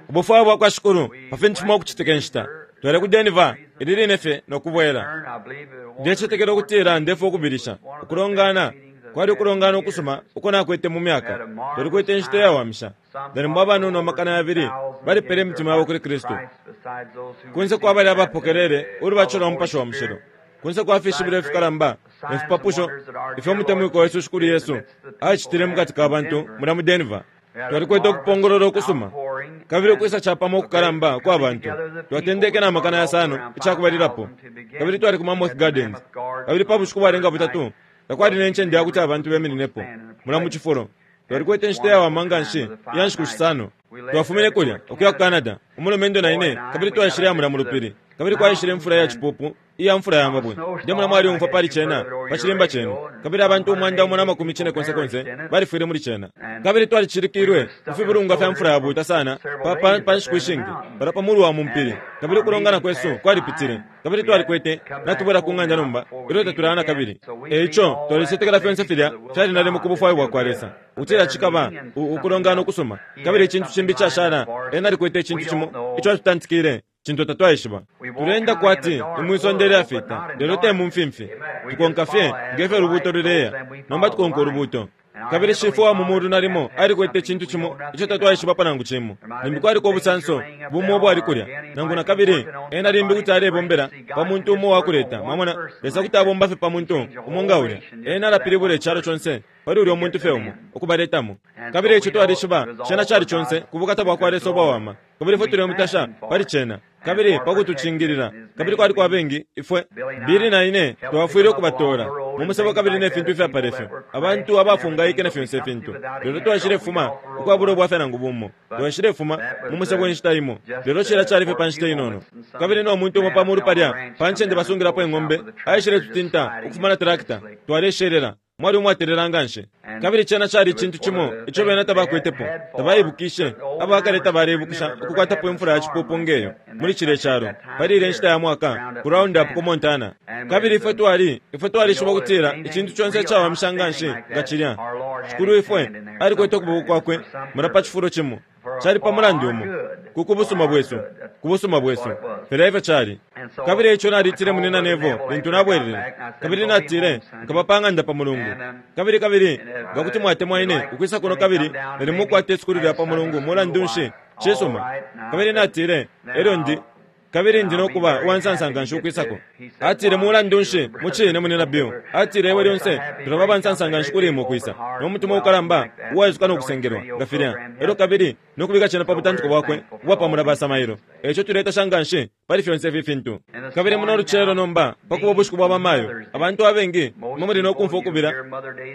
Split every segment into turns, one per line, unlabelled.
Ubufwayo bwa kwa Shikulu pa fintu fimo ukucitika inshita. Twale ku Denver ili line fye no kubwela. Ndecetekela ukutila ndefwa ukubilisha ukulongana kwali ukulongana ukusuma uko nakwete mu myaka. Twalikwete inshita iyawamisha. Nalimo abanono 200 balipele imitima yabo kuli Kristu. Kunse kwa balya abapokelele ulubatisho lwa Mupashi wa Mushilo, kunse kwa fishibilo ifikalamba ne fipapusho ifyo umutemwikwa wesu Shikulu Yesu acitile mukati ka bantu mulya mu Denver. Twalikwete ukupongolola ukusuma kabili ukwisa capamo ukukalamba kwa bantu. Twatendeke na 500 icakubalilapo, kabili twali ku Mammoth Gardens, kabili pa bushiku bwalenga butatu takwali ne ncende ya kuti abantu bemininepo mulya mu cifulo. Twalikwete inshita iyawama nganshi iya nshiku shisano. Twafumine kulya ukuya ku Canada, umulumendo na ine, kabili twaishileya mulya mu lupili, kabili kwaishile imfula ya cipupu iya mfula ya mabwe. Ndemona mwalyumfwa pali cena pa cilimba cenu. Kabili abantu 190 balifwile muli cena. Kabili twalicilikilwe ku fibulungwa fya mfula yabuuta sana pa, pa, pa nshiku ishingi, palya pa mulu wa mu mpili. Kabili ukulongana kwesu kwalipitile, kabili twalikwete, natubwela ku ng'anda nomba, ilyo tatulaya nakabili. E ico twalicetekela fyonse filya fyali nalimo ku bufwayo bwakwa Lesa, ukutila cikaba u, ukulongana ukusuma. Kabili icintu cimbi icashala, Ena alikwete icintu cimo ico atutantikile, cintu tatwaishiba. Tuleenda kwati ni mwi sonde ilyafita, lelo te mu mfimfi. Tukonka fye nge fyo ulubuuto luleya. Nomba tukonka ulubuuto. Kabili Shifwe wa mu Mulu nalimo alikwete icintu cimo ico tatwaishibapo nangu cimo. Limbi kwaliko ubusanso bumo ubwali kulya, nangu na kabili Ena limbi kuti alebombela pa muntu umo uwakuleta. Mwamona, Lesa kuti abomba fye pa muntu umo nga ulya. Ena alapilibula icalo conse pali ulyo muntu fye umo, ukubaletamo. Kabili eico twalishiba cena cali conse ku bukata bwakwa Lesa ubwawama. Kabili ifwe tulemutasha pali cena, kabili pa kutucingilila. Kabili kwaliko abengi, ifwe, Billy na ine, twafwile ukubatoola mu musebo kabili ne fintu ifyapala ifyo, abantu abafungaike na fyonse ifintu. Lelo twaishilefuma ukwabula ubwafya nangu bumo. Twaishilefuma mu musebo inshita imo, lelo cilya cali fye pa nshita inono. Kabili no muntu umo pa mulu palya pa ncende basungilapo ing'ombe aishiletutinta ukufuma na trakita. Twaleshelela. Mwali umwatelela nganshi. Kabili cena cali icintu cimo ico bena tabakwetepo, tabaibukishe. Abakale tabaleibukisha ukukwatapo imfula ya cipupu ngeyo muli cilye calo pali ilya nshita ya mwaka, ku Roundup ku Montana. Kabili ifwe twali, ifwe twalishiba ukutila icintu conse icawamisha nganshi nga cilya, Shikulu ifwe alikwete ukuboko Kwakwe mulya pa cifulo cimo. Cali pa mulandu umo, ku kubusuma bwesu, ku busuma bwesu. Filya efyo cali. Kabili eico nalitile Munyina Neville lintu nabwelele, kabili natile, Nkaba pa ng'anda pa Mulungu. Kabili, kabili nga kuti mwatemwa ine ukwisa kuno kabili nalimo ukukwata isukulu lya pa Mulungu, mulandu nshi, cisuma. Kabili natile, Elyo ndi. Kabili ndi no kuba uwansansa nganshi ukwisako. Atile, Mulandu nshi, mucine, Munyina Bill, atile, iwe lyonse tulaba abansansa nganshi kuli imwe ukwisa, no mutima ukalamba uwaisuka no kusengelwa, nga filya, elyo kabili no kubika cena pa butantiko bwakwe ubwa pa mulabasa mailo. Eico tuletasha nganshi pali fyonse ifi fintu. Kabili muno lucelo nomba, pa kuba ubushiku bwa bamayo, abantu abengi, imwe muli no kumfwa ukubila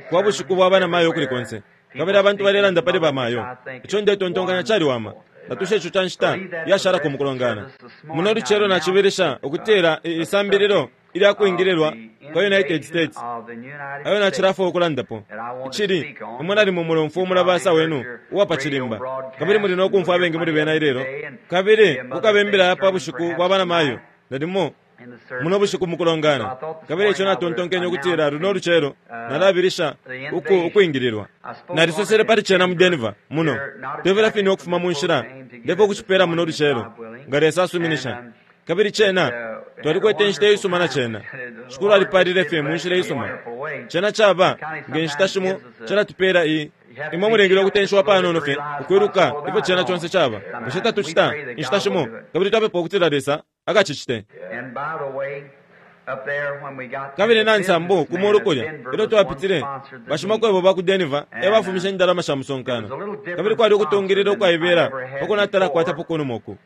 kwa bushiku bwa banamayo ukuli konse. Kabili abantu balelanda pali bamayo. Ico ndetontonkanya caliwama. Natushe ico ca nshita yashalako mu kulongana. Muno lucelo nacibilisha ukutila isambililo ilya kwingililwa kwa United States ayo nacilafwaya ukulandapo. Icili, imwe nalimo mulomfwa umulabasa wenu uwa pa cilimba, kabili muli no kumfwa abengi muli bena ilelo, kabili kukaba imbila ya pa bushiku bwa banamayo, nalimo muno bushiku mukulongana. Kabili eico natontonkenye ukutila luno lucelo nalabilisha uku ukwingililwa. Nalisosele pali cena mu Denver, muno. Tebela fine ukufuma mu nshila, ndefwa ukucipela muno lucelo, nga Lesa asuminisha. Kabili cena, twalikwete inshita iisuma na cena. Shikulu alipalile fye mu nshila iisuma. Cena caba, nge nshita shimo, calatupela i, imwe mulingile ukutenshiwa panono fye ukwiluka ifyo cena conse caba. Bushe tatucita, inshita shimo? Kabili twapepa ukutila Lesa akacicite. Kabili na nsambu ku mulu kulya, ilyo twapitile, bashimakwebo ba ku Denver e bafumishe indalama sha musonkano. Kabili kwali ukutungilila ukwaibela pa kunatala kwatapo kunuma uku.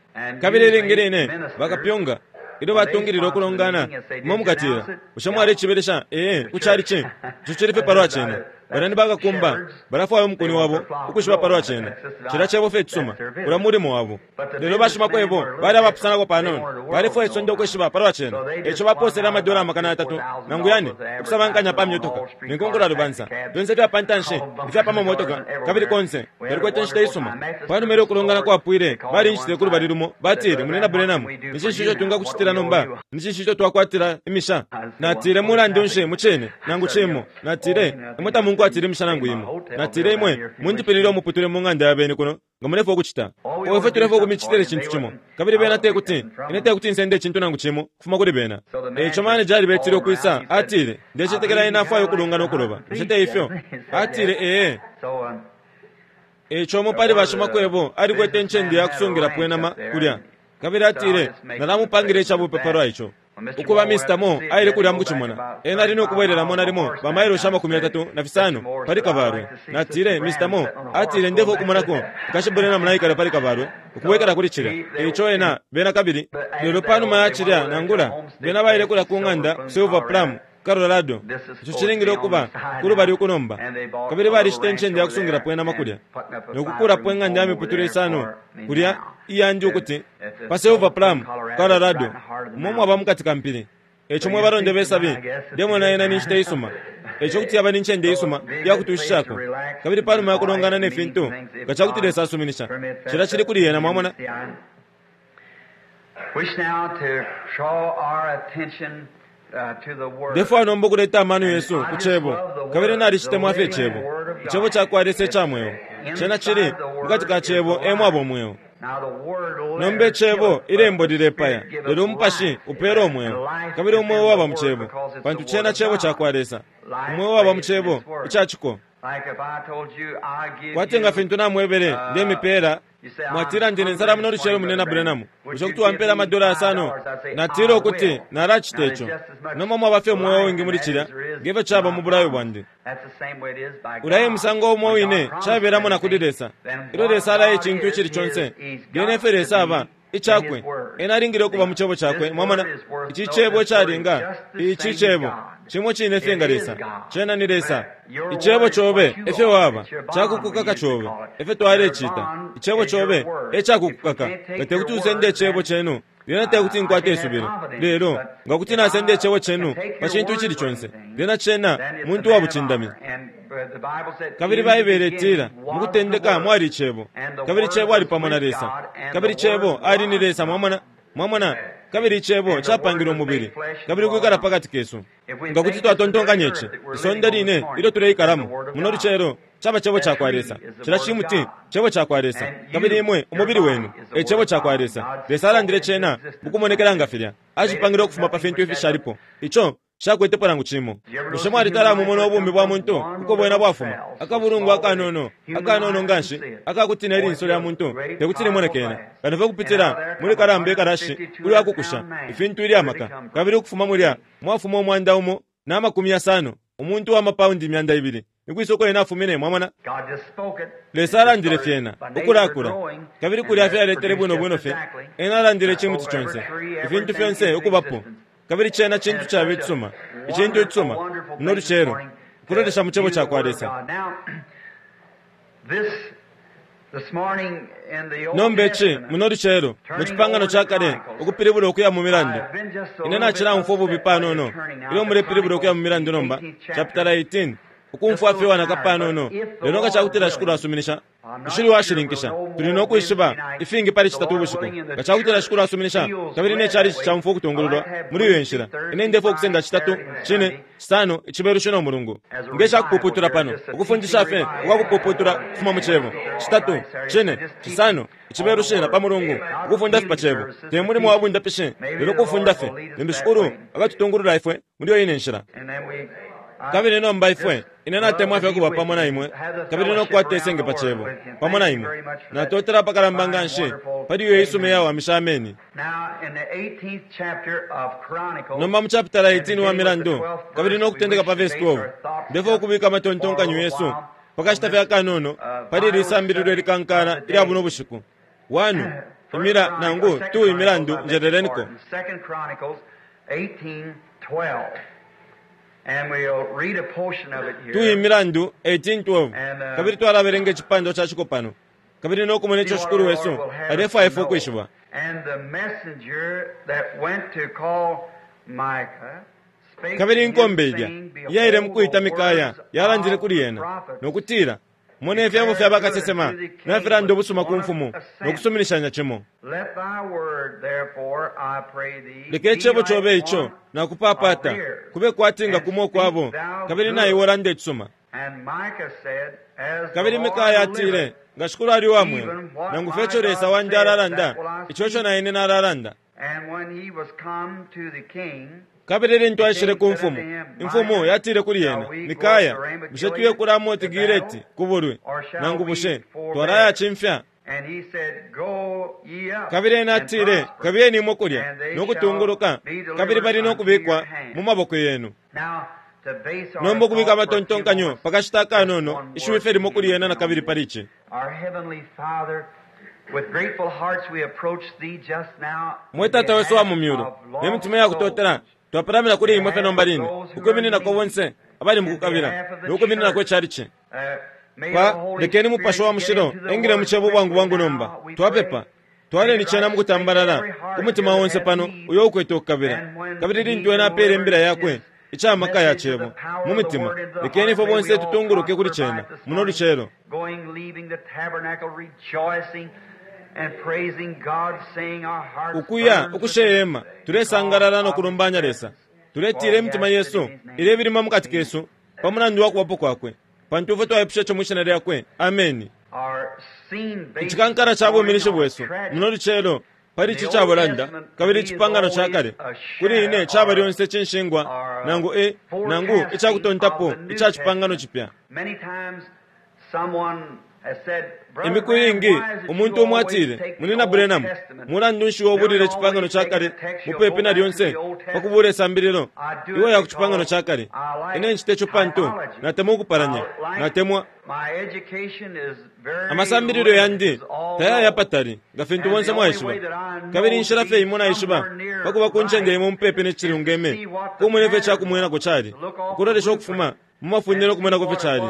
Kabili ilingi line bakapyunga, ilyo batungilila ukulongana, imwe mukatila, Bushe mwalicibelesha? Ee, ku calici. Ico cili fye palwa cena. Bena ni bakakumba, balafwaya umukuni wabo ukwishiba palwa cena. Cilya cebo fye icisuma. Ulya mulimo wabo. Lelo bashimakwebo bali abapusanako panono. Balefwaya isonde ukwishiba palwa cena. E ico bapoosele amadola 300 nangu yane ukusabankanya pa myotoka ne nkonkolalubansa, fyonse ifya pa ntanshi ifya pa mamotoka, kabili konse. Twalikwete inshita isuma. Pa numa ilyo ukulongana kwapwile, balinshitile ku lubali lumo, batile, Munyina Branham, ni cinshi ico twingakucitila nomba? Ni cinshi ico twakwatila imisha? Natile, Mulandu nshi, mucine, nangu cimo. Natile, Imwe tamunkwatile. Nshingwatile imisha nangu imo. Natile, Imwe mundipilile umuputule mu ng'anda ya beni kuno, nga mulefwaya ukucita. Owe, ifwe tulefwaya ukumicitila icintu cimo. Kabili bena tekuti, ine tekuti nsende icintu nangu cimo ukufuma kuli bena. E ico maneja alibetile ukwisa, atile, Ndecetekela ena afwaya ukulunga no kuloba, bushe te ifyo? Atile, Ee. E ico umo pali bashimakwebo alikwete incende ya kusungilapo inama kulya, kabili atile, Nalamupangila icabupe palwa ico. Ukuba, Mista Moore aile kulya mukucimona. Ena ali nokubwelelamo nalimo ba mailoshi amakumi 35 pali kabalwe. Natile, Mista Moore, atile, Ndefwaya ukumonako Nkashi Branham naikala pali kabalwe, ukubwekela kuli cilya. Eico ena, bena kabili. Lelo panuma ya cilya, nangula, bena baile kulya ku ng'anda ku Silver Plum, Colorado, ico cilingile ukuba kulubali uku nomba. Kabili balishita incende ya kusungilapo inama kulya, no kukulapo ing'anda ya miputule isano kulya, iyandi ukuti, pa Silver Plum, Colorado, umo mwaba mukati ka mpili. Eico mwe balonde be sabi, ndemona yena ni nshita isuma. Eico kuti yaba ni ncende isuma iya kutushishako. Kabili panuma ya kulongana ne fintu, nga cakuti Lesa asuminisha, cilya cili kuli Ena, mwamona.
Wish now to draw our attention
Ndefwaya nomba ukuleta amano yesu ku Cebo, kabili nalicitemwa fye Icebo, Icebo cakwa Lesa ica mweo. Cena cili, mukati ka Cebo e mwaba Umweo. Nomba Icebo, Ilembo lilepaya, lelo Umupashi upela Umweo. Kabili Umweo waba mu Cebo, pantu Cena Cebo cakwa Lesa. Umweo waba mu Cebo, ica Ciko. Kwati nga fintu namwebele, ndemipela. Mwatila, Ndi ne nsala muno lucelo, Munyina Branham. Bushe kuti wampela amadola yasano? Natile ukuti nalacita ico. Nomba mwaba fye umweo uwingi muli cilya nge fyo caba mu bulayo bwandi. Ulya e musango umo wine cabelamo na kuli Lesa. Ilyo Lesa alaya icintu icili conse, lyena ifyo Lesa aba, Icakwe. Ena alingile ukuba mu Cebo Cakwe. Mwamona? Ici Cebo icalinga, ici Cebo, cimo cine fye nga Lesa. Cena ni Lesa. Icebo cobe efyo waba, cakukukaka cobe, efyo twalecita. Icebo cobe e cakukukaka. Nga tekuti usende Icebo cenu, lyena tekuti nkwate isubilo. Lelo nga kuti nasenda Icebo cenu pa cintu icili conse, lyena cena muntu wa bucindami. Kabili Baibele itila, Mu kutendeka mwali Icebo, kabili Cebo ali pamo na Lesa, kabili Cebo ali ni Lesa. Mwamona? Mwamona? Kabili Icebo capangilwe umubili kabili ukwikala pakati kesu. Nga kuti twatontonkanya ici, isonde line ilyo tuleikalamo muno lucelo caba Cebo cakwa Lesa. Cilya cimuti Cebo cakwa Lesa, kabili imwe, umubili wenu, e Cebo cakwa Lesa. Lesa alandile Cena mukumonekela nga filya. Acipangile ukufuma pa fintu ifishalipo. Ico Nshakwetepo nangu cimo. Bushe mwalitala amumona ubumi bwa muntu uko bwena bwafuma? Akabulungwa akanono, akanono nganshi, akakuti ne linso lya muntu tekuti limone kena, kano fye ukupitila muli kalamba ikalashi ulya kukusha ifintu ilya maka, kabili ukufuma mulya mwafuma 160, umuntu uwa mapaundi 200. Nikwisa uko ena afumine? Mwamona? Lesa alandile fyena, ukulakula, kabili kulya fyaletele bwino bwino fye. Ena alandile icimuti conse, ifintu fyonse ukubapo. Kabili cena cintu caba icisuma, icintu icisuma, muno lucelo, ukulolesha mu Cebo cakwa Lesa. Nomba ici, muno lucelo, mu Cipangano ca Kale, ukupilibula ukuya mu Milandu. Ine nacilaumfwa ububi panono ilyo mulepilibula ukuya mu Milandu nomba, chapitala 18, ukumfwa fye uwanaka panono. Lelo nga cakutila Shikulu asuminisha, Nshili uwashininkisha. Tuli no kwishiba ifingi pali Citatu ubushiku, nga cakutila Shikulu asuminisha kabili ne chalichi caumfwa ukutungululwa muli iyo nshila. Ine ndefwaya ukusenda Citatu, Cine, Cisano, Icibelushi no Mulungu nge ca kupuputula pano, ukufundisha fye ukwa kupuputula ukufuma mu Cebo. Citatu, Cine, Cisano, Icibelushi na pa Mulungu, ukufunda fye pa Cebo. Te mulimo wa bundapishi, lelo kufunda fye. Limbi Shikulu akatutungulula ifwe muli iyo ine nshila. Kabili nomba ifwe, ine natemwa fye ukuba pamo na imwe kabili no kukwata isenge pa Cebo pamo na imwe. Natotela apakalamba nganshi pali iyo isuma iyawamisha ameni. Nomba mu chapitala 18 uwa Milandu, kabili no kutendeka pa vesi 12, ndefwaya ukubika amatontonkanyo yesu pa kashita fye akanono pali ili sambililo ilikankala ilya buno bushiku. 1 Imila nangu 2 Imilandu, njeleleniko. 2 Imilandu 18:12, kabili twalabelenga icipandwa ca ciko pano kabili no kumona ico Shikulu wesu alefwaya ifwe ukwishiba. Kabili inkombe ilya iyaile mu kwita Mikaya yalandile kuli ena, no kutila, Mona ifyebo fya bakasesema nafilanda ubusuma ku mfumu no kusuminishanya cimo. Leka icebo cobe ico nakupapata kube kwati nga kumo ukwabo, kabili na iwe ulande icisuma. Kabili Mikaya atile, Nga Shikulu ali uwa mweo, nangu fye ico Lesa wandi alalanda, ico eco na ine nalalanda. Kabili lintu aishile ku mfumu, imfumu yatile kuli ena, Mikaya, bushe tuye ku Ramoti Gileti ku bulwi, nangu bushe twalayacimfya? Kabili ena atile, Kabiyeni imwe kulya no kutunguluka, kabili bali no kubikwa mu maboko yenu. Nomba ukubika amatontonkanyo pa kashita akanono, ishiwi fye limo kuli ena na kabili pali ici. Mwe Tata wesu wa mu Myulu, ne mitima iya kutotela twapalamina kuli Imwe fye nomba line, ukwimininako bonse abali mukukabila, no kwimininako ichalichi. Pa, lekeni Mupashi wa Mushilo engile mu Cebo bwangu bwangu nomba, twapepa. Twaleni cena mukutambalala ku mutima onse pano uyo ukwete ukukabila. Kabili lintu Ena apele Imbila Yakwe, ica maka ya Cebo, mu mitima, lekeni ifwe bonse tutunguluke kuli cena muno lucelo. Ukuya ukushe hema, tulesangalala no kulumbanya Lesa. Tuletila imitima yesu ilebilima mukati kesu pa mulandu wa Kubapo Kwakwe, pantu ifwe twaipusha ico mwi Shina Lyakwe. Ameni. Icikankala ca buminishi bwesu muno lucelo pali ici cabulanda kabili icipangano ca kale kuli ine caba lyonse cinshingwa nangu e nangu ica kutontapo ica cipangano cipya. Imiku iingi umuntu umo atile, Munyina Branham, mulandu nshi iwe ubulile icipangano ca kale mupepi na lyonse pa kubula isambililo? Iwe ya ku cipangano ca kale. Ine ncite co pantu natemwa ukupalanya. Natemwa. Amasambililo yandi tayaya patali, nga fintu bonse mwaishiba. Kabili inshila fye imo naishiba pa kuba ku ncende imo mupepi ne cilungeme, kumona ifyo ica kumwenako cali, ukulolesha ukufuma mu mafunde no kumwenako ifyo cali.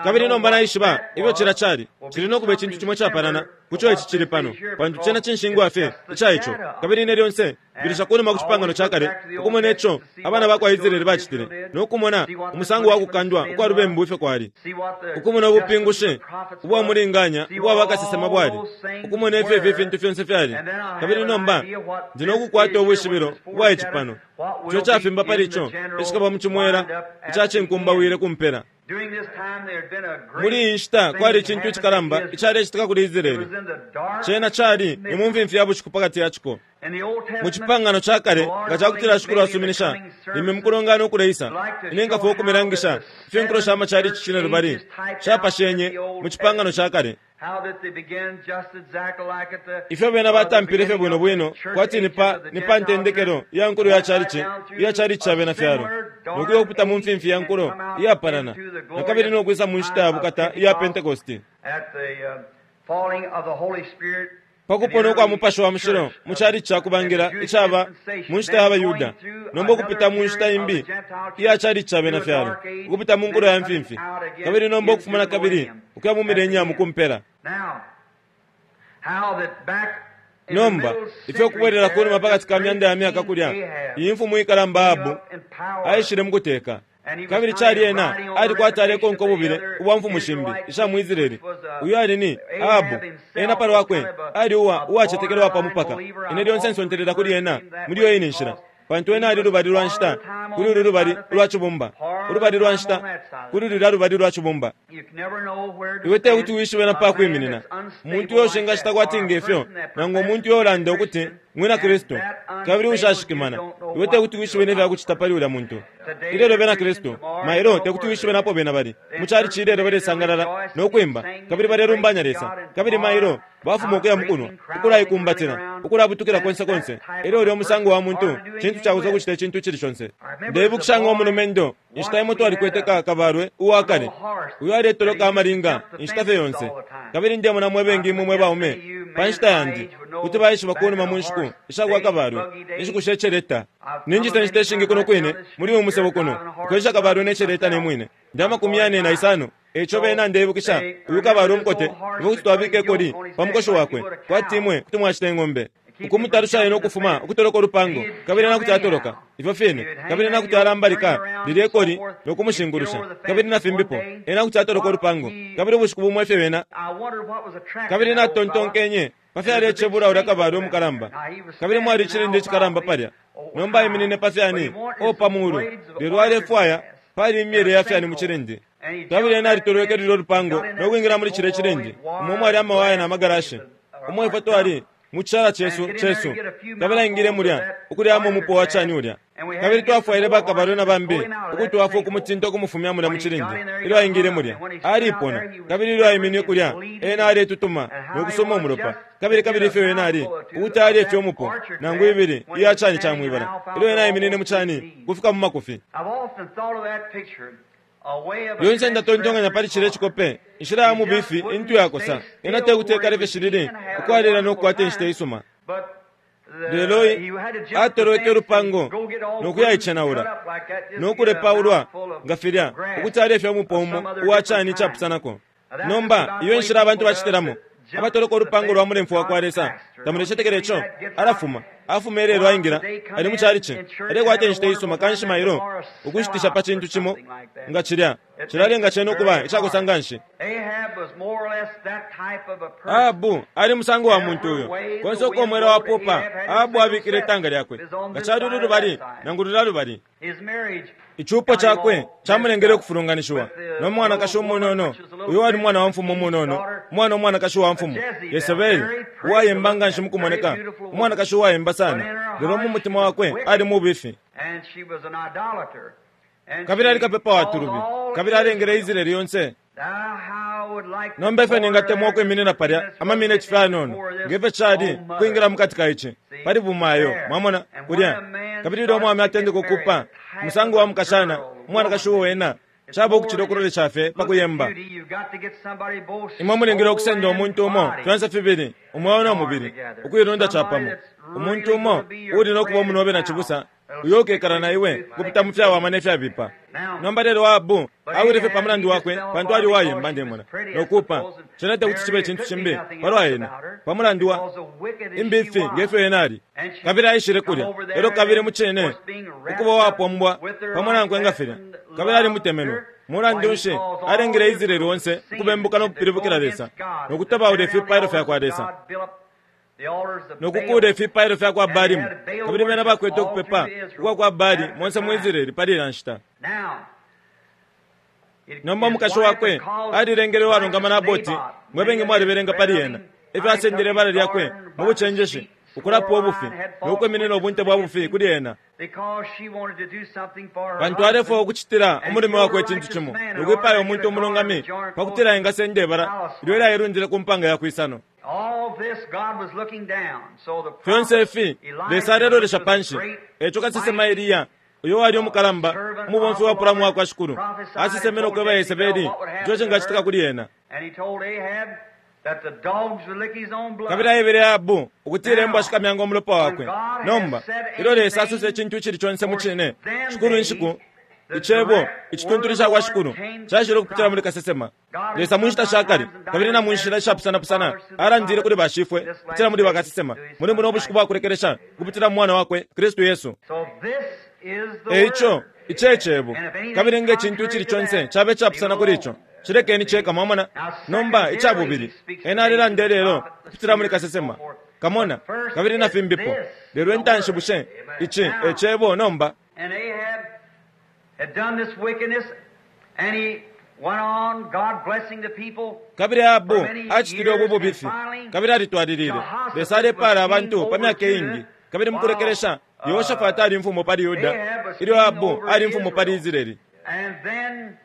Kabili nomba naishiba ifyo cilya cali, cili no kuba icintu cimo icapalana ku co ici cili pano, pantu cena cinshingwa fye ica ico. Kabili ine lyonse mbilisha kunuma ku Cipangano ca Kale, ukumona ico abana ba kwa Israele bacitile, no kumona umusango wa kukandwa ukwa lubembu ifyo kwali, ukumona ubupingushi ubwa mulinganya ubwa bakasesema bwali, ukumona ifyo ifi fintu fyonse fyali. Kabili nomba ndi no kukwata ubwishibilo ubwa ici pano, ico cafimba pali ico icikaba mu cimwela ica cinkumbawile ku mpela. Muli iyi nshita kwali icintu icikalamba icalecitika kuli Israele. Cena cali ni mu mfimfi ya bushiku pakati ya ciko. Mu Cipangano ca Kale, nga cakutila Shikulu asuminisha, limbi mukulongana ukuleisa, ine nkafwaya ukumilangisha ifyo inkulo sha machalichi cinelubali shapashenye mu Cipangano ca Kale. Ifyo bena batampile fye bwino bwino kwati ni pa, ni pa ntendekelo ya nkulo ya chalichi, iya chalichi ca bena fyalo, no kuya ukupita mu mfimfi ya nkulo iyapalana, na kabili no kwisa mu nshita ya bukata iya Pentekoste. Pa kupona ukwa Mupashi wa Mushilo mu chalichi ca kubangila icaba mu nshita ya baYuda, nomba ukupita mu nshita imbi iya chalichi ca bena fyalo, ukupita mu nkulo ya mfimfi, kabili nomba ukufuma na kabili ukuya mu millennium ku mpela. Nomba, ifyo ukubwelela ku numa pakati ka myanda ya myaka kulya, iyi mfumu ikalamba Ahabu aishile mu kuteka. Kabili cali ena ali kwati alekonka ububile ubwa mfumu shimbi isha mu Israele. Uyu ali ni Ahabu. Ena palwakwe ali uwa uwacetekela uwa pa mupaka. Ine lyonse nsontelela kuli ena muli iyo ine nshila, pantu ena ali lubali lwa nshita kuli ulu lubali ulwa cibumba, ulubali lwa nshita kuli lulya lubali lwa cibumba. Iwe tekuti wishibe na pa kwiminina. Umuntu uyo ushingacita kwati ngefyo, nangu umuntu uyo ulanda ukuti mwina Kristu, kabili uushashikimana, iwe tekuti wishibe ne fya kucita pali ulya muntu. Ilelo bena Kristu, mailo tekuti wishibe napo bena bali. Mu chalichi ilelo balesangalala no kwimba, kabili balelumbanya Lesa, kabili mailo bafuma ukuya mukunwa, ukulaikumbatila, ukulabutukila konse konse. Elyo ulya musango wa muntu, cintu cakosa ukucita icintu icili conse. Ndeibukisha ngo mulumendo, inshita imo twalikwete ka kabalwe uwa kale, uyo aletoloka amalinga inshita fye yonse. Kabili ndemona mwe bengi imwe mwe baume, pa nshita yandi, kuti baishiba kunuma mu nshiku isha kwa kabalwe, inshiku she celeta. Ninjisa inshita ishingi kuno kwine muli uyu musebo kuno, ukwensha kabalwe ne celeta ne mwine. Ndi amakumi yane na isano, eico bena ndeibukisha uyu kabalwe umukote, ifwe kuti twabika ikoli pa mukoshi wakwe, kwati imwe kuti mwashita ing'ombe. Ukumutalusha ena ukufuma ukutoloka ulupango, kabili ena kuti atoloka, ifyo fine, kabili ena kuti alambalika lilye koli no kumushingulusha, kabili na fimbipo. Ena kuti atoloka ulupango, kabili ubushiku bumo ifyo bena. Kabili natontonkenye pa fyalecebula ulya kabalwe umukalamba, kabili mwali icilindi icikalamba palya. Nomba aiminine pa fyani, o pa mulu, lelo alefwaya, pali imyele ya fyani mu cilindi. Kabili ena alitolweke lulyo lupango no kwingila muli cilye cilindi umo mwali amawaya na magarashi, umo ifwe twali mu cishala cesu, cesu. Kabili aingile mulya, ukulyamo umupo wa cani ulya. Kabili twafwaile bakabalwe na bambi ukutwafwa ukumutinta ukumufumya mulya mu cilindi. Ilyo aingile mulya, alipona. Kabili ilyo aiminine kulya, ena aletutuma no kusuma umulopa. Kabili, kabili ifyo ena ali, ukuti alye fye umupo, nangu ibili iya cani ca mwibala, ilyo ena aiminine mu cani, kufika mu makufi. Lyonse ndatontonkanya pali cilye cikope, inshila ya mubifi intu yakosa. Ena tekuti ekale fye shilili, ukwalila no kukwata inshita isuma. Lelo atolweke ulupango no kuyaicenaula, no kulepaulwa nga filya, ukuti alye fye umupo umo uwa cani icapusanako. Nomba, iyo enshila abantu bacitilamo, abatoloka ulupango lwa mulemfwe wakwa Lesa. Tamulecetekela ico? Alafuma. Afuma ilelo aingila, ali mu chalichi, alekwata inshita isuma, kanshi mailo ukushitisha pa cintu cimo nga cilya, cilalenga cena ukuba icakosa nganshi. Ahabu ali musango wa muntu uyo, konse uko umwela wapupa, Ahabu abikile itanga lyakwe, nga cali ulu lubali nangu lulya lubali. Icupo cakwe camulengele ukufulunganishiwa no mwanakashi umunono, uyo wali mwana wa mfumu umunono, umwana umwanakashi wa mfumu, Yesebeli, uwayemba nganshi mukumoneka, umwanakashi uwayemba sana, lelo mu mutima wakwe ali mubifi. Kabili ali kapepa wa tulubi, kabili alengele Israeli yonse. Nomba ifyo ningatemwa ukwiminina palya amamineti fye ayanono, nge fyo cali kwingila mukati ka ici, pali bumayo, mwamona, kulya. Kabili ilyo umwaume atendeka ukupa, umusango wa mukashana, umwanakashi uo ena, caba ukucila ukulolesha fye pa kuyemba. Imwe mulingile ukusenda umuntu umo, fyonse fibili, umweo no mubili, ukuilunda capamo. Umuntu umo uuli no kuba umunobe na cibusa, uyo ukekala na iwe ukupita mu fyawama ne fyabipa. Nomba lelo Ahabu awile fye pa mulandu wakwe, pantu ali uwayemba, ndemona, no kuupa. Cena tekuti cibe icintu cimbi palwa ena, pa mulandu wa imbifi nge fyo ena ali. Kabili aishile kulya, elyo kabili mucine ukuba uwapombwa pamo nankwe nga filya, kabili alimutemenwe. Mulandu nshi, alengele Israeli onse ukubembuka no kupilibukila Lesa, no kutabaula ifipailo fya kwa Lesa, no kukuula ifipailo fya kwa Baalimu, kabili bena bakwete ukupepa ukwa kwa Baali monse mu Israeli pali ilya nshita. Nomba umukashi wakwe alilengele uwalungama Naboti, mwe bengi mwalibelenga pali ena, ifyo asendele ibala lyakwe mu bucenjeshi, ukulapa ubufi, no kwiminina ubunte bwa bufi kuli ena, pantu alefwaya ukucitila umulume wakwe icintu cimo, no kwipaya umuntu umulungami, pa kutila engasenda ibala ilyo ilyailundile ku mpanga ya kwisano. Fyonse ifi, Lesa alelolesha panshi. Eco kasesema Eliya, uyo wali umukalamba, umubomfi wapulamo uwa kwa Shikulu, asesemene ukweba Yesebeli ico cingacitika kuli ena. Kabili aebele Ahabu ukutila imbwa shikamyanga umulopa wakwe. Nomba, ilyo Lesa asosa icintu icili conse mu cine, Shikulu inshiku, Icebo icituntulu ica kwa Shikulu caishile ukupitila muli kasesema. Lesa mu nshita sha kale kabili na mu nshila ishapusanapusana alandile kuli bashifwe ukupitila muli bakasesema muli buno bushiku bwa kulekelesha ukupitila mu Mwana wakwe, Kristu Yesu. E ico, ici e Cebo. Kabili nge cintu icili conse caba icapusana kuli ico, cilekeni ceka, mwamona. Nomba, ica bubili, Ena alelanda ilelo ukupitila muli kasesema, kamona, kabili na fimbipo. Lelo intanshi bushe ici e Cebo nomba?
Had done this wickedness, and he went on, God blessing the people.
Kabili Ahabu acitile ubu bubifi, kabili alitwalilile. Lesa alepaala abantu pa myaka iingi. Kabili mukulekelesha, Yehoshafati ali imfumu pali Yuda, ilyo Ahabu ali imfumu pali Israeli.
And then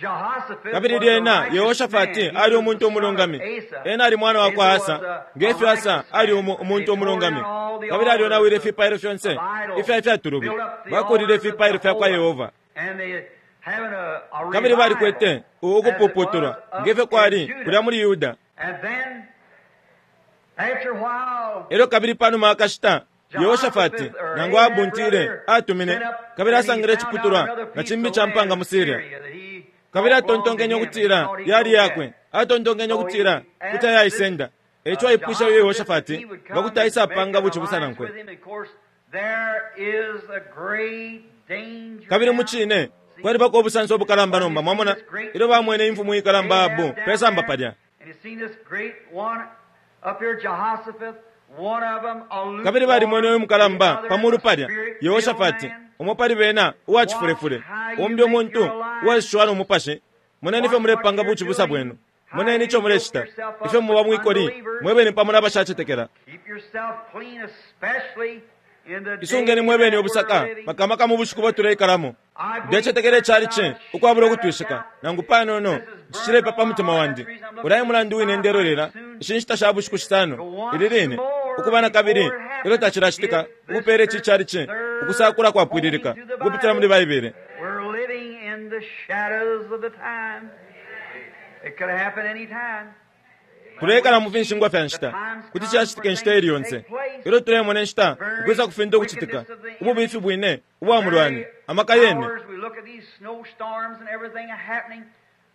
Jehoshaphat
Kabili
was a
lyena
righteous
Yehoshafati
man. He
ali
was
umuntu
the son of
umulungami.
Asa.
Ena ali mwana wa kwa
Asa
Asa,
was a
nge fyo Asa
righteous
ali
man.
umuntu
They tore
umulungami.
down all the
Kabili alyonawile
altars of
ifipailo fyonse
of idols,
ifya ifya tulubi.
built up the
Bakuulile
altars of
ifipailo fya kwa
Jehovah.
Yehova.
And they having a
Kabili
revival
balikwete
as it
ukupuputulwa
was up
nge fyo
in
kwali
Judah.
kulya muli Yuda.
And then, after a while,
Elyo kabili panuma akashita, Yehoshafati nangu abuntile atumine kabili asangile iciputulwa na cimbi ca mpanga mu Siria. Kabili atontonkenye ukutila yali yakwe, atontonkenye ukutila kuti ayaisenda. E ico aipwishe uyo Yehoshafati nga kuti aisapanga bucibusa nankwe. Kabili mu cine kwalibako ubusanso ubukalamba nomba, mwamona, ilyo bamwene imfumu ikalamba Ahabu pe samba palya. Kabili balimwene uyu mukalamba pa mulu palya, Yehoshafati, umo pali bena uwa cifulefule, umbi umuntu uwaishiwa no mupashi, Moneni ifyo mulepanga bucibusa bwenu. Moneni ico mulecita, ifyo muba mwikoli mwebene pamo nabashacetekela. Isungeni mwebene ubusaka, maka maka mu bushiku bo tuleikalamo. Ndecetekela icalici ukwabula ukutwishika nangu panono. Ici cilepa pa mutima wandi. Ulya e mulandu wine ndelolela ishi nshita sha bushiku shisano ili line ukuba na kabili ilyo tacilacitika ukupeela ici calici ukusakula kwapwililika ukupitila muli Baibele. Tuleikala mu finshingwa fya nshita. Kuti cacitika inshita iili yonse. Ilyo tulemona inshita ukwisa ku fintu ukucitika, ububifi bwine ubwa mulwani, amaka yene.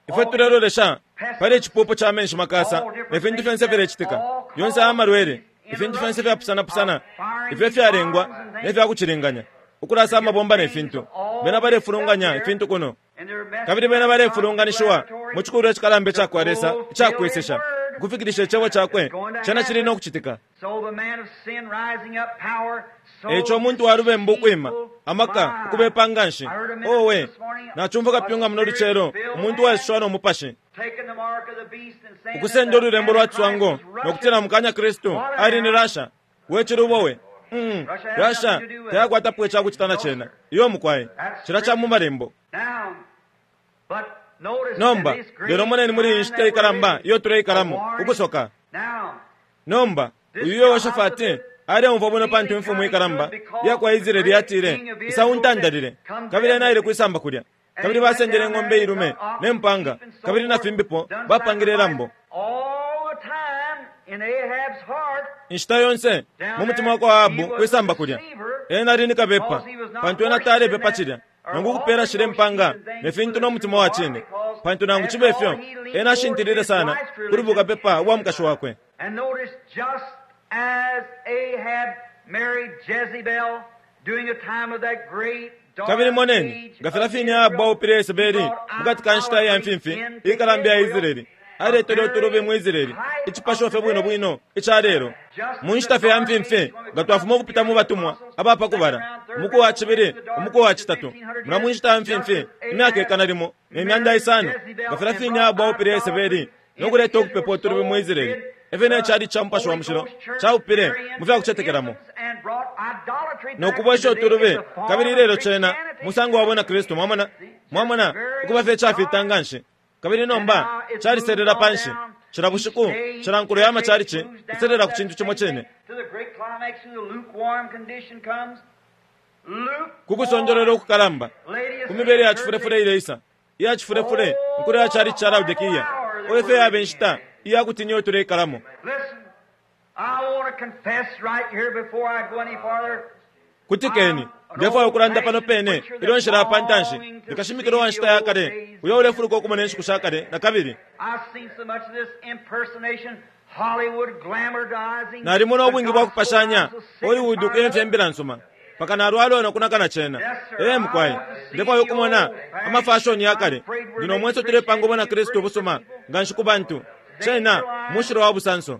Ifwe tulelolesha pali icipupu ca menshi makasa ne fintu fyonse filecitika, yonse aya malwele, ifintu fyonse fyapusanapusana ifyo ifyalengwa ne fya kucilinganya, ukulasa amabomba ne fintu. Bena balefulunganya ifintu kuno. Kabili bena balefulunganishiwa mu cikulwa icikalamba ica kwa Lesa ica kwesesha, ukufikilisha Icebo Cakwe. Cena cili no kucitika. Eico umuntu wa lubembu ukwima, amaka, ukubepa nganshi. Owe, nacumfwa kapyunga muno lucelo, umuntu uwaishiwa no Mupashi, ukusenda ululembo lwa ciswango no kutila mukanya Kristu ali ni Russia. We cilubo we! Mm, Russia tayakwatapo ica kucita na cena. Iyo mukwai. Cila ca mu Malembo. Nomba, lelo moneni muli iyi nshita ikalamba iyo tuleikalamo, ukusoka. Nomba, uyu Yehoshafati aleumfwa bwino pantu imfumu ikalamba iya kwa Israele yatile, Isa untandalile. Kabili ena aile kwisamba kulya. Kabili basendele ing'ombe ilume ne mpanga, kabili na fimbipo, bapangile ilambo. Inshita yonse mu mutima wa kwa Ahabu kwisamba kulya, ena ali ni kabepa, pantu ena talepepa cilya, nangu ukupela shilye mpanga ne fintu no mutima wa cine, pantu nangu cibe fyo ena ashintilile sana kuli bukapepa ubwa mukashi wakwe. Kabili moneni, nga filya fine Ahabu aupile Yesebeli mukati ka nshita iya mfimfi ikalamba iya Israele, aletele utulubi mu Israele, icipasho fye bwino bwino ica lelo. Mu nshita fye ya mfimfi, nga twafuma ukupita mu batumwa aba pa kubala, umuku wa cibili, umuku wa citatu, mulya mu nshita ya mfimfi, imyaka ikana limo ne myanda isano, nga filya fine Ahabu aupile Yesebeli no kuleta ukupepa utulubi mu Israele, e fyo ne calici ca Mupashi wa Mushilo caupile mu fya kucetekelamo no kubwesha utulubi, kabili ilelo cena musango wa bwina Kristu. Mwamona? Mwamona, ukuba fye icafita nganshi. Kabili nomba caliselela panshi. Cila bushiku, cila nkulo ya macalici iselela ku cintu cimo cine. Ku kusondolola ukukalamba, ku mibele ya cifulefule ileisa, iya cifulefule, inkulo ya calici ca Laodikia. O ifyo yaba inshita iya kutinya iyo tuleikalamo! Kutikeni, ndefwaya ukulanda pano pene ilyo nshilaya pa ntanshi. Ndi kashimikila uwa nshita ya kale uyo ulefuluka ukumona inshiku sha kale na kabili. Nalimona ubwingi bwa kupashanya Hollywood ukuyemfya imbila nsuma mpaka nalwala no kunaka na cena. Ee mukwai, ndefwaya ukumona amafashoni ya kale. Ndi no mwenso tulepanga ubona Kristu ubusuma nganshi ku bantu. Cena mushilo wa busanso.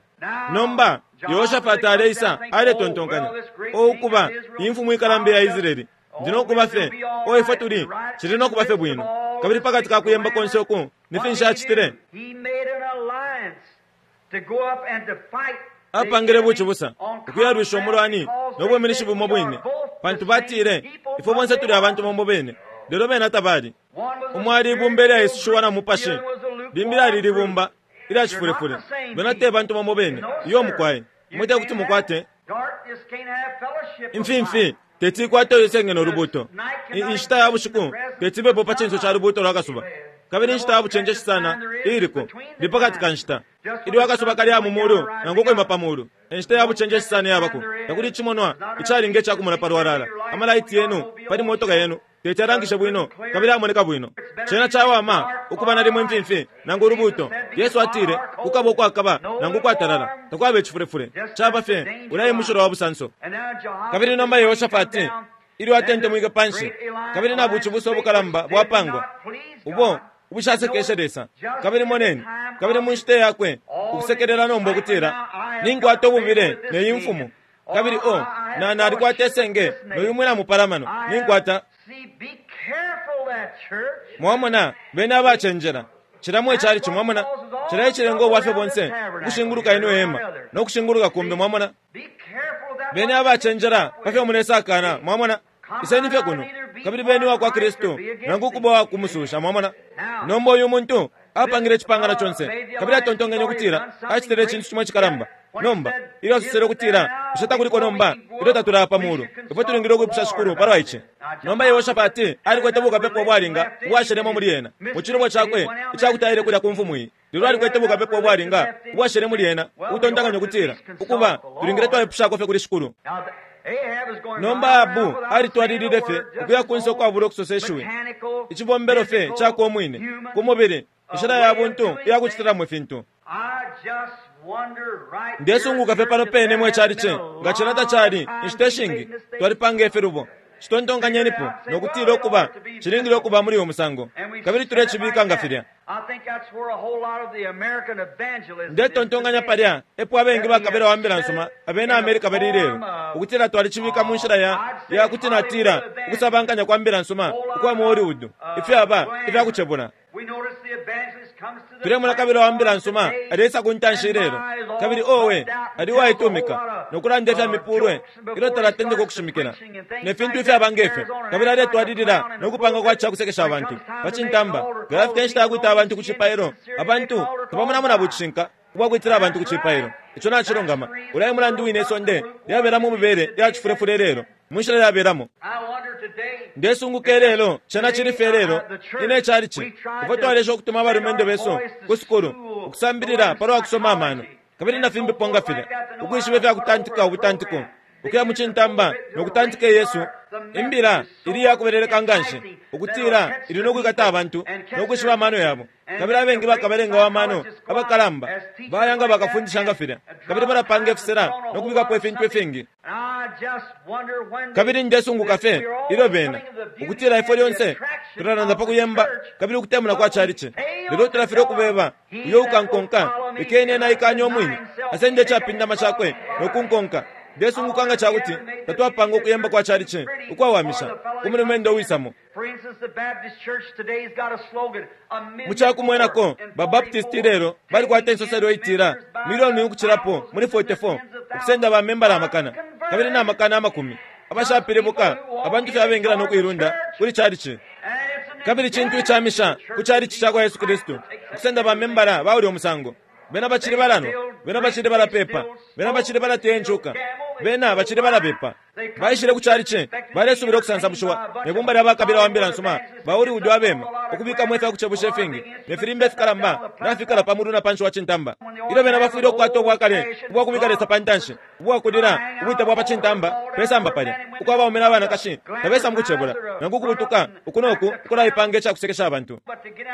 Nomba, Yehoshafati aleisa, aletontonkanya, O ukuba, iyi mfumu ikalamba iya Israele, ndi no kuba fye, o ifwe tuli, cili no kuba fye bwino. Kabili pakati ka kuyemba konse uku, ni finshi acitile? Apangile bucibusa, ukuyalwisha umulwani no bwiminishi bumo bwine, pantu batile, Ifwe bonse tuli abantu bamo bene. Lelo bena tabali. Umo ali ibumba ilyaisushiwa na Mupashi, limbi lyali libumba ilya cifulefule. Bena te bantu bamo bene. Iyo, mukwai. Imwe te kuti mukwate. Imfimfi teti ikwate ulusenge no lubuuto. I, inshita ya bushiku teti ibepo pa cinso ca lubuuto lwa kasuba. Kabili inshita ya bucenjeshi sana iiliko ni pa kati ka nshita ilyo akasuba kali mu mulu nangu ukwima pa mulu. E nshita ya bucenjeshi sana iyabako. Takuli icimonwa icalinga ica kumona pa lwalala. Amalaiti yenu pali motoka yenu teti alangishe bwino kabili amoneka bwino. Cena cawama ukuba nalimo imfimfi nangu ulubuuto. Yesu atile, Kukaba ukwakaba nangu ukwatalala, takwaba icifulefule. Caba fye ulya e mushilo wa busanso. Kabili nomba Yehoshafati ilyo atentemwike panshi, kabili na bucibusa ubukalamba bwapangwa, ubo ubushasekeshe Lesa. Kabili moneni, kabili mu nshita yakwe ukusekelela nomba ukutila, Ninkwata ububile ne yi mfumu. Kabili o, na, nalikwata isenge no yu mwina mupalamano. Ninkwata. Mwamona, beni abacenjela. Cila mwe calici, mwamona, cila icilenga ubwafya bonse ukushinguluka ino hema no kushinguluka kumbi, mwamona. Beni abacenjela pa fyo mulesakana, mwamona. Iseni fye kuno, kabili beni wa kwa Kristu, nangu ukuba wa kumususha, mwamona. Nomba uyu muntu apangile icipangano conse, kabili atontonkenye ukutila acitile icintu cimo icikalamba. Nomba, ilyo asosele ukutila, Bushe takuliko nomba, ilyo tatulaya pa mulu, ifwe tulingile ukwipusha Shikulu palwa ici. Nomba Yehoshafati alikwete bukapepa ubwalinga ubwashelemo muli ena, mu cilubo cakwe icakuti aile kulya ku mfumu iyi. Lelo alikwete bukapepa ubwalinga ubwashele muli ena, ukutontonkanya ukutila, Ukuba, tulingile twaipushako fye kuli Shikulu. Nomba Ahabu alitwalilile fye ukuya kunse ukwabula ukusosa ishiwi, icibombelo fye cakwe umwine, ku mubili, inshila ya buntu iya kucitilamo ifintu. Ndesunguka fye pano pene mwe calici, nga cena tacali, inshita ishingi twalipanga ifilubo. Citontonkanyenipo no kutila ukuba cilingile ukuba muli uyu musango, kabili tulecibika nga filya. Ndetontonkanya palya epo abengi bakabila wa mbila nsuma abena America bali ilelo, ukutila twalicibika mu nshila ya, ya kuti natila ukusabankanya kwa mbila nsuma ukwa mu Hollywood, ifyaba ifya kucebula. Tulemona kabila wa mbila nsuma aleisa ku ntanshi ilelo, kabili owe, ali uwaitumika no kulanda ifya mipulwe ilyo talatendeka ukushimikila, ne fintu ifyaba nge fyo, kabili aletwalilila no kupanga kwa ca kusekesha abantu pa cintamba. Nga yafika inshita ya kwita abantu ku cipailo, abantu tabamonamo na bucishinka ubwa kwitila abantu ku cipailo. Ico nacilungama. Ulya e mulandu wine isonde lyabela mu mibele ya cifulefule ilelo, mu nshila lyabelamo. Ndesunguka ilelo, cena cili fye ilelo, ine icalici, ifwe twalesha ukutuma abalumendo besu ku sukulu, ukusambilila palwa kusoma amano, kabili na fimbipo nga filya, ukwishiba ifya kutantika ubutantiko, ukuya mu cintamba no kutantika iyesu imbila ili iyakubeleleka nganshi, ukutila ili no kwikata abantu no kwishiba amano yabo. Kabili abengi bakabelenga wa mano abakalamba baya nga bakafundisha nga filya, kabili balapanga ifisela no kubikapo ifintu ifingi. Kabili ndesunguka fye ilyo bena, ukutila ifwe lyonse tulalanda pa kuyemba kabili ukutemuna kwa chalichi, lelo tulafilwa ukubeba, Uyo ukankonka, lekeni ena aikanye umwine, asende icapindama cakwe no kunkonka. Ndesunguka nga ca kuti tatwapanga ukuyemba kwa chalichi ukwawamisha ku mulumendo uwisamo. Mu ca kumwenako, ba Baptist ilelo balikwata insoselo itila milioni ukucilapo muli 44 ukusenda ba membala amakana kabili na makana amakumi abashapilibuka, abantu fye abengila no kuilunda kuli chalichi. Kabili cintu icamisha ku chalichi ca kwa Yesu Kristu ukusenda ba membala ba ulya musango. Bena bacili balanwa, bena bacili balapeepa, bena bacili balateya incuka, bena bacili balabepa. Baishile ku calici, balesubila ukusansamushiwa ne bumba lya bakabila wa mbila nsuma ba Hollywood abema, ukubikamo ifya kucebusha ifingi ne filimba ifikalamba nafikala pa mulu na panshi wa cintamba. Ilyo bena bafwile ukukwata ubwa kale ubwa kubika Lesa pa ntanshi, ubwa kulila ubwite bwa pa cintamba pe samba palya, uko abaume na banakashi tabesa mu kucebula nangu ukubutuka uku no ku ukulaipanga ica kusekesha abantu.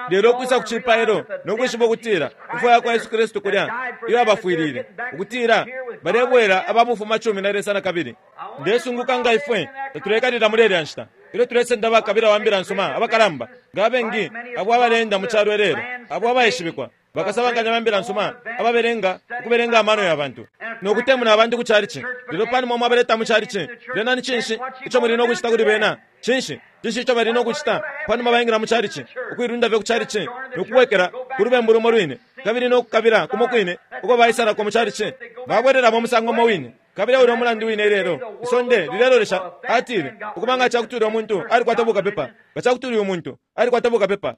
Lelo ukwisa ku cipailo no kwishiba ukutila imfwa ya kwa Yesu Kristu kulya iyo abafwilile, ukutila balebwela aba bufumacumi na Lesa nakabili. Ndesunguka nga ifwe tatuleikalila muli ilya nshita ilyo tulesenda bakabila wa mbila nsuma abakalamba, nga abengi abo abaleenda mu calo ilelo, abo abaishibikwa, bakasabankanya ba mbila nsuma ababelenga ukubelenga amano ya bantu no kutemuna abantu ku calici. Lelo panuma mwabaleta mu calici, lyena ni cinshi ico muli no kucita kuli bena? Cinshi? Cinshi ico bali no kucita panuma baingila mu calici? Ukuilunda fye ku calici no kubwekela ku lubembu lumo lwine kabili no kukabila kumo kwine uko baisalako mu calici. Babwelelamo umusango umo wine. Kabili eulya umulandu wine ilelo isonde lilelolesha. Atile, Ukuba nga cakuti ulya muntu alikwata bukapepa, nga cakuti uyu muntu alikwata bukapepa.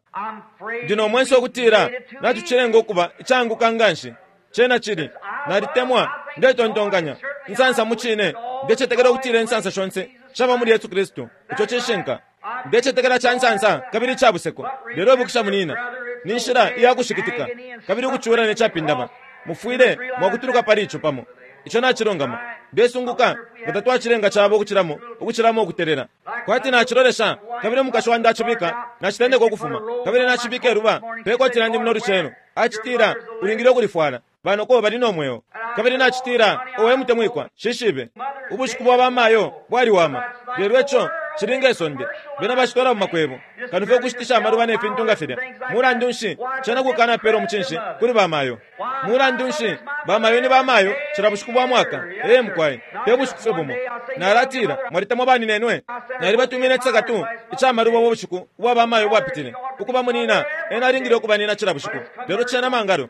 Ndi no mwenso ukutila natucilenga ukuba icaanguka nganshi. Cena cili. Nalitemwa, ndetontonkanya, insansa mucine, ndecetekela ukutila insansa shonse shaba muli Yesu Kristu. Ico cishinka. Ndecetekela ca nsansa kabili ica buseko. Lelo ibukisha, munyina, ni nshila iya kushikitika kabili ukucula ne capindama. Mufwile mwakutuluka pali ico pamo. Ico nacilungama. Ndesunguka nga tatwacilenga caba ukucilamo, ukucilamo ukutelela. Kwati nacilolesha, kabili umukashi wandi acibika, nacitendeka ukufuma, kabili nacibika iluba pe koti lyandi muno lucelo. Acitila, Ulingile ukulifwala. Banoko bali no mweo. Kabili nacitila, Owe mutemwikwa, nshishibe. Ubushiku bwa bamayo bwaliwama. Lelo ico Cili nge sonde. Bena bacitwala mu makwebo, kano fye ukushitisha amaluba ne fintu nga filya. Mulandu nshi, cena kukanapela umucinshi kuli bamayo. Mulandu nshi, bamayo ni bamayo cila bushiku bwa mwaka. Ee, mukwai, te bushiku fye bumo. Nalatila, mwalitemwa baninenwe. Nalibatumine icisakatu ica maluba ubushiku ubwa bamayo ubwapitile. Ukuba munina, ena alingile ukuba nina cila bushiku. Lelo cena mangalo.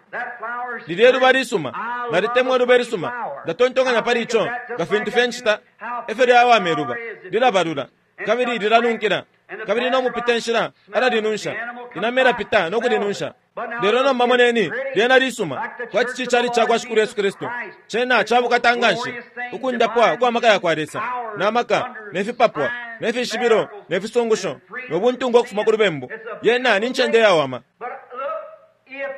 Lilye luba lisuma. Nalitemwa iluba ilisuma. Ndatontonkanya pali ico nga fintu fye ncita. Efyo lyawama iluba. Lilabalula. Kabili lilanunkila. Kabili no mupita nshila alalinunsha. Inama ilapita no kulinunsha. Lelo nomba moneni, lyena lisuma, kwati cicali ca kwa Shikulu Yesu Kristu. Cena ca bukata nganshi, ukundapwa kwa maka ya kwa Lesa, na maka, ne fipapwa, ne fishibilo, ne fisungusho, no buntungwa ukufuma ku lubembu. Yena ni ncende iyawama.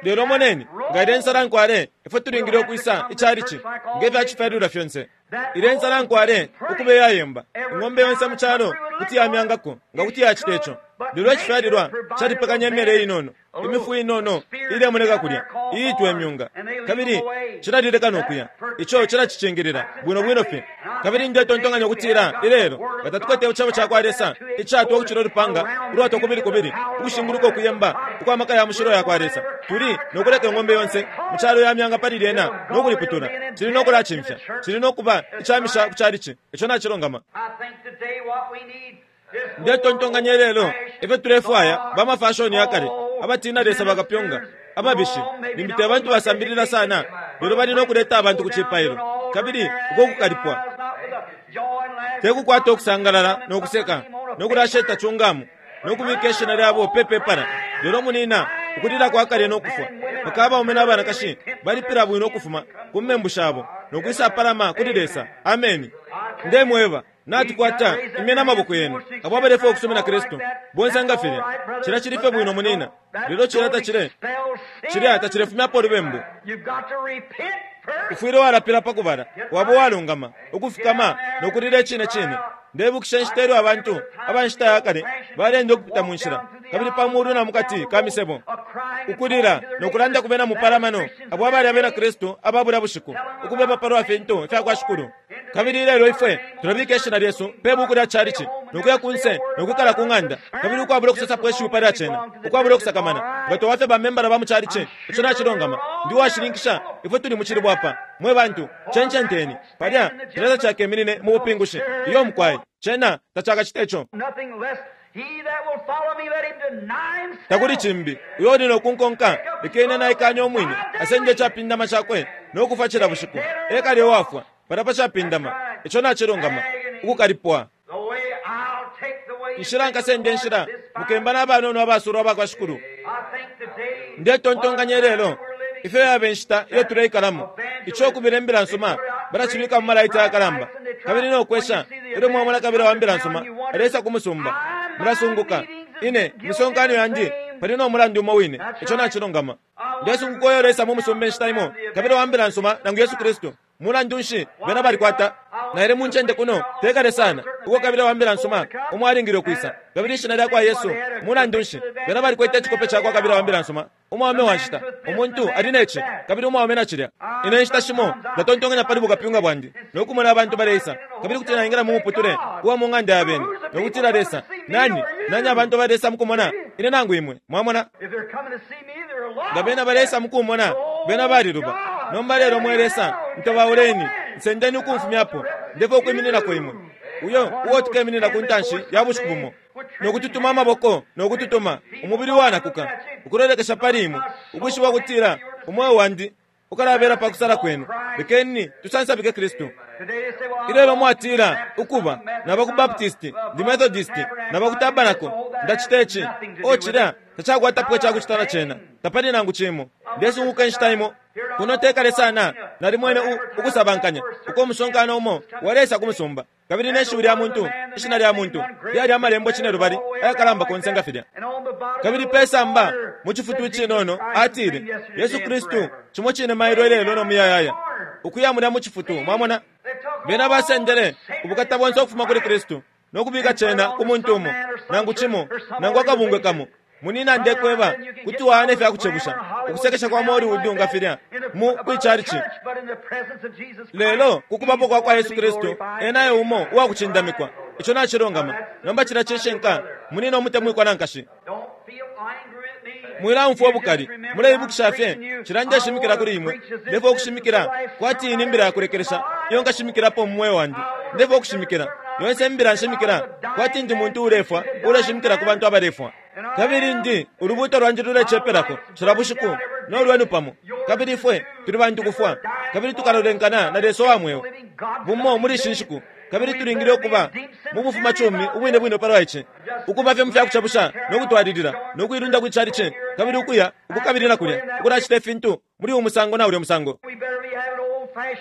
Lelo moneni, nga ilye nsalankwale, ifwe tulingile ukwisa icalici, nge fya cifyalilwa fyonse. Ilye nsalankwale ukuba iyayemba, ing'ombe yonse mu calo kuti yamyangako nga kuti yacita ico. Lelo icifyalilwa calipekanya imyele inono, imifu inono ilemoneka kulya, iitwa imyunga, kabili cilalileka no kuya. Ico cilacicingilila bwino bwino fye. Kabili ndetontonkanya ukutila ilelo nga tatukwete icebo ca kwa Lesa icatwa ukucila ulupanga ulwatwa kubili kubili ukushinguluka ukuyemba ukwa maka ya mushilo ya kwa Lesa, tuli no kuleka ing'ombe yonse mu calo ya myanga pali lyena no kuliputula. Cili no kulacimfya. Cili no kuba icamisha ku calici. Ico nacilungama. Ndetontonkanya ilelo ifyo tulefwaya bamafashoni ya kale, abatina Lesa bakapyunga, ababishi, limbi te bantu basambilila sana, lelo bali no kuleta abantu ku cipailo. Kabili uko kukalipwa te kukwata ukusangalala no kuseka no kulasheta chungamu no kubika ishina lyabo pe pepala, lelo munina ukulila kwa kale no kufwa mpaka abaume na banakashi balipila bwino ukufuma ku membu shabo no kwisapalama kuli Lesa. Ameni. Ndemweba, natukwata imye na maboko yenu abo abalefwaya ukusumina Kristu bonse nga filya. Cilya cili fye bwino munina, lelo cilya tacile cilya tacilefumyapo ulubembu. Ufwile walapila pa kubala, waba uwalungama, ukufikama no kulila icine cine. Ndebukisha inshita ilyo abantu aba nshita ya kale baleenda ukupita mu nshila, kabili pa mulu na mu kati ka misebo, ukulila no kulanda ku bena mupalamano abo abali abena Kristu aba bulya bushiku, ukubeba pa lwa fintu ifya kwa Shikulu. Kabili ilelo ifwe tulabika ishina lyesu pe buku lya calici, no kuya kunse no kwikala ku ng'anda, kabili ukwabula ukusosapo ishiwi palya cena, ukwabula ukusakamana nga twaba fye bamembala ba mu calici. Ico nacilungama. Ndi uwashininkisha ifwe tuli mu cilibwa apa. Mwe bantu, cencenteni. Palya cilya tacakeminine mu bupingushi. Iyo, mukwai. Cena tacakacite ico. Takuli cimbi. Uyo uli no kunkonka, lekeni naikanye umwine, asende icapindama cakwe no kufwa cila bushiku. Ekale uwafwa palya pa capindama. Ico nacilungama. Ukukalipwa. Inshila nkasende nshila, mukemba na banono abasulwa aba kwa Shikulu. Ndetontonkanya ilelo ifyo yaba inshita iyo tuleikalamo. Ico ukubila imbila nsuma balacibika mu malaiti ayakalamba, kabili no kwesha ilyo mwamona kabila wa mbila nsuma alesa ku musumba, mulasunguka. Ine imisonkano yandi pali no mulandu umo wine. Ico nacilungama. Ndesunguka uyo ulesa mu musumba inshita imo, kabila wa mbila nsuma nangu Yesu Kristu. Mulandu nshi bena balikwata? Naile mu ncende kuno tekale sana uko kabila wa mbila nsuma umo alingile ukwisa, kabili ishina lya kwa Yesu. Mulandu nshi bena balikwete icikope ca kwa kabila wa mbila nsuma, umwaume wa nshita, umuntu ali ne ci kabili umwaume na cilya. Ine inshita shimo ndatontonkanya pali bukapyunga bwandi no kumona abantu baleisa, kabili kuti naingila mu muputule uwa mu ng'anda ya bene no kutila, Lesa, nani nani abantu baleisa mukumona ine nangu imwe? Mwamona, nga bena baleisa mukumona, bena baliluba. Nomba lelo mwe Lesa, ntobauleni, nsendeni ukumfumyapo, ndefwaya ukwimininako imwe. Uyo uo tukeminina ku ntanshi ya bushiku bumo, no kututuma amaboko no kututuma umubili uwanakuka, ukulolekesha pali imwe, ukwishiba ukutila umweo wandi ukalabela pa kusala kwenu. Lekeni tusansabike Kristu. Ilelo mwatila, ukuba naba ku Baptisti, ndi Methodisti, naba ku Tabernacle, ndacita ici, o cilya, tacakwatapo icakucita na cena, tapali nangu cimo. Ndesunguka inshita imo kuno tekale sana, nalimwene ukusabankanya uko umusonkano umo waleisa ku musumba, kabili ne shiwi lya muntu, ishina lya muntu lyali amalembo cinelubali ayakalamba konse nga filya. Kabili pe samba mu cifutu icinono atile, Yesu Kristu cimo cine mailo ilelo no muyayaya. Ukuya mulya mu cifutu, mwamona, bena basendele ubukata bonse ukufuma kuli Kristu no kubika cena ku muntu umo, nangu cimo, nangu akabungwe kamo. Munina, ndekweba, kuti waana ifya kucebusha ukusekesha kwa Hollywood nga filya mu kwicalici. Lelo ku kubapo kwa kwa Yesu Kristu, ena e umo uwakucindamikwa. Ico nacilungama. Nomba cilya cishinka, munina umutemwikwa na nkashi. Mwilaumfwa ubukali. Muleibukisha fye, cila ndeshimikila kuli imwe, ndefwaya ukushimikila kwati iyi ni mbila ya kulekelesha iyo nkashimikilapo mu mweo wandi. Ndefwaya ukushimikila yonse imbila nshimikila kwati ndi muntu uulefwa uuleshimikila ku bantu abalefwa. Kabili ndi, ulubuuto lwandi lulecepelako cila bushiku, no lwenu pamo. Kabili ifwe tuli bantu kufwa, kabili tukalolenkana na Lesa uwa mweo bumo muli ishi nshiku. Kabili tulingile ukuba mu bufumacumi ubwine bwine palwa ici, ukuba fye mu fya kucebusha no kutwalilila, no kuilunda kwi calici, kabili ukuya uku kabili na kulya, ukulacita ifintu muli uyu musango na ulya musango.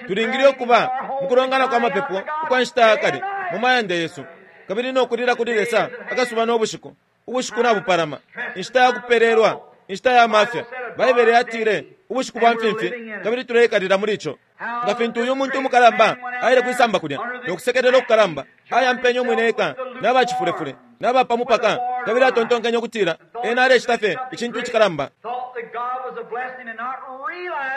Tulingile ukuba mu kulongana kwa mapepo ukwa nshita ya kale mu mayanda yesu, kabili no kulila kuli Lesa akasuba no bushiku. Ubushiku nabupalama, inshita ya kupelelwa, inshita ya mafya. Baibele yatile, Ubushiku bwa mfimfi, kabili tuleikalila muli ico. Nga fintu uyu muntu umukalamba aile kwisamba kulya, no kusekelela ukukalamba, ayampenye umwine eka na bacifulefule, na ba pa mupaka, kabili atontonkenye ukutila ena alecita fye icintu icikalamba.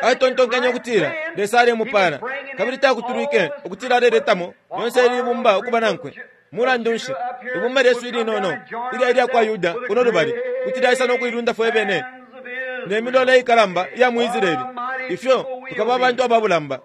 Atontonkenye ukutila Lesa alemupala, kabili takutulwike ukutila aleletamo lyonse ili ibumba ukuba nankwe. Mulandu nshi, ibumba lyesu ilinono ilya ilya kwa Yuda kuno lubali kuti lyaisa no kuilunda fwe bene ne milola ikalamba iya mu Israele, ifyo tukaba abantu aba bulamba.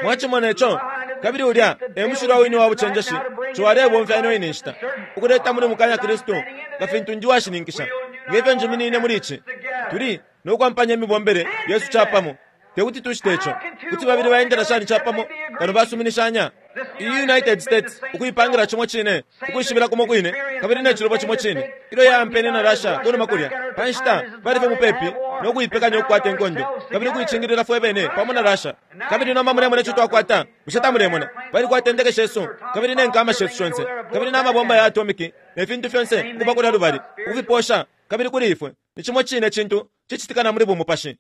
Mwacimona ico? Kabili ulya e mushilwa wine wa bucenjeshi co alebomfya ino ine nshita ukuleta muli mukanya Kristu, nga fintu ndi uwashininkisha nge fyo njiminine muli ici. Tuli no kwampanya imibombele yesu capamo. Te kuti tucite ico. Kuti babili baendela shani capamo kano basuminishanya? Iyi United States ukuipangila cimo cine, ukwishibila kumo kwine, kabili ne cilubo cimo cine ilyo yaampene na Russia kunuma kulya. Pa nshita bali fye mupepi no kuipekanya ukukwata inkondo kabili ukuicingilila fwe bene pamo na Russia. Kabili nomba mulemona ico twakwata, bushe tamulemona? Balikwata indeke shesu kabili ne nkama shesu shonse kabili na mabomba ya atomiki ne fintu fyonse ukuba kulya lubali, ukufiposha kabili kuli ifwe. Ni cimo cine cintu cicitika na muli bumupashi.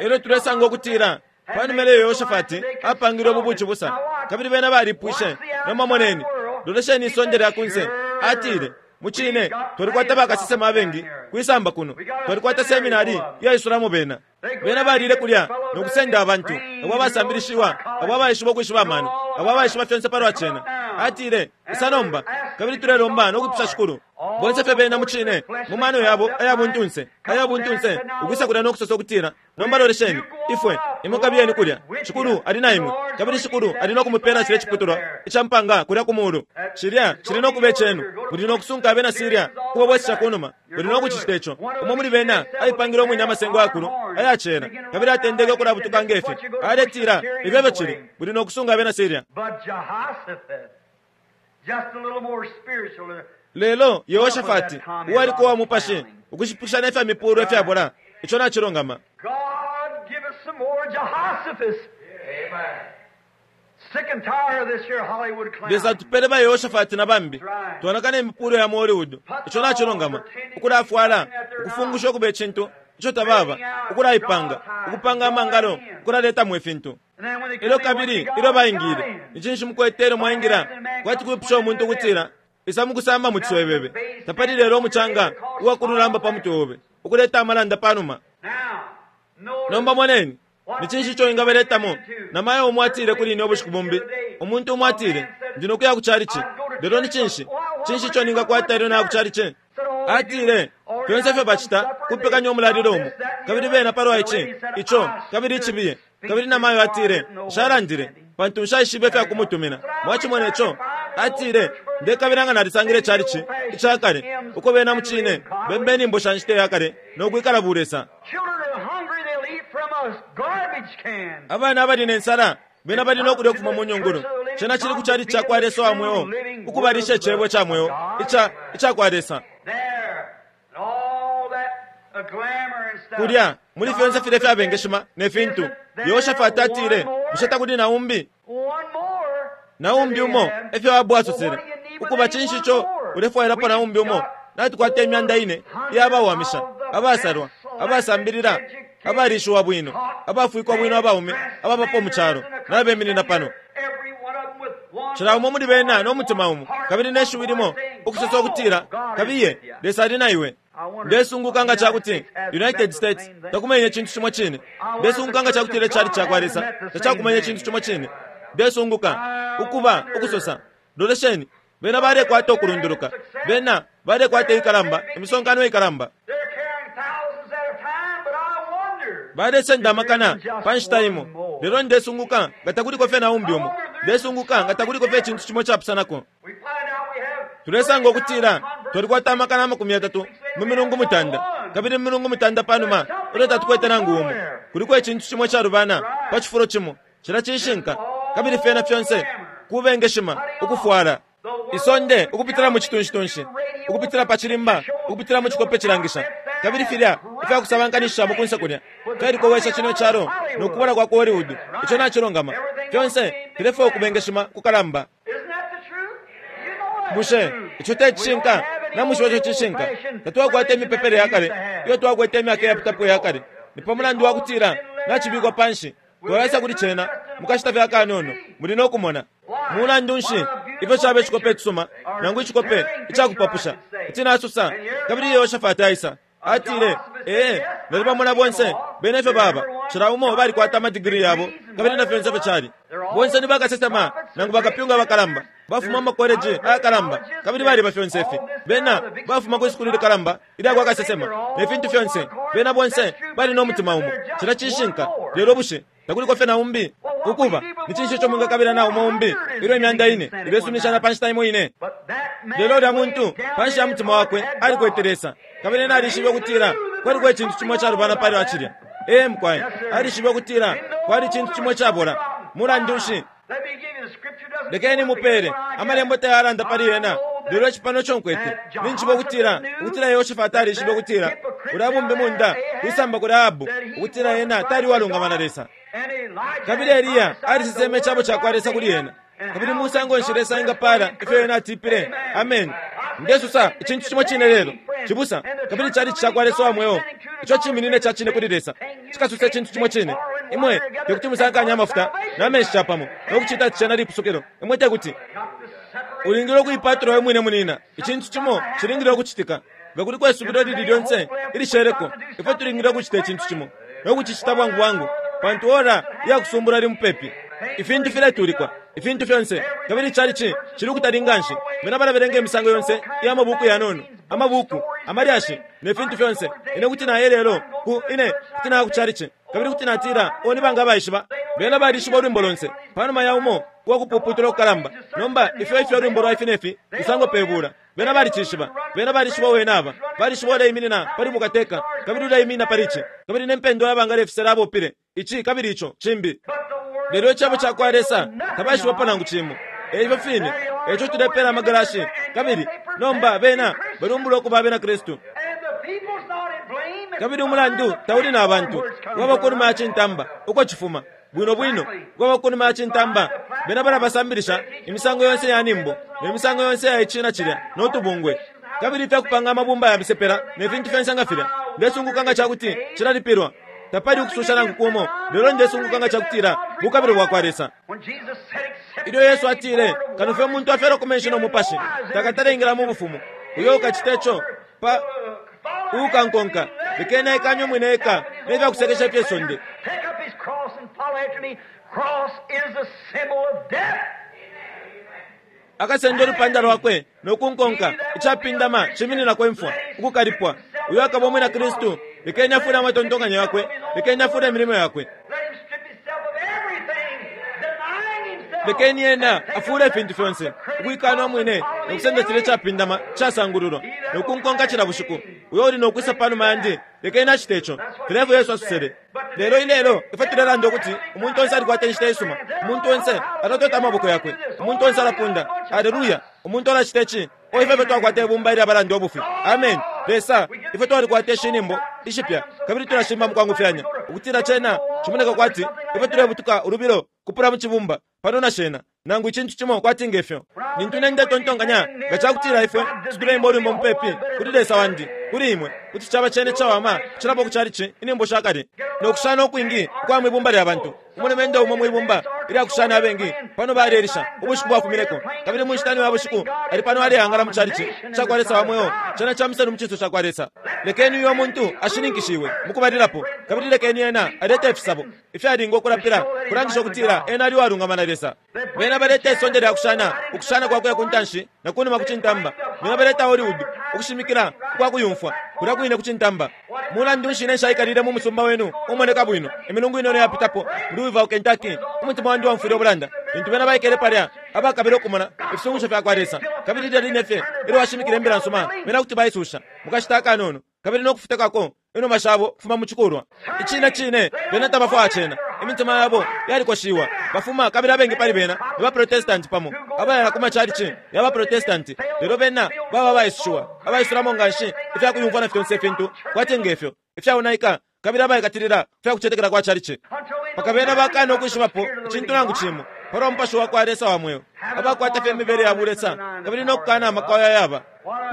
Elyo tulesanga ukutila panuma ilyo Yehoshafati apangile ubu bucibusa, kabili bena balipwishe, nomba moneni, lolesheni isonde lya kunse. Atile, Mucine, twalikwata bakasesema abengi kwisamba kuno. Twalikwata seminari iyaisulamo bena. Bena balile kulya no kusenda abantu abo abasambilishiwa, abo abaishiba ukwishiba amano, abo abaishiba fyonse palwa cena. Atile, Isa nomba, kabili tulelomba no kwipusha Shikulu. Bonse fye bena mucine, mu mano yabo aya buntunse, aya buntunse, ukwisa kulya no kusosa ukutila, Nomba lolesheni, ifwe, imwe kabiyeni kulya. Shikulu ali na imwe, kabili Shikulu ali no kumupela cilye ciputulwa ica mpanga kulya ku mulu. Cilya cili no kuba icenu. Muli no kusunka abena Siria ukubabwesesha kunuma. Muli no kucicita ico. Umo muli bena aipangile umwine amasengo ayakulu aya cela, kabili atendeke ukulabutuka nge fi, aletila, Ifyo efyo cili, muli no kusunga abena Siria. Lelo Yehoshafati, uwaliko uwa mupashi, ukushipikisha ne fya mipuulwe ifyabola, ico nacilungama. Lesa atupele ba Yehoshafati na bambi. Twanaka ne mipuulwe ya mu Hollywood, ico nacilungama, ukulafwala, ukufungusha ukuba icintu ico tababa, ukulaipanga, ukupanga amangalo, ukulaletamo ifintu. Elyo kabili ilyo baingile, ni cinshi mukwete ilyo mwaingila? Kwati kwipusha umuntu ukutila, Isa mukusamba mu ciswebebe. Tapali lelo umucanga uwa kululamba pa mutwe obe, ukuleta amalanda pa numa. Nomba moneni, ni cinshi ico wingabeletamo? Namayo umo atile kuli ine ubushiku bumbi, umuntu umo atile, Ndi no kuya ku chalichi. Lelo ni cinshi? Cinshi ico ningakwata ilyo naya ku chalichi? Atile, Fyonse ifyo bacita kupekanya umulalilo umo, kabili bena palwa ici, ico, kabili icibiye. Kabili namayo atile, Nshalandile, pantu nshaishibe ifya kumutumina. Mwacimone co? Atile, Ndekabila nga nalisangile icalici ica kale, uko bena mucine bemba inyimbo sha nshita ya kale no kwikala bulesa. Abana abali ne nsala, bena bali no kulya ukufuma mu nyungulu. Cena cili ku calici cakwa Lesa wa mweo, ukubalisha Icebo ca mweo ica, ica kwa Lesa. Kulya, muli fyonse filya ifyabengeshima ne fintu, Yehoshafati atile, Bushe takuli na umbi? Na umbi umo, efyo Ahabu asosele. Ukuba, cinshi ico ulefwailapo na umbi umo? Natukwata imyanda ine iya bawamisha, abasalwa, abasambilila, abalishiwa bwino, abafwikwa bwino abaume ababapo mu calo, nabeminina pano. Cila umo muli bena no mutima umo, kabili ne shiwi limo, ukusosa ukutila, Kabiye, Lesa ali na iwe. Ndesunguka nga ca kuti United States takumenye icintu cimo cine. Ndesunguka nga ca kutila icalici ca kwa Lesa tacakumenye icintu cimo cine. Ndesunguka, ukuba, ukusosa, Lolesheni, bena balekwata ukulunduluka. Bena balekwata ikalamba, imisonkano ikalamba. Balesenda amakana pa nshita imo. Lelo ndesunguka nga takuliko fye na umbi umo. Ndesunguka nga takuliko fye icintu cimo capusanako. Tulesanga ukutila twalikwata amakana 30 mu milungu mutanda, kabili mu milungu mutanda panuma ilyo tatukwete nangu umo. Kuliko icintu cimo icalubana pa cifulo cimo. Cilya cishinka. Kabili fyena fyonse kubengeshima, ukufwala. Isonde ukupitila mu citunshitunshi, ukupitila pa cilimba, ukupitila mu cikope cilangisha, kabili filya ifya kusabankanishishamo kunse kulya fyalikowesha cino calo no kubola kwa ku Hollywood. Ico nacilungama. Fyonse filefwaya ukubengeshima kukalamba. Bushe ico te cishinka? Namwishiba ico cishinka. Tatwakwata imipepele ya kale iyo twakwete imyaka iyapitapo iya kale. Ni pa mulandu wa kutila nacibikwa panshi. Twalaisa kuli cena mukashita fye akanono, muli no kumona. Mulandu nshi, ifyo cabe cikope icisuma, nangu icikope icakupapusha, kuti nasosa. Kabili Yehoshafati aisa, atile, Ee, nalibamona bonse, bena ifyo baba. Cila umo balikwata ama digiri yabo, kabili na fyonse ifyo cali. Bonse ni bakasesema nangu bakapyunga abakalamba, bafuma mu makoleji ayakalamba, kabili baliba fyonse ifi. Bena bafuma kwi sukulu likalamba ilya kwa kasesema, ne fintu fyonse. Bena bonse bali no mutima umo. Cilya cishinka. Lelo bushe takuliko fye na umbi? Ukuba, ni cinshi ico mwingakabila na umo umbi ilyo imyanda ine ilesuminishana pa nshita imo ine? Lelo ulya muntu, panshi ya mutima wakwe, alikwete Lesa, kabili ena alishibe ukutila kwaliko icintu cimo icalubana pali cilya. Ee, mukwai, alishibe ukutila kwali icintu cimo icabola. Mulandu nshi? Lekeni mupele. Amalembo tayalanda pali ena, lelo ici pano ico nkwete. Ninjishiba ukutila, ukutila Yehoshafati alishibe ukutila ulya bumbimunda kwisamba kuli Ahabu, ukutila ena tali uwalungama na Lesa. Kabili Eliya aliseseme icebo cakwa Lesa kuli ena. Kabili musango nshi Lesa engapaala ifyo ena atipile? Ameni. Ndesosa icintu cimo cine lelo, cibusa, kabili Chalichi cakwa Lesa wa mweo, ico ciminine ica cine kuli Lesa, cikasosa icintu cimo cine. Imwe tekuti musankanye amafuta na menshi capamo no kucita ati cena lipusukilo. Imwe tekuti. Ulingile ukuipatula we mwine, munina. Icintu cimo cilingile ukucitika. Nga kuliko isubilo ilili lyonse ilisheleko, ifwe tulingile ukucita icintu cimo, no kucicita bwangu bwangu, pantu ora iya kusumbula ili mupepi. Ifintu filetulikwa, ifintu fyonse, kabili ichalichi cili ukutali nganshi. Bena balabelenga imisango yonse iya mabuku yanono, amabuku, amalyashi, ne fintu fyonse. Ine kuti naya ilelo ku, ine kuti naya ku chalichi, kabili kuti natila, Oh, ni banga abaishiba? Bena balishiba ulwimbo lonse, panuma ya umo uwa kupuputula kukalamba. Nomba, ifyo ifyo ulwimbo lwa ifi ne fi lusangwa pe bula. Bena balicishiba. Bena balishiba uo ena aba. Balishiba uleiminina pali bukateka, kabili uleiminina pali ici, kabili ne mpendwa ya banga lefisela abopile, ici kabili ico, cimbi. Lelo Icebo cakwa Lesa tabaishibapo nangu cimo. E ifyo fine. E ico tulepela amagalashi, kabili nomba bena balumbula ukuba abena Kristu. Kabili umulandu tauli na bantu, waba kunuma ya cintamba, uko cifuma. Bwino bwino, waba kunuma ya cintamba. Bena balabasambilisha imisango yonse ya nimbo, ne misango yonse ya ici na cilya, no tubungwe. Kabili ifya kupanga amabumba ya misepela, ne fintu fyonse nga filya. Ndesunguka nga cakuti cilalipilwa. Tapali ukususha nangu kumo, lelo ndesunguka nga cakutila bukabilo bwakwa Lesa. Ilyo Yesu atile, Kano fye umuntu afyalwa ku menshi no Mupashi, takatale ingila mu Bufumu. Uyo ukacita ico, pa uukankonka, lekeni aikanye umwine eka ne fya kusekesha ifye sonde. Akasenda ulupanda lwakwe no kunkonka, icapindama cimininako imfwa, ukukalipwa. Uyo akaba umwina Kristu, lekeni afule amatontonkanyo yakwe, lekeni afule imilimo yakwe. Lekeni ena afule ifintu fyonse, ukuikana umwine no kusenda cilya icapindama icasangululwa, no kunkonka cila bushiku. Uyo uli no kwisa panuma yandi, lekeni acite ico. Filya efyo Yesu asosele. Lelo ilelo ifwe tulelanda ukuti umuntu onse alikwata inshita isuma, umuntu onse alatota amaboko yakwe, umuntu onse alapunda, Aleluya! Umuntu alacita ici. O ifwe ifyo twakwata ibumba ilya balanda ubufi! Ameni! Lesa, ifwe twalikwata ishi nyimbo ishipya, kabili tulashimba mukwangufyanya, ukutila cena cimoneka kwati ifwe tulebutuka ulubilo kupula mu cibumba pano na shena, nangu icintu cimo kwati nge fyo. Lintu ine ndetontonkanya nga cakutila ifwe kuti tuleimba ulwimbo mupepi kuli Lesa wandi, kuli imwe, kuti caba cene icawama ukucilapo ku chalichi inyimbo shakale no kushana ukwingi ukwa mwi bumba lya bantu. Umulumendo umo mwi bumba ilya kushana abengi pano balelisha ubushiku bwafumineko, kabili mu nshita ya bushiku ali pano aleangala mu chalichi cakwa Lesa wa mweo, cena ca muselu mu cinso cakwa Lesa. Lekeni uyo muntu ashininkishiwe mukubalilapo, kabili lekeni ena alete ifisabo ifyalinga ukulapila, kulangisha ukutila ena ali uwalungama na Lesa. Bena baleta isonde lya kushana, ukushana kwa kuya ku ntanshi na kunuma ku cintamba. Bena baleta Hollywood, ukushimikila ukwa kuyumfwa, kulya kwine ku cintamba. Mulandu nshi ine nshaikalile mu musumba wenu umoneka bwino imilungu inono yapitapo, mu Louisville, Kentucky? Umutima wandi waumfwile ubulanda lintu bena baikele palya, abakabila ukumona ifisungusho fya kwa Lesa. Kabili lilya line fye ilyo washimikila imbila nsuma, bena kuti baisusha mu kashita akanono kabili no kufutakako inuma shabo ukufuma mu cikulwa. Icine cine, bena tabafwaya cena. Imitima yabo yalikoshiwa. Bafuma, kabili abengi pali bena ni ba Protestanti pamo, abaya ku macalici ya ba Protestanti, lelo bena baba abaisushiwa, abaisulamo nganshi ifya kuyumfwa na fyonse ifintu kwati nge fyo, ifyaonaika, kabili abaikatilila ku fya kucetekela kwa calici, mpaka bena bakana ukwishibapo icintu nangu cimo palwa Mupashi wa kwa Lesa wa mweo, abakwata fye imibele ya bulesa kabili no kukana amaka ayo ayaba.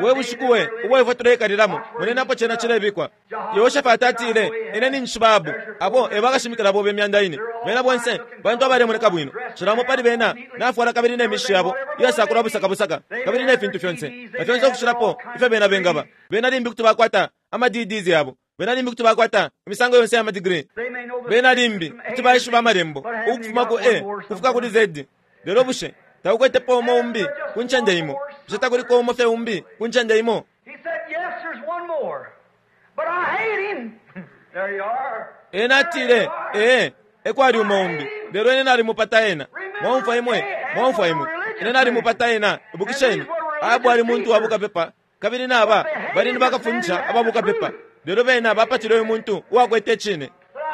We bushiku we ubo ifwe tuleikalilamo! Moneni apo cena cilebikwa. Yehoshafati atile, Ine ninjishiba Ahabu. Abo e bakashimikila bobe imyanda ine. Bena bonse bantu abalemoneka bwino. Cila umo pali bena nafwala kabili ne mishishi yabo iyasakulwa busaka busaka, kabili ne fintu fyonse, na fyonse ukucilapo ifyo bena bengaba. Bena limbi kuti bakwata ama DDs yabo. Bena limbi kuti bakwata imisango yonse iya madigiri. Bena limbi kuti baishiba Amalembo ukufuma ku A ukufika kuli Z. Lelo bushe takukwetepo umo umbi ku ncende imo? Bushe takuliko umo fye umbi ku ncende imo? Ena atile, Ee, ekwali umo umbi, lelo ine nalimupata ena. Mwaumfwa imwe? Mwaumfwa imwe? Ine nalimupata ena. Ibukisheni, Ahabu ali muntu wa bukapepa. Kabili naba bali ni bakafundisha aba bukapepa, lelo bena bapatile uyu muntu uwakwete Icine.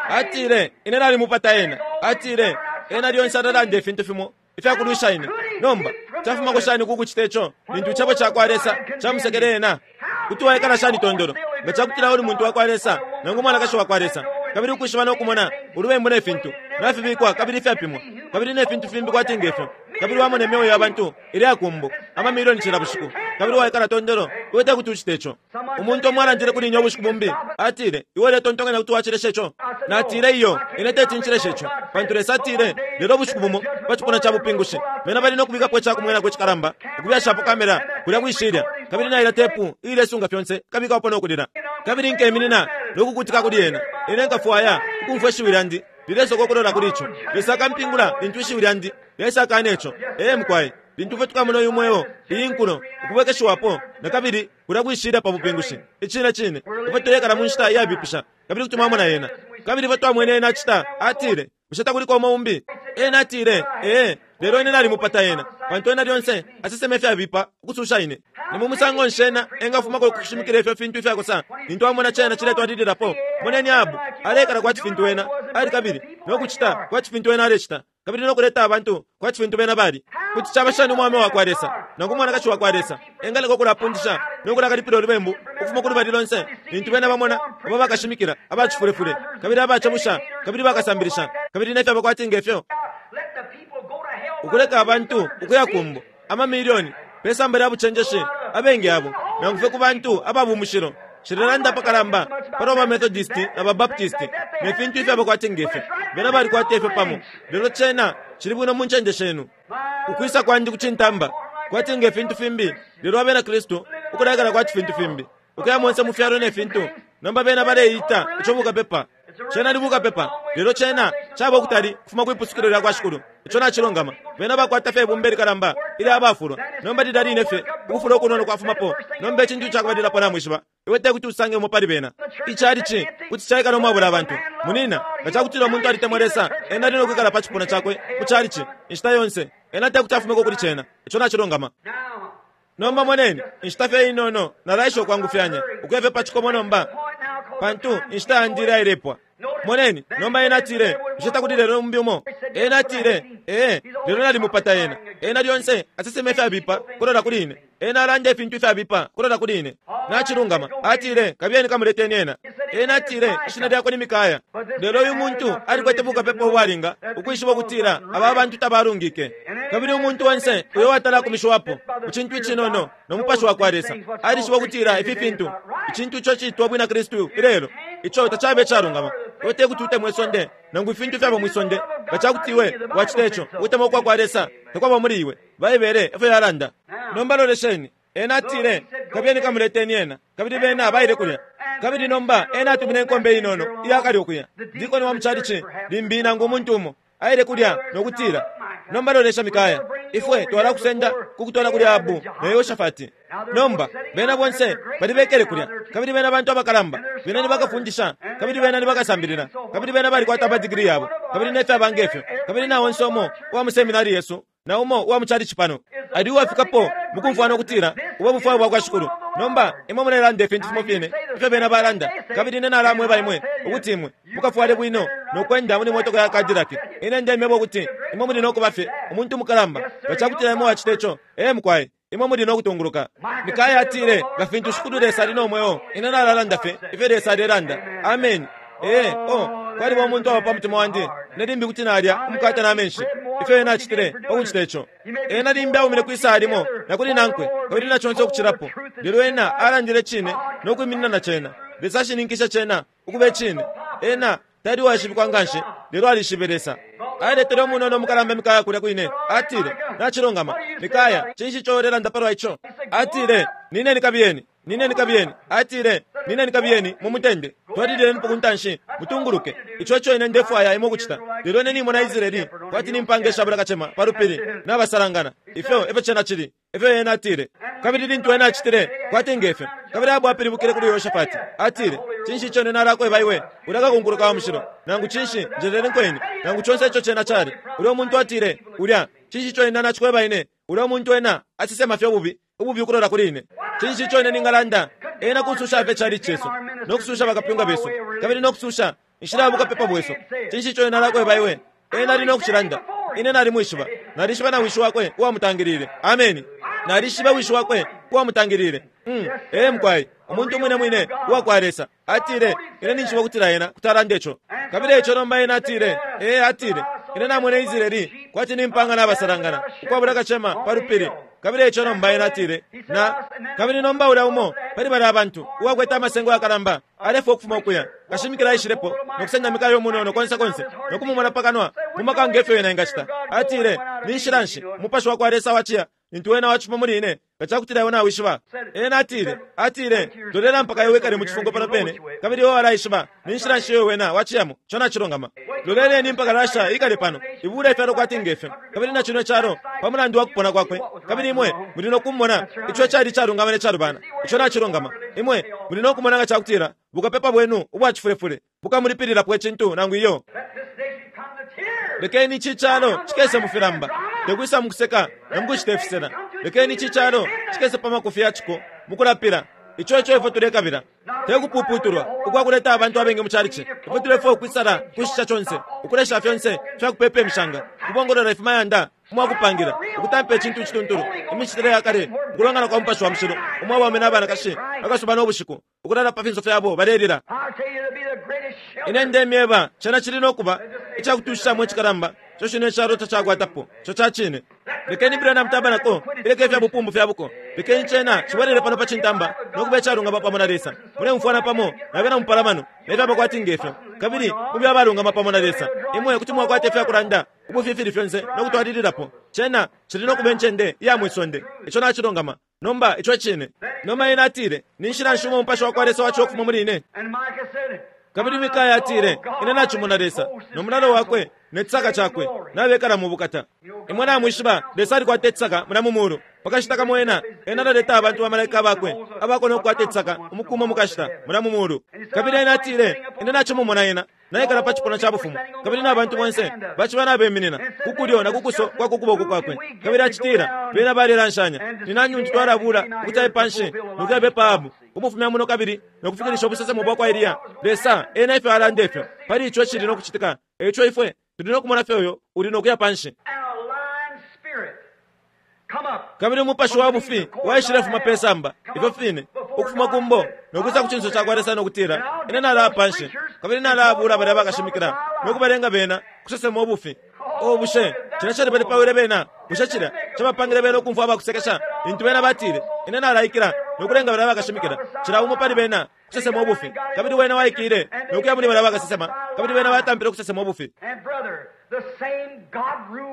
Atile, Ine nalimupata ena. Atile, Ena lyonse alalanda ifintu fimo ifyakulwisha ine. Nomba, cafumako shani ku kucita ico lintu Icebo cakwa Lesa camusekele ena? Kuti waikala shani tondolo nga cakutila uli muntu wakwa Lesa nangu umwanakashi wakwa Lesa, kabili ukwishiba no kumona ulubembu ne fintu nafibikwa kabili ifyapimwa, kabili ne fintu fimbi kwati ngefyo, kabili wamona imyeo ya bantu ileya ku mbo, amamilioni cila bushiku, kabili waikala tondolo, iwe tekuti ucite ico. Umuntu umo alandile kuli ine ubushiku bumbi, atile, Iwe uletontonkanya kuti wacilesha ico? Natile, Iyo, ine teti ncileshe ico, pantu Lesa atile, Lelo ubushiku bumo, pa cipuna ca bupingushi, bena bali no kubikapo ica kumwenako icikalamba, ukubyashapo kamera kulya kwishilya, kabili nailya tepu iilesunga fyonse ikabikwapo no kulila. Kabili nkeminina no kukutika kuli yena. Ine nkafwaya ukumfwa ishiwi lyandi lilesoka ukulola kuli ico. Lesa akampingula lintu ishiwi lyandi lyesakana ico. Ee, mukwai. Lintu ifwe tukamona uyu mweo, iyi nkulo, ukubwekeshiwapo nakabili kulya kwishilya pa bupingushi. Icine cine, ifwe tulekala mu nshita iyabipisha, kabili kuti mwamona yena. Kabili ifwe twamwene ena acita, atile, Bushe takuliko umo umbi? Ena atile, Ee, lelo ine nalimupata ena, pantu ena lyonse asesema ifyabipa ukususha ine. Ni mu musango nshi ena engafumako ku kushimikila ifyo fintu ifyakosa lintu amona cena ciletwalililapo? Moneni Ahabu, aleikala kwati fintu ena ali kabili no kucita kwati fintu ena alecita, kabili no kuleta abantu kwati fintu bena bali. Kuti caba shani umwaume wakwa Lesa nangu umwanakashi wakwa Lesa engaleka ukulapundisha no kulakalipila ulubembu ukufuma kulubali lonse lintu bena bamona abo bakashimikila abacifulefule kabili abacebusha kabili bakasambilisha kabili ne fyaba kwati ngefyo, ukuleka abantu ukuya kumbo ama milioni pe samba lya bucenjeshi, abengi abo nangu fye ku bantu aba bumushilo. Nshilelanda apakalamba palwa ba Methodist na ba Baptist ne fintu ifyaba kwati ngefyo. Bena balikwata ifyo pamo, lelo cena cili bwino mu ncende shenu. Ukwisa kwandi ku cintamba kwati nge fintu fimbi, lelo abena Kristu ukulaikala kwati fintu fimbi, ukuya monse mu fyalo ne fintu. Nomba bena baleita ico bukapepa. Cena ni bukapepa, lelo cena caba ukutali kufuma kwi pusukilo lya kwa Shikulu. Ico nacilungama. Bena bakwata fye ibumba ilikalamba ilya bafulwa. Nomba lilya line fye ukufula ukunono kwafumapo, nomba icintu icakubalilapo namwishiba, iwe tekuti usange umo pali bena. Ichalichi kuti caikala umwabula abantu. Munina, nga cakutila umuntu alitemwa Lesa, ena ali no kwikala pa cipuna cakwe mu chalichi inshita yonse. Ena tekuti afumeko kuli cena. Ico nacilungama. Nomba moneni, inshita fye inono, nalaesha ukwangufyanya ukuya fye pa cikomo nomba, pantu inshita yandi ileya ilepwa. Moneni, nomba ena atile, Bushe takuli lelo umbi umo? Ena atile, Ee, lelo nalimupata ena. Ena lyonse asesema ifyabipa kulola kuli ine. Ena alanda ifintu ifyabipa kulola kuli ine. Nacilungama. Atile, Kabiyeni kamuleteni ena. Ena atile, Ishina lyakwe ni Mikaya. Lelo uyu muntu alikwete bukapepa ubwalinga ukwishiba ukutila aba bantu tabalungike. Kabili umuntu onse uyo watalakumishiwapo mu cintu icinono no mupashi wa kwa Lesa alishiba ukutila ifi fintu, icintu ico citwa bwina Kristu ilelo, ico tacabe icalungama. Iwe te kuti utemwe isonde nangu ifintu ifyaba mwi sonde. Nga ca kuti iwe wacita ico, ukutemwa ukwa kwa Lesa takwaba muli iwe. Baibele efyo yalanda. Nomba lolesheni. Ena atile, Kabiyeni kamuleteni ena. Kabili bena baile kulya. Kabili nomba ena atumine inkombe inono iyakale ukuya, dikoni wa muchalichi, limbi nangu umuntu umo, aile kulya no kutila, Nomba lolesha Mikaya, ifwe twalakusenda kukutwala kuli Ahabu na Yehoshafati. Nomba, bena bonse bali bekele kulya, kabili bena bantu abakalamba, bena ni bakafundisha, kabili bena ni bakasambilila, kabili bena balikwata amadigiri yabo, kabili ne fyaba nge fyo, kabili na onse umo uwa mu seminari yesu na umo uwa mu chalichi pano ali uwafikapo mukumfwana ukutila ubo bufwayo bwakwa Shikulu. Nomba imwe mulelanda ifintu fimo fine ifyo bena balanda, kabili ine nalamweba imwe ukuti imwe mukafwale bwino no kwenda muli motoka ya Cadillac. Ine ndemyeba ukuti imwe muli no kuba fye umuntu mukalamba nga cakutila imwe wacita ico. Ee mukwai, imwe muli no kutunguluka. Mikaya atile, Nga fintu Shikulu Lesa ali no mweo, ine nalalanda fye ifyo Lesa alelanda. Ameni. Ee, oh, kwaliba umuntu aba pa mutima wandi, ine limbi kuti nalya umukate na menshi. Ifyo ena acitile pa kucita ico! Ena limbi aumine kwi saya limo na kuli nankwe, kabili na conse ukucilapo, lelo ena alandile Icine no kwiminina na Cena. Lesa ashininkishe Cena ukuba Icine. Ena tali uwaishibikwa nganshi, lelo alishibe Lesa. Aletele umunono umukalamba Mikaya kulya kwine, atile, Nacilungama, Mikaya, cinshi ico ulelanda palwa ico? Atile, Nineni kabiyeni. Nineni kabiyeni. Atile, Nineni kabiyeni mu mutende. Twalililenipo ku ntanshi, mutunguluke. Ico eco ine ndefwaya imwe ukucita. Lelo ine nimona Israeli kwati ni mpaanga ishabula kacema pa lupili, nabasalangana. Ifyo efyo cena cili. Efyo ena atile. Kabili lintu ena acitile kwati ngefyo, kabili Ahabu apilibukile kuli Yehoshafati, atile, Cinshi ico ine nalakweba iwe, ulya kakunkuluka wa mushilo, nangu cinshi, njeleleni ine, nangu conse ico cena cali. Ulya umuntu atile, Ulya, cinshi ico ine nacikweba ine, ulya umuntu ena asesema fye ububi. Ububi ukulola kuli ine. Cinshi ico ine ningalanda? Ena kususha fye chalichi cesu, no kususha bakapyunga besu, kabili no kususha inshila ya bukapepa bwesu. Cinshi ico ine nalakweba iwe? Ena ali no kucilanda. Ine nalimwishiba. Nalishiba na wishi wakwe uwamutangilile. Ameni. Nalishiba wishi wakwe uwamutangilile. Mm. Ee, mukwai. Umuntu umwine mwine uwa kwa Lesa. Atile, Ine ninjishiba ukutila ena kuti alanda ico. Kabili eico nomba ena atile, Ee, atile, Ine namwene Israeli kwati ni mpaanga nabasalangana, ukwabula kacema, pa lupili. Kabili eico nomba ena atile, Na, kabili nomba ulya umo pali balya abantu, uwakwete amasengo yakalamba, alefwa ukufuma ukuya. Kashimikila aishilepo, no kusenda Mikaya umunono konse konse, no kumumona pa kanwa, mu maka nge fyo ena engacita. Atile, Ni nshila nshi Umupashi wakwa Lesa waciya lintu Wena wacifuma muli ine, nga cakutila iwe nawishiba? Ena atile, atile, Lolela mpaka iwe wikale mu cifungo pano pene, kabili iwe walaishiba ni nshila nshi iyo Wena waciyamo. Ico nacilungama. Loleleni mpaka Russia ikale pano, ibule ifyalo kwati ngefyo, kabili na cino icalo, pa mulandu wa kupona kwakwe, kabili imwe muli no kumona ico icali icalungama ne calubana. Ico nacilungama. Imwe muli no kumona nga cakutila bukapepa bwenu ubwa cifulefule bukamulipililapo icintu nangu iyo. Lekeni ici calo cikese mu filamba, te kwisa mu kuseka na mu kucita ifisela. Lekeni ici calo cikese pa makufi ya ciko mu kulapila. Ico eco ifwe tulekabila, te kupuputulwa ukwa kuleta abantu abengi mu calici. Ifwe tulefwaya ukwisala kushisha conse, ukulesha fyonse ifya kupepa imishanga, ukubongolola ifimayanda umwa kupangila, ukutampa icintu icituntulu, imicitile ya kale, ukulongana kwa Mupashi wa Mushilo, umo abaume na banakashi akasuba no bushiku, ukulala pa finso fyabo balelila. Ine ndemyeba, cena cili no kuba icakutushishamo icikalamba ico cino icalo tacakwatapo. Ico ca cine. Lekeni Branham Tabernacle ileke ifya bupumbu fya buko. Lekeni cena cibwelele pano pa cintamba no kuba icalungama pamo na Lesa. Muleumfwana pamo na bena mupalamano ne fyaba kwati ngefyo, kabili mube abalungama pamo na Lesa. Imwe kuti mwakwata ifya kulanda ubufi ifili fyonse no kutwalililapo. Cena cili no kuba incende iya mwi sonde. Ico nacilungama. Nomba, ico e cine. Nomba ena atile, Ni nshila nshi umo Umupashi wakwa Lesa waciwa ukufuma muli ine? Kabili Mikaya atile, Ine nacimona Lesa, no mulalo wakwe ne cisaka cakwe nabekala mu bukata. Imwe namwishiba, Lesa alikwata icisaka mulya mu mulu. Pakashita kamo Ena, Ena alaleta abantu bamalaika Bakwe abakwe no kukwata icisaka umuku umo mukashita, mulya mu mulu. Kabili ena atile, Ine nacimumona Ena naikala pa cipuna ca bufumu, kabili na bantu bonse baciba nabeminina ku kulyo na ku kuso kwa ku kuboko kwakwe. Kabili acitila, Bena balelanshanya, Ni nani untu twalabula ukuti aye panshi no kuyabepa Ahabu, ukumufumya muno kabili no kufikilisha ubusesemo bwakwa Eliya? Lesa, Ena efyo alanda ifyo, pali ico icili no kucitika, eico ifwe tuli no kumona fye uyo uli no kuya panshi. Kabili umupashi wa bufi waishilefuma pe samba, ifyo fine, ukufuma ku mbo, no kwisa ku cinso cakwa Lesa no kutila, Ine nalaya panshi, kabili nalabula balya bakashimikila, no kubalenga bena kusesema ubufi. Oh, bushe cilya calibalipawile bena? Bushe cilya cabapangile bena ukumfwa abakusekesha lintu bena batile, Ine nalaikila no kulenga balya bakashimikila, cila umo pali bena, kusesema ubufi? Kabili wene waikile no kuya muli balya bakasesema, kabili bena batampile ukusesema ubufi.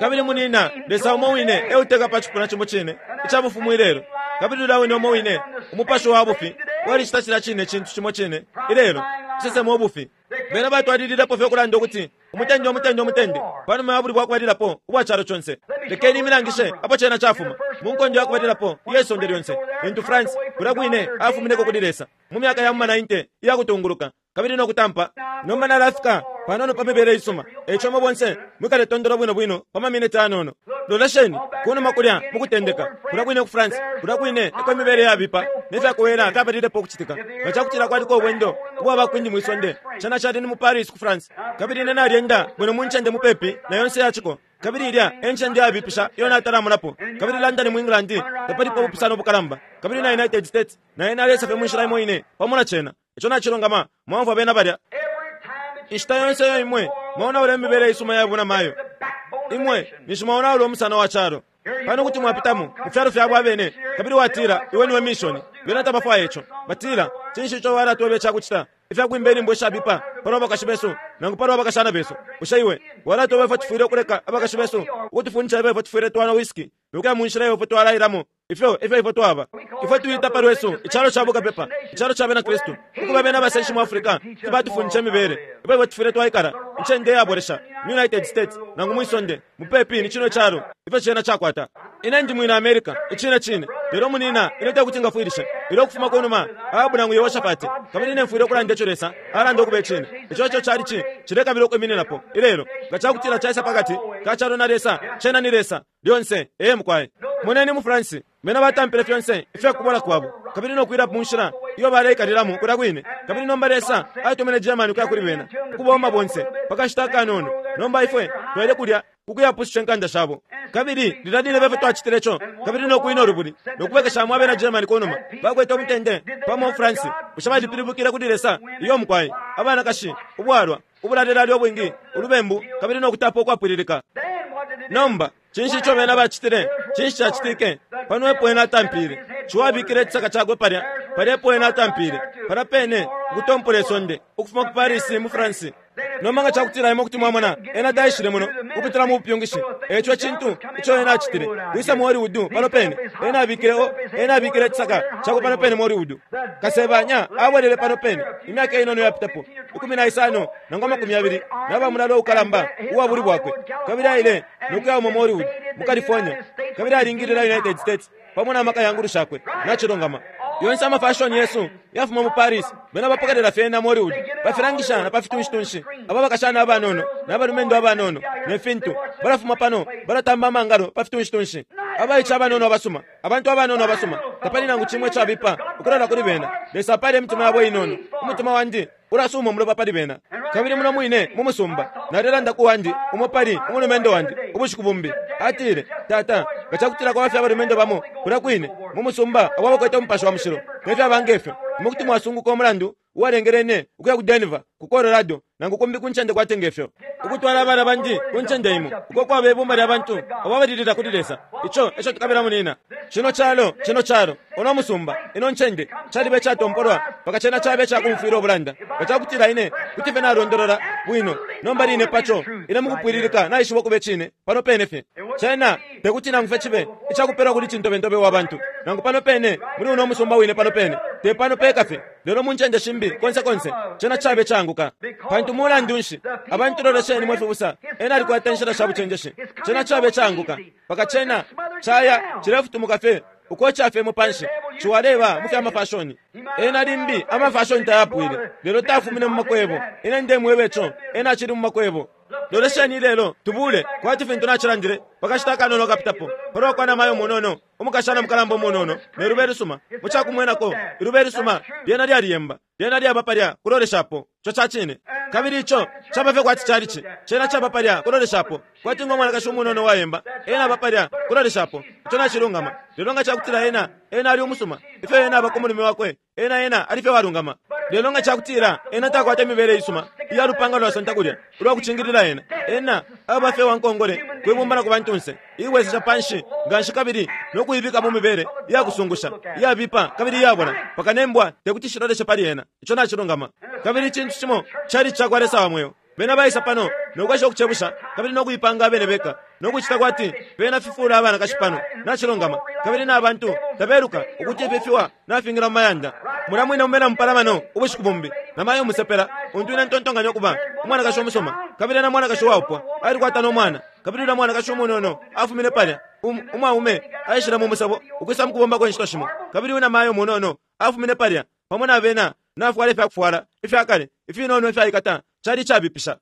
Kabili munina, Lesa umo wine e uteka pa cipuna cimo cine ica bufumu ilelo. Kabili ulya wine umo wine umupashi wa bufi walicita cilya cine cintu cimo cine ilelo, kusesema ubufi. Bena batwalililepo fye ukulanda ukuti umutende, umutende, umutende, panuma ya bulwi bwa kubalilapo ubwa calo conse. Lekeni imilangishe apo cena cafuma. Mu nkondo ya kubalilapo iye sonde lyonse, lintu France kulya kwine afumineko kuli Lesa, mu myaka ya mu ma 90 iya kutunguluka, kabili no kutampa. Nomba nalafika panono pa mibele isuma, eico imwe bonse mwikale tondolo bwino bwino pa maminiti anono. Lolesheni kunuma kulya mu kutendeka, kulya kwine ku France, kulya kwine eko imibele yabipa ne fyakowela fyabalilepo ukucitika. Nga cakutila kwaliko ubwendo ubwa ba kwindi mwi sonde, cena cali ni mu Paris ku France. Kabili ine nalyenda bwino mu ncende mupepi na yonse ya ciko, kabili ilya e ncende yabipisha iyo natalamonapo. Kabili London mu England tapalipo ubupusano bukalamba, kabili na United States naena alesa fye mu nshila imo ine pamo na cena. Ico nacilungama, mwaumfwa bena balya. Inshita yonse iyo imwe mwaonaula imibele isuma ya bunamayo, imwe ninshi mwaonaula umusana wa calo. Pano kuti mwapitamo mu fyalo fyabo abene, kabili watila iwe niwe mishoni. Bena tabafwaya ico. Batila, Cinshi ico walatweba icakucita ifya kwimba inyimbo ishabipa palwa bakashi besu nangu palwa bakashana besu? Bushe iwe walatweba ifyo tufwile ukuleka abakashi besu ukutufundisha ifyo ifwe tufwile twanwa whisky no kuya mu nshila iyo ifwe twalailamo? Ifyo efyo ifwe twaba. Ifwe tuita pa lwesu icalo ca bukapepa, icalo ca Bena Kristu. Ukuba bena abasenshi mu Africa kuti batufundisha imibele ifyo ifwe tufwile twaikala, incende iyabolesha mu United States nangu mwi sonde, mupepi ni cino calo, ifyo cena cakwata. Ine ndi mwina America, icine cine, lelo munina ine tekuti ngafwilishe ilyo ukufuma kunuma Ahabu nangu Yehoshafati, kabili ine mfwile ukulanda ico Lesa alanda ukuba icine. Ico eco chalichi cilekabila ukwimininapo ilelo. Nga cakutila caisa pakati ka calo na Lesa, cena ni Lesa. Lyonse. Ee, mukwai. Moneni mu France, bena batampile fyonse ifya kubola kwabo, kabili no kuila mu nshila iyo baleikalilamo kulya kwine. Kabili nomba Lesa atumine Germany ukuya kuli bena, ukubomba bonse pa kashita akanono. Nomba ifwe twaile kulya ku kuyapususha inkanda shabo. Kabili lilya line fye twacitile co, kabili no kwina ulubuli, no kubwekeshamo abena Germany kunuma, bakwete umutende pamo mu France. Bushe balipilibukile kuli Lesa? Iyo, mukwai. Abanakashi, ubwalwa, ubulalelale ubwingi, ulubembu, kabili no kutapa ukwapwililika. Nomba, cinshi ico bena bacitile? Cinshi cacitike? Pano epo ena atampile. Ciwa abikile icisaka cakwe palya. Palya epo ena atampile. Palya pene, ukutompola isonde, ukufuma ku Paris, mu France. Nomba nga cakutila imwe kuti mwamona, ena taishile muno ukupitila mu bupyungishi. Eico icintu ico ena acitile, kwisa mu Hollywood pano pene, ena abikile, oh, ena abikile icisaka cakwe pano pene mu Hollywood. Kasebanya abwelele pano pene, imyaka inono iyapitapo, 15 nangu 20, naba mulalo ukalamba uwa bulwi bwakwe, kabili aile no kuyauma mu Hollywood, mu California, kabili alingilila United States pamo na maka ya ngulu shakwe. Nacilungama. Yonse amafashoni yesu yafuma mu Paris, bena bapokelela fyena mu Hollywood, bafilangisha na pa fitunshitunshi. Aba bakashana abanono na balumendo abanono ne fintu balafuma pano balatamba amangalo pa fitunshitunshi. Abaice abanono abasuma, abantu abanono abasuma, tapali nangu cimo icabipa ukulala kuli bena. Lesa apale imitima yabo inono. Umutima wandi ulasuuma umulopa pali bena. Kabili muno mwine mu musumba, nalelanda ku wandi, umo pali umulumendo wandi, ubushiku bumbi. Atile, Tata, nga cakutila kwaba fye abalumendo bamo kulya kwine mu musumba abo abakwete Umupashi wa Mushilo, ne fyaba nge fyo, imwe kuti mwasunguka umulandu uwalengele ine ukuya ku Denver, ku Colorado, nangu kumbi ku ncende kwati nge fyo, ukutwala abana bandi ku ncende imo uko kwaba ibumba lya bantu abo abalilila kuli Lesa. Ico eco tukabila, munina. Cino calo, cino calo, uno musumba, ino ncende, caliba icatompolwa mpaka cena caba icakumfwila ubulanda. Nga cakutila ine kuti fye nalondolola bwino nomba line paco ine mukupwililika naishiba ukuba icine pano pene fye. Cena tekuti nangu fye cibe icakupelwa kuli cintobentobe wa bantu, nangu pano pene muli uno musumba wine pano pene, te pano peka fye, lelo mu ncende shimbi konse konse. Cena cabe icaanguka. Pantu mulandu nshi? Abantu lolesheni, mwe fibusa, ena alikwata inshila sha bucenjeshi. Cena cabe icaanguka mpaka cena caya cilefutumuka fye ukoca fye mu panshi. Ciwaleba mu fya mafashoni. Ena limbi amafashoni tayapwile, lelo tafumine mu makwebo. Ine ndemweba ico, ena acili mu makwebo. Lolesheni ilelo, tubule, kwati fintu nacilandile pakashita akanono akapitapo, palwa kwa namayo munono, umukashana mukalamba umunono, ne lube lusuma. Mu cakumwenako, ilube lisuma lyena lyaliyemba. Lyena lyaba palya kuloleshapo. Ico ca cine. Kabili ico caba fye kwati chalichi. Cena caba palya kuloleshapo. Kwati ngo mwanakashi umunono uwayemba, ena aba palya kuloleshapo. Ico nacilungama. Lelo nga cakutila ena, ena ali umusuma, ifyo ena aba ku mulume wakwe, ena, ena ali fye uwalungama. Lelo nga cakutila ena takwata imibele isuma iya lupanga lwasonta kulya ulwa kucingilila ena, ena aba fye uwankongole kwi bumba na ku bantunse, iibwesesha panshi nganshi kabili no kuibika mu mibele iya kusungusha, iyabipa kabili iyabola, mpaka ne mbwa tekuti shiloleshe pali ena. Ico nacilungama. Kabili icintu cimo cali cakwa Lesa wa mweo. Bena baisa pano no kwesha ukucebusha kabili no kuipanga abene beka no kucita kwati bena fifuula abanakashi pano. Nacilungama. Kabili na bantu tabeluka ukuti ifi fiwa nafingila mu mayanda. Mulya mwine mumena mupalamano ubushiku bumbi, na mayo umusepela, untu ine ntontonkanya ukuba umwanakashi umusuma, kabili ena mwanakashi uwaupwa, alikwata no mwana. Kabili ulya mwanakashi umunono afumine palya, um, umwaume aishile mu musebo ukwisa mukubombako inshito shimo. Kabili uyu namayo umunono afumine palya pamo na bena, nafwala ifyakufwala ifyakale ifinono ifyaikata. Cali icabipisha.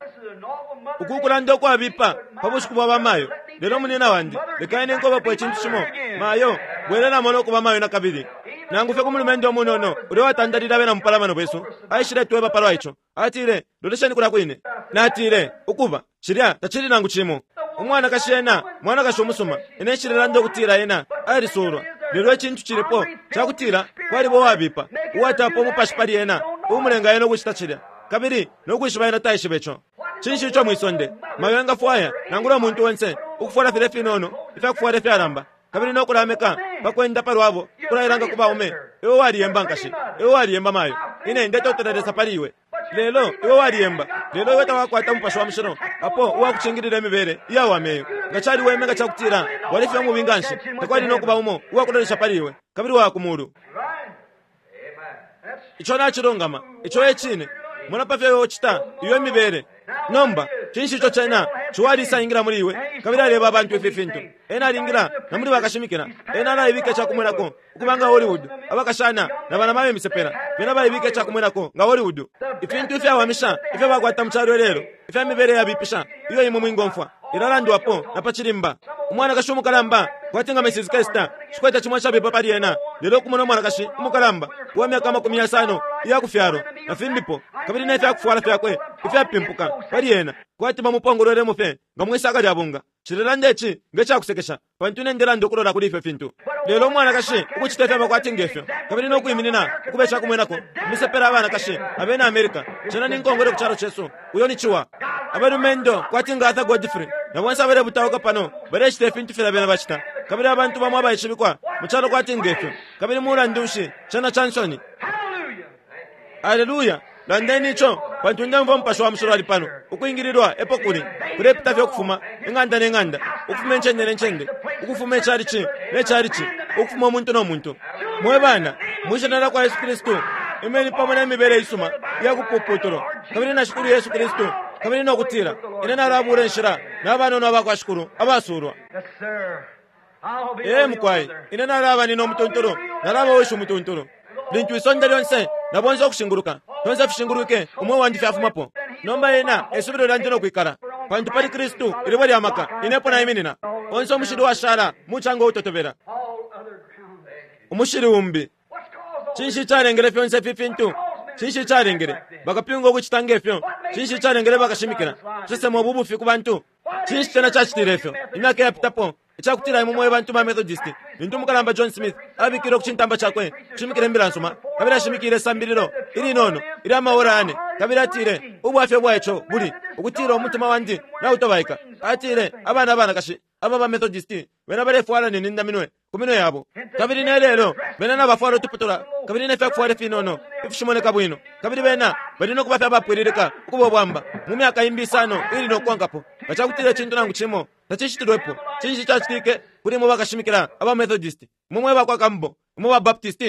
Uku kulanda ukwabipa pa bushiku bwa bamayo. Lelo munina wandi, leka ine nkobapo icintu cimo. Mayo, bwelelamo no kuba mayo nakabili. Nangu fye ku mulumendo umunono ulya watandalile abena mupalamano besu, aishiletweba palwa ico. Atile, Lolesheni kulya kwine. Natile, Ukuba, cilya tacili nangu cimo. Umwanakashi ena mwanakashi umusuma. Ine nshilelanda ukutila ena alisuulwa. Lelo icintu cilipo cakutila kwaliba uwabipa uwatapa umupashi pali ena, uumulenga ena ukucita cilya. Kabili no kwishiba ena taishiba ico. Cinshi ico mwisonde mayo engafwaya, nangula umuntu onse, ukufwala filya ifinono ifyakufwala ifyalamba, kabili no kulameka pa kwenda pa lwabo, ukulailanga ku baume? Iwe waliyemba, nkashi. Iwe waliyemba, mayo. Ine ndetotela Lesa pali iwe. Lelo iwe waliyemba, lelo iwe tawakwata Mupashi wa Mushilo apo uwakucingilila imibele iyawama iyo. Nga caliweme nga cakutila wali fye umubi nganshi, takwali no kuba umo uwakulolesha pali iwe, kabili waya ku Mulu. Ico nacilungama. Ico e cine. Mona pa fyo iwe ucita iyo imibele. Nomba, cinshi ico cena? Ciwa alisa ingila muli iwe, kabili aleba abantu ifi fintu. Ena alingila na muli bakashimikila. Ena alaibika icakumwenako ukuba nga Hollywood, abakashana na banamayo imisepela. Bena balaibika icakumwenako nga Hollywood. Ifintu ifyawamisha ifyo bakwata mu calo ilelo, ifya mibele yabipisha iyo imwe mwingomfwa, ilalandwapo na pa cilimba. Umwanakashi umukalamba, kwati nga Mrs. Kester, nshikwete cimo icabipa pali ena, lelo ukumona umwanakashi umukalamba uwa myaka 50 iyakufyalwa, na fimbipo, kabili ne fyakufwala fyakwe ifyapimpuka pali ena, kwati bamupongolwelemo fye nga mwisaka lya bunga. Nshilelanda ici nge cakusekesha, pantu ine ndelanda ukulola kuli ifyo fintu. Lelo umwanakashi ukucita ifyaba kwati nge fyo, kabili no kwiminina ukuba icakumwenako, imisepela abanakashi abena America, cena ni nkongole ku calo cesu. Uyo ni ciwa. Abalumendo kwati nga Arthur Godfrey na bonse abalebutauka pano balecita ifintu filya bena bacita, kabili abantu bamo abaishibikwa mu calo kwati nge fyo. Kabili mulandu nshi, cena ca nsoni. Aleluya! Landeni ico, pantu ndemfwa Mupashi wa Mushilo ali pano. Ukwingililwa epo kuli, kulepita fye ukufuma ing'anda ne ng'anda, ukufuma incende ne ncende, ukufuma icalici ne calici, ukufuma umuntu no muntu. Mwe bana, mwi Shina lyakwa Yesu Kristu, imeni pamo ne mibele isuma iya kupuputulwa, kabili na Shikulu Yesu Kristu, kabili no kutila, Ine nalabula inshila na banono abakwa Shikulu abasulwa. Ee, mukwai, ine nalaba nina umutuntulu, nalaba wishi umutuntulu. Lintu isonde lyonse na bonse ukushinguluka, fyonse fishingulwike, umweo wandi fyafumapo. Nomba ena e subilo lyandi no kwikala, pantu pali Kristu ilibwe lya maka ine epo naiminina. Onse umushili uwashala mucanga uutotobela. Umushili umbi. Cinshi icalengele fyonse ifi fintu? Cinshi icalengele bakapyunga ukucita nge fyo? Cinshi icalengele bakashimikila kusesema ubu bufi ku bantu? Cinshi cena cacitile ifyo imyaka iyapitapo icakutila imwe mwe bantu ba Methodist, lintu umukalamba John Smith abikile ku cintamba cakwe ukushimikila imbila nsuma, kabili ashimikile isambililo ilinono ilya maora yane, kabili atile, Ubwafya bwa ico buli ukutila umutima wandi nautobaika. Atile, Abana abanakashi aba ba Methodist bena balefwala ne nindaminwe ku minwe yabo. Kabili ne lelo bena nabafwala utuputula kabili ne fyakufwala ifinono ifishimoneka bwino, kabili bena bali no kuba fye abapwililika ukuba ubwamba mu myaka imbi isano ili no kukonkapo nga cakutila icintu nangu cimo tacicitilwepo. Cinshi cacitike kuli imwe bakashimikila aba Methodist, imwe mwe bakwa Campbell, imwe ba Baptist?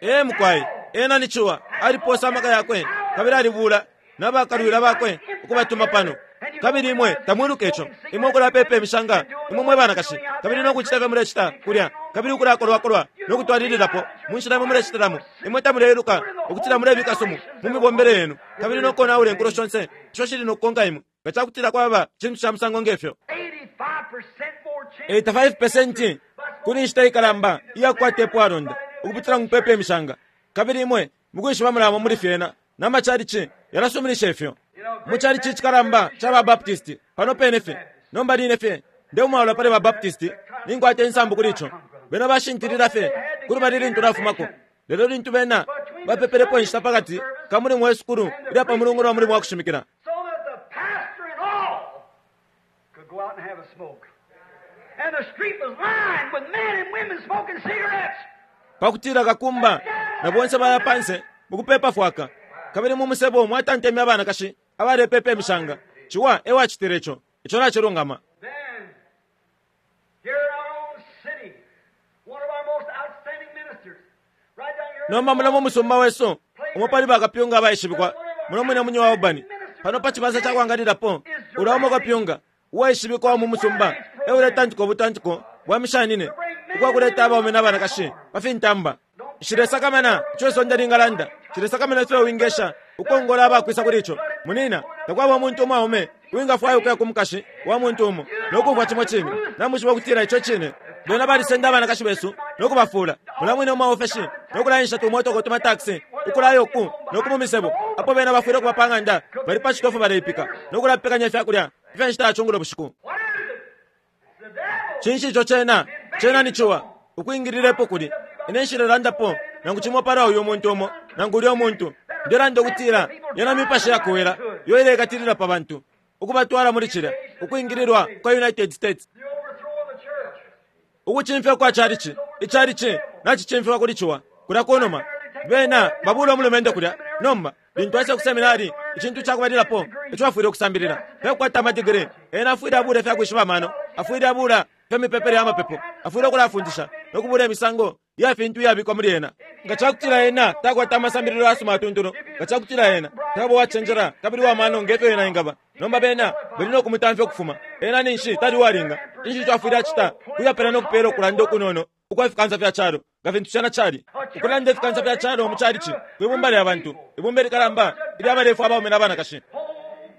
Ee, mukwai, ena ni ciwa. Aliposa amaka yakwe kabili alibuula na bakalwila bakwe ukubatuma pano. Kabili imwe tamwiluka ico. Imwe ukulapepa imishanga, imwe mwe banakashi, kabili no kucita ifyo mulecita kulya, kabili ukulakolwakolwa no kutwalililapo mu nshila imwe mulecitilamo. Imwe tamuleiluka ukutila mulebika sumu mu mibombele yenu, kabili no konaula inkulo shonse isho shili no kukonka imwe. nga ca kutila kwaba cintu ca musango nge fyo.
85% more chance.
85% kuli inshita ikalamba iya kukwata ipwalonda ukupitila mu kupepa imishanga. Kabili imwe mukwishiba mulaba muli fyena, na machalichi yalasuminisha ifyo. Mu chalichi icikalamba ca ba Baptist pano pene fye, nomba line fye, ndeumwalula pali ba Baptist, ninkwata insambu kuli ico. Bena bashintilila fye kulubali lintu nafumako. Lelo lintu bena bapepelepo inshita pakati ka mulimo we sukulu ilya pa Mulungu no mulimo wa kushimikila,
So that the pastor and all could go out and have a smoke. And the street was lined with men and women smoking cigarettes.
pakutila kakumba na bonse baya panse mukupepa fwaka, kabili mu musebo mwatanteme abanakashi abalepepa imishanga. Ciwa e wacitile ico. Ico nacilungama.
Then, here in our own city, one of our most outstanding ministers, right down here.
Nomba muno mu musumba wesu umo pali bakapyunga abaishibikwa muno mwine munyi wa Albany, pano pa cibansa ca kwangalilapo, ulya umo kapyunga uwaishibikwa mu musumba e uletantika ubutantiko bwa mishanine ukwa kuleta abaume na banakashi pa fintamba. Nshilesakamana ico isonde lingalanda, nshilesakamana ifyo wingesha ukongola abakwisa kuli ico. Munina, takwaba umuntu umwaume uwingafwaya ukuya ku mukashi wa muntu umo no kumfwa cimo cine. Namwishiba ukutila ico cine. Bena balisenda abanakashi besu no kubafuula mula mwine mu maofeshi no kulaensha tumotoka tuma taxi ukulaya uku no ku mu misebo, apo bena bafwile ukuba pa ng'anda bali pa citofu baleipika no kulapekanya ifya kulya ifya nshita ya cungulo bushiku.
What is it? It's the devil.
Cinshi ico cena? Cena ni ciwa ukwingililepo kuli. Ine nshilelandapo nangu cimo pala uyu muntu umo nangu ulya umuntu. Ndelanda ukutila yena mipashi yakowela yo ilekatilila pa bantu ukubatwala muli cilya ukwingililwa kwa United States.
The overthrow of the church.
Ukucimfya kwa chalichi, ichalichi nacicimfiwa kuli ciwa kulya kunuma. Bena babula umulumendo kulya. Nomba lintu aisa ku seminari, icintu cakubalilapo ico afwile ukusambilila fyakukwata amadigiri. Ena afwile abula ifyakwishiba amano, afwile abula ifya mipepele ya mapepo, afwile ukulafundisha no kubula imisango ya fintu iyabikwa muli ena. Nga cakutila ena takwata amasambililo yasuma atuntulu, nga cakutila ena taba uwacenjela kabili wa mano ngefyo ena ingaba, nomba bena bali no kumutamfya ukufuma. Ena ninshi tali uwalinga. Cinshi ico afwile acita? Kuyapela no kupela ukulanda ukunono ukwa fikansa fya calo, nga fintu cena cali ukulanda ifikansa fya calo mu calici kwibumba lya bantu, ibumba likalamba ilya balefwa abaume na banakashi.
Oh,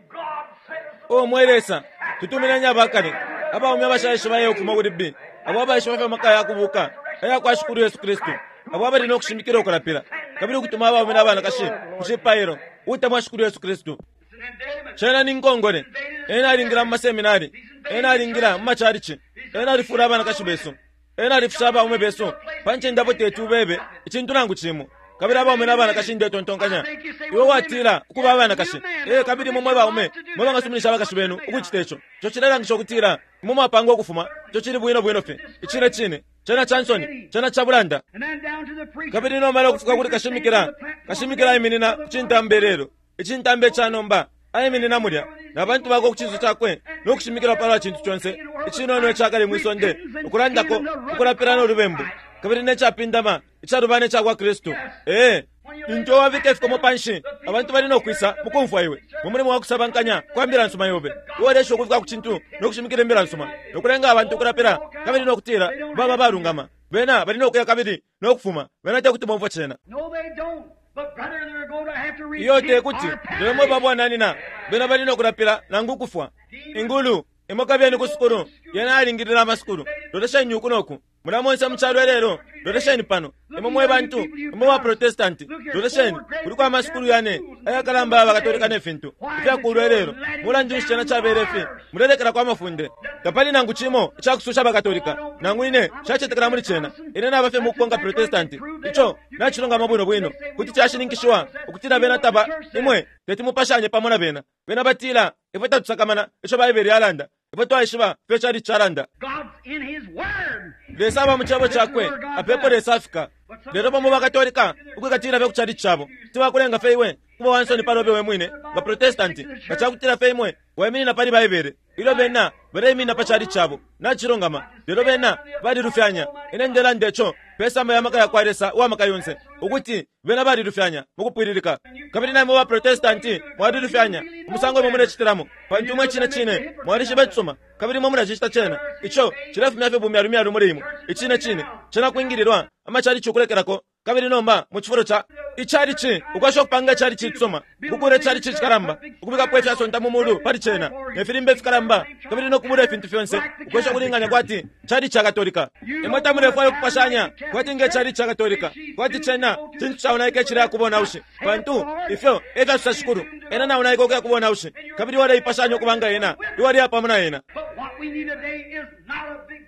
God, send us
O mwe Lesa, tutumineni abakale abaume abashaishiba ye ukufuma kuli B, abo abaishiba fya maka ya kubuka aya kwa Shikulu Yesu Kristu, abo abali no kushimikila ukulapila kabili ukutuma abaume na banakashi ku cipailo utemwa Shikulu Yesu Kristu.
It's an indictment.
Cena ni nkongole. Ena alingila mu maseminari, ena alingila mu macalici, ena alifula abanakashi besu, ena alifusha abaume besu pa ncende apo teti ubebe icintu nangu cimo. Kabili abaume na banakashi, ndetontonkanya iwe watila ukuba abanakashi ee, kabili imwe mwe baume mwe bangasuminisha abakashi benu ukucita ico, ico cilelangisha ukutila imwe mwapanga ukufuma. Ico cili bwino bwino fye icine cine. Cena ca nsoni, cena ca bulanda.
And then down to the preacher.
Kabili nomala ukufika kuli kashimikila, kashimikila aiminina ku cintambe lelo, icintambe ca nomba, aiminina mulya na bantu bakwe ku cinso cakwe no kushimikila palwa cintu conse icinono icakale mwi sonde, ukulandako ukulapila no lubembu kabili ne capindama icalubana ica kwa Kristu. Ee, lintu wabika ifikomo panshi, abantu bali no kwisa mukumfwa iwe mu mulimo wa kusabankanya kwa mbila nsuma yobe. Uwalesha ukufika ku cintu no kushimikila imbila nsuma no kulenga abantu ukulapila kabili no kutila baba balungama, bena bali no kuya kabili no kufuma. Bena te kuti bomfwe cena.
No, they don't. But brother, they're going to have to
Iyo te
repent
kuti
or
lelo mwe
perish.
babwananina, bena bali no kulapila nangu ukufwa. Ingulu imwe kabiyeni ku sukulu, yena alingilila amasukulu. Lolesheni uku noku mula monse mu calo lelo. Lolesheni pano imwe mwe bantu imwe ba Protestanti, lolesheni kuliko amasukulu yane ayakalamba abakatolika ne fintu ifyakulwa lelo. Mulandu nshi cena cabele ifi? Mulelekela kwa mafunde. Tapali nangu cimo icakususha abakatolika, nangu ine shacetekela muli cena. Ine naba fye mukukonka Protestanti. Ico nacilungama bwino bwino, kuti cashininkishiwa ukutila bena taba imwe teti mupashanye pamo na bena. Bena batila ifwe tatusakamana ico Baibele yalanda, ifwe twaishiba ifyo cali calanda.
God's in His Word.
Lesa aba mu cebo cakwe, apepo Lesa afika. Lelo bamo bakatolika ukwikatila fye ku cali cabo tibakulenga fye iwe kuba wansoni palobe we mwine nga Protestanti nga cakutila fye imwe waiminina pali Baibele ilyo bena baleiminina pa cali cabo. Nacilungama, lelo bena balilufyanya. Ine ndelanda ico pesamba ya maka ya kwa Lesa uwa maka yonse, ukuti bena balilufyanya mukupwililika. Kabili namwe ba Protestanti mwalilufyanya umusango imwe mulecitilamo, pantu imwe cine cine mwalishiba icisuma kabili imwe mulacicita cena. Ico cilefumya fye bumyalumyalu muli imwe. Icine cine cena kwingililwa amacalici ukulekelako. Kabili nomba mu cifulo ca icalici, ukwesha ukupanga icalici icisuma, ukukula icalici icikalamba, ukubikapo ifyasonta mu mulu pali cena, ne filimba ifikalamba, kabili no kubula ifintu fyonse, ukwesha ukulinganya kwati calici ca Katolika. Imwe tamulefwaya ukupashanya kwati nge calici ca Katolika, kwati cena cintu caonaika icileya ku bonaushi, pantu ifyo e fyasosa shikulu, ena naonaika ukuya ku bonaushi, kabili iwe uleipashanya ukuba nga ena, iwe uleya pamo na ena.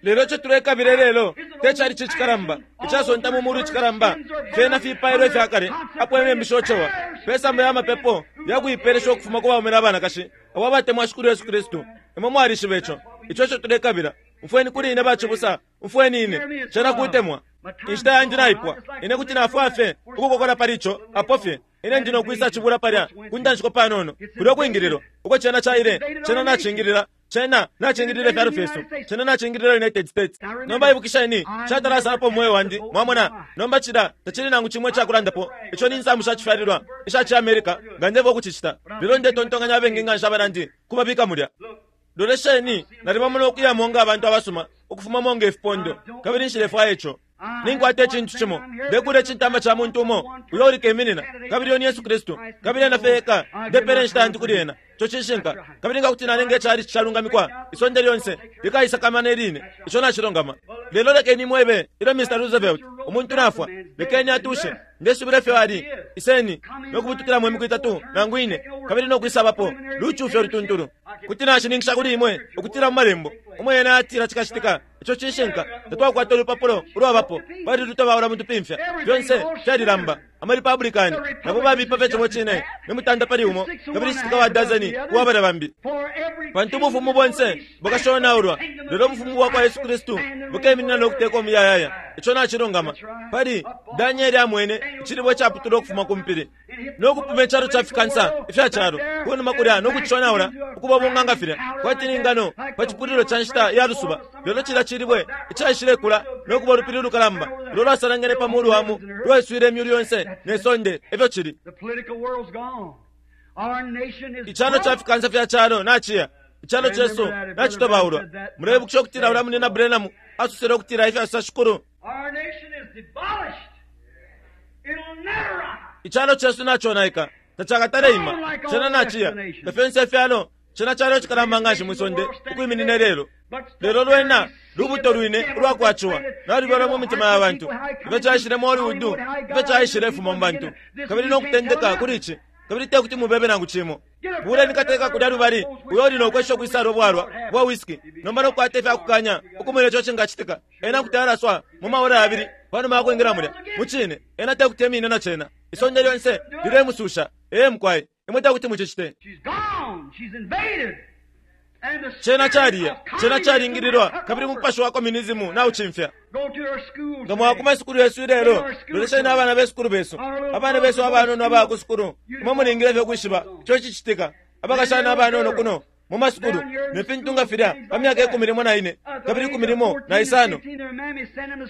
Lelo ico tulekabila ilelo te calici icikalamba, icasonta mu mulu icikalamba, fyena fipailo ifya kale apo imembu shocewa, pe samba ya mapepo ya kuipelesha ukufuma ku baume na banakashi abo abatemwa Shikulu Yesu Kristu. Imwe mwalishiba ico. Ico eco tulekabila. Umfweni kuli ine, bacibusa. Umfweni ine. Cena kutemwa. Inshita yandi naipwa. Ine kuti nafwaya fye ukukokola pali ico apo fye. Ine ndi no kwisa cibula palya ku ntanshiko panono, kulyo kwingililwa uko cena caile. Cena nacingilila. Cena nacingilila ifyalo fyesu. Cena nacingilila United States. Nomba ibukisheni, nshatala umweo wandi, mwamona. Nomba cilya tacili nangu cimo icakulandapo. Ico ni nsambu sha cifyalilwa isha ci America nga ndefwaya ukucicita. Lelo ndetontonkanya abengi nganshi abanandi kubabika mulya. Lolesheni, nalibamona ukuyamo nga abantu abasuma, ukufumamo nge fipondo, kabili nshilefwaya ico. Ninkwata icintu cimo. Ndekuula icintamba ca muntu umo uyo uli keminina, kabili uyo ni Yesu Kristu, kabili ena fye eka. Ndepela inshita yandi kuli ena. Ico cishinka. Kabili nga kuti nalenga icalici calungamikwa, isonde lyonse likaisakamana iline. Ico nacilungama. Lelo lekeni imwebe, ilyo Mr. Roosevelt, umuntu nafwa, lekeni atushe. Ndesubila ifyo ali. Iseni no kubutukilamo imiku itatu nangu ine, kabili no kwisabapo lucufya ulutuntulu. Kuti nashininkisha kuli imwe ukutila mu Malembo umo yena yatila cikacitika. Ico cishinka. Tatwakwata ulupapulo ulwabapo, balilutobaula mu tupimfya. Fyonse fyalilamba. Ama Republican nabo babipa fye cimo cine, ni mutanda pali umo kabili citika wa dazeni uwa balya bambi. Pantu ubufumu bonse bukashonaulwa, lelo ubufumu bwa kwa Yesu Kristu bukeminina no kuteka umuyayaya. Ico nacilungama. Pali Daniele amwene icilibwe icaputulwa ukufuma ku mpili no kupuma icalo ca fikansa ifya calo ku numa kulya no kucishonaula ukuba bunga nga filya, kwati ni ngano pa cipulilo ca nshita ya lusuba. Lelo cilya cilibwe icaishilekula no kuba ulupili ulukalamba ulo lwasalangene pa mulu wa mu lwaiswile imyulu yonse ne sonde. Efyo cili. Icalo ca fikansa fya calo naciya. Icalo cesu nacitobaulwa. Muleibukisha ukutila ulya Munyina Branham asosele ukutila ifyo asosa shikulu? Icalo cesu naconaika. Tacakatale ima. Cena naciya. Na fyonse ifyalo, cena calo icikalamba nganshi mwi sonde ukwiminina ilelo. Lelo lwena lubuto lwine ulwa kwa ciwa nalubyalwa mu mitima ya bantu. Ifyo caishile mu Hollywood, ifyo caishilefuma mu bantu, kabili no kutendeka kuli ici, kabili te kuti mubebe nangu cimo. Buleni kateka kulya lubali uyo uli no kwesha ukwisala ubwalwa bwa whisky nomba no kukwata ifya kukanya ukumona ico cingacitika. Ena kuti alaswa mu maora yabili panuma ya kwingila mulya. Mucine, ena te kuti emine na cena. Isonde lyonse lilemususha. Ee, mukwai. Imwe te kuti mucicite. Cena caliya, cena calingililwa, kabili umupashi wa communism naucimfya. Nga mwaya ku masukulu yesu ilelo, lolesheni abana be sukulu besu, abana besu abanono abaya ku sukulu. Imwe mulingile fye ukwishiba ico cicitika. Abakashana abanono kuno mu masukulu ne fintu nga filya, pa myaka ikumi limo na ine kabili ikumi limo na isano,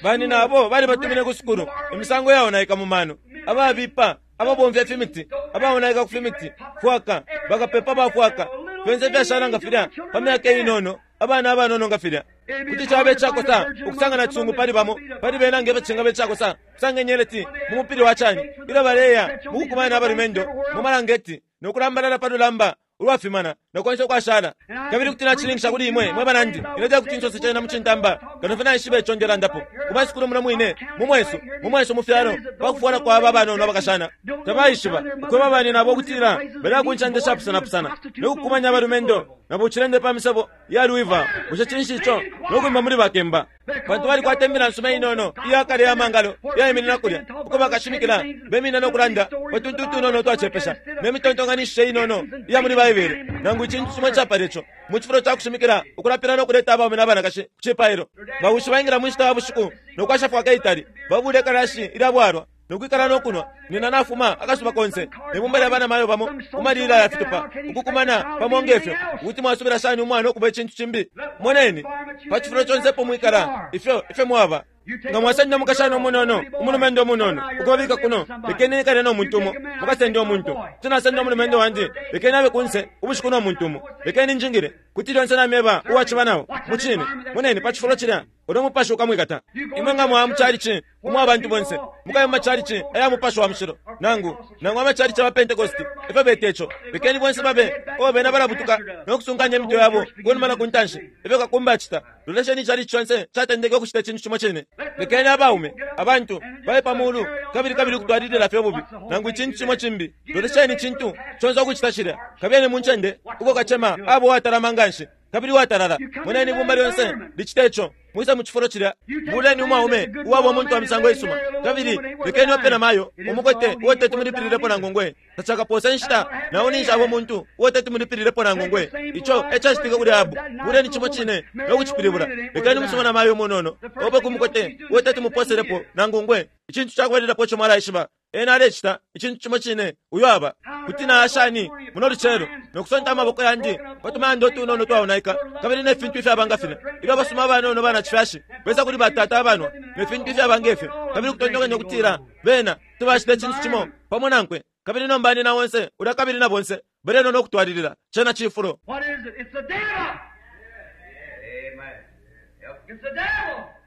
banina abo balibatumine ku sukulu, imisango yaonaika mu mano, ababipa, ababomfya ifimiti, abaonaika ku fimiti, fwaka, bakapepa ba fwaka, fyonse ifyashala nga filya, pa myaka inono, abana abanono nga filya. Kuti caba icakosa ukusanga nacisungu pali bamo pali bena nge fyo cingaba icakosa ukusanga inyeleti mu mupili wa cani ilyo baleya mu kukumanya na balumendo mu malangeti no kulambalala pa lulamba ulwafimana no konse ukwashala. Kabili kuti nacishininkisha kuli imwe mwe banandi, ine tekuti nsose cena mu cintamba kano fye naishiba ico ndelandapo. Ku masukulu muno mwine mu mwesu, mu mwesu mu fyalo, pa kufwala kwa aba abanono abakashana, tabaishiba ukweba banyinabo ukutila baleya ku ncende shapusanapusana no kukumanya abalumendo na bucilende pa misebo ya Louisville. Bushe cinshi ico? No kwimba muli bakemba. Pantu balikwata imbila nsuma inono iya kale ya mangalo iyaiminina kulya, uko bakashimikila beminina no kulanda pa tuntu utunono utwacepesha ne mitontonkanishishe inono iya muli Baibele, nangu icintu cimo icapala ico, mu cifulo ca kushimikila ukulapila no kuleta abaume na banakashi ku cipailo. Bawishi baingila mu nshita ya bushiku no kwasha fwaka itali, babuula ikalashi ilya bwalwa no kwikala no kunwa. Nina nafuma akasuba konse ne bumba lya banamayo bamo ku malila ya fitupa, ukukumana pamo nge fyo. Kuti mwasubila shani umwana ukuba icintu cimbi? Moneni, pa cifulo conse epo mwikala, ifyo efyo mwaba. Nga mwasenda umukashana umunono, umulumendo umunono, ukubabika kuno, lekeni ekale no muntu umo, mukasende umuntu. Kuti nasenda umulumendo wandi, lekeni abe kunse ubushiku no muntu umo. Lekeni njingile, kuti lyonse namyeba uwaciba nao. Mucine, moneni pa cifulo cilya, ulyo mupashi ukamwikata. Imwe nga mwaya mu chalichi umo abantu bonse, mukaye mu machalichi aya Mupashi wa Mushilo, nangu, nangu amachalichi aba Pentecosti, efyo beta ico. Lekeni bonse babe, oh, bena balabutuka no kusunkanya imitwe yabo kunuma na kuntanshi, efyo kakumba acita. Lolesheni ichalichi conse catendeke ukucita icintu cimo cine. Lekeni abaume, abantu, baye pa mulu, kabili, kabili ukutwalilila fye ububi, nangu icintu cimo cimbi. Lolesheni icintu conse ukucita cilya. Kabiyeni mu ncende uko kacema aba uwatalama nganshi kabili uwatalala. Moneni ibumba lyonse licita ico. Mwise mu cifulo cilya. Buleni umwaume uwaba umuntu wa misango isuma, kabili lekeni ope na mayo umukote uo teti mulipililepo nangu ngwe. Tacakapose inshita na o ninshi aba umuntu uo teti mulipililepo nangu ngwe. Ico e cacitike kuli Ahabu. Buleni cimo cine no kucipilibula. Lekeni umusuma na mayo umunono ope ku mukote uo teti muposelepo nangu ngwe. Icintu cakubalilapo ico mwalaishiba, Ena alecita icintu cimo cine uyo aba. Kuti naya shani muno lucelo no kusonta amaboko yandi pa tumayanda utunono twaonaika kabili ne fintu ifyaba nga filya, ilyo abasuma abanono banacifyashi besa kuli batata abanwa ne fintu ifyaba nge fyo, kabili ukutontonkanya ukutila bena kuti bacita icintu cimo pamo nankwe, kabili nomba nina onse ulya kabili na bonse balenwa no kutwalilila. Cena cifulo.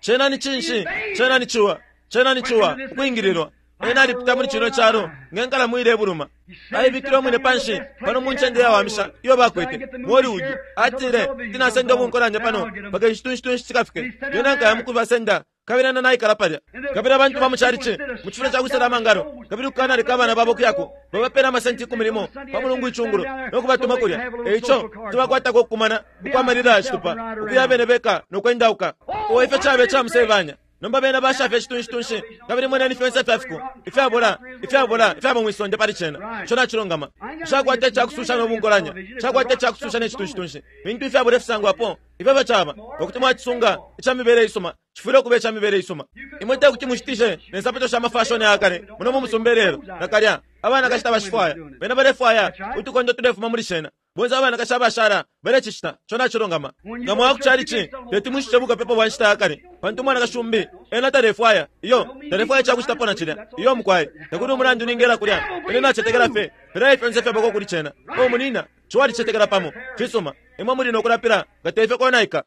Cena ni cinshi? Cena ni ciwa. Cena ni ciwa, ukwingililwa. Ena alipita muli cino calo nge nkalamu ilebuluma. Aibikile umwine panshi pano mu ncende iyawamisha iyo bakwete mu Hollywood. Atile, Kuti nasenda ubunkolanya pano mpaka icitunshi-tunshi cikafike. Lyena nkaya mukubasenda. Kabili ena naikala palya. Kabili abantu ba mu chalichi, mu cifulo ca kwisala amangalo, kabili ukukanaleka abana babo ukuyako, babapela amasenti ikumi limo pa Mulungu icungulo, no kubatuma kulya. E ico, kuti bakwatako ukukumana ukwa malila ya citupa, ukuya abene beka no kwendauka. Oh, ifyo cabe ica musebanya! Nomba bena basha fye icitunshi-tunshi, kabili moneni fyonse ifya fiko, ifyabola, ifyabola ifyaba mwi sonde pali cena. Ico nacilungama. Nshakwata icakususha no bunkolanya. Nshakwata icakususha ne citunshi-tunshi. Fintu ifyabola ifisangwapo, ifyo efyo caba. Nga kuti mwacisunga ica mibele isuma, cifwile ukuba ica mibele isuma. Imwe te kuti mushitishe ne nsapato sha mafashoni aya kale muno mu musumba ilelo, nakalya. Abanakashi tabashifwaya. Bena balefwaya utukondo tulefuma muli shena. Bonse abanakashi abashala balecicita. Ico nacilungama. Nga mwaya ku chalichi, teti mushice bukapepa bwa nshita ya kale, pantu umwanakashi umbi ena talefwaya. Iyo, talefwaya icakucitapo na cilya. Iyo, mukwai. Takuli umulandu ningela kulya, ine nacetekela fye. Pelaye fyonse ifyabako kuli cena. Oh, munina, ciwa alicetekela pamo. Cisuma. Imwe muli no kulapila nga teifyo konaika.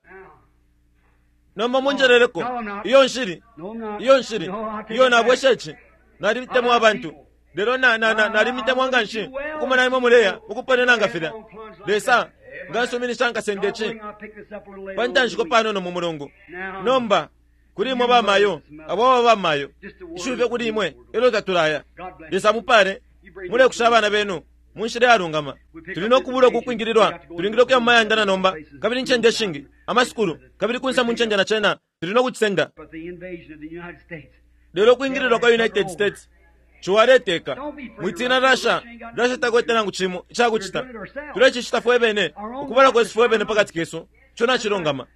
Nomba munjeleleko. Iyo, nshili. Iyo, nshili. Iyo, nabwesha ici. Nalitemwa abantu. Lelo na, na, na, nalimitemwa nganshi ukumona imwe muleya mukuponena nga filya. Lesa, nga nsuminisha nkasende ici pa ntanshiko panono mu mulungu. Nomba, kuli imwe bamayo, abo ababa bamayo, ishiwi fye kuli imwe elyo tatulaya. Lesa amupale. Mulekusha abana benu mu nshila iyalungama. Tuli no kubula uku kwingililwa. Tulingile ukuya mu mayanda na nomba, kabili incende ishingi, amasukulu, kabili kunse mu ncende na cena, tuli no kucisenda. Lelo ukwingililwa kwa United States, Ciwa aleteka. Mwitina Russia, Russia takwete nangu cimo icakucita. Tulecicita fwebene, ukubala kwesu fwebene pakati kesu. Ico nacilungama.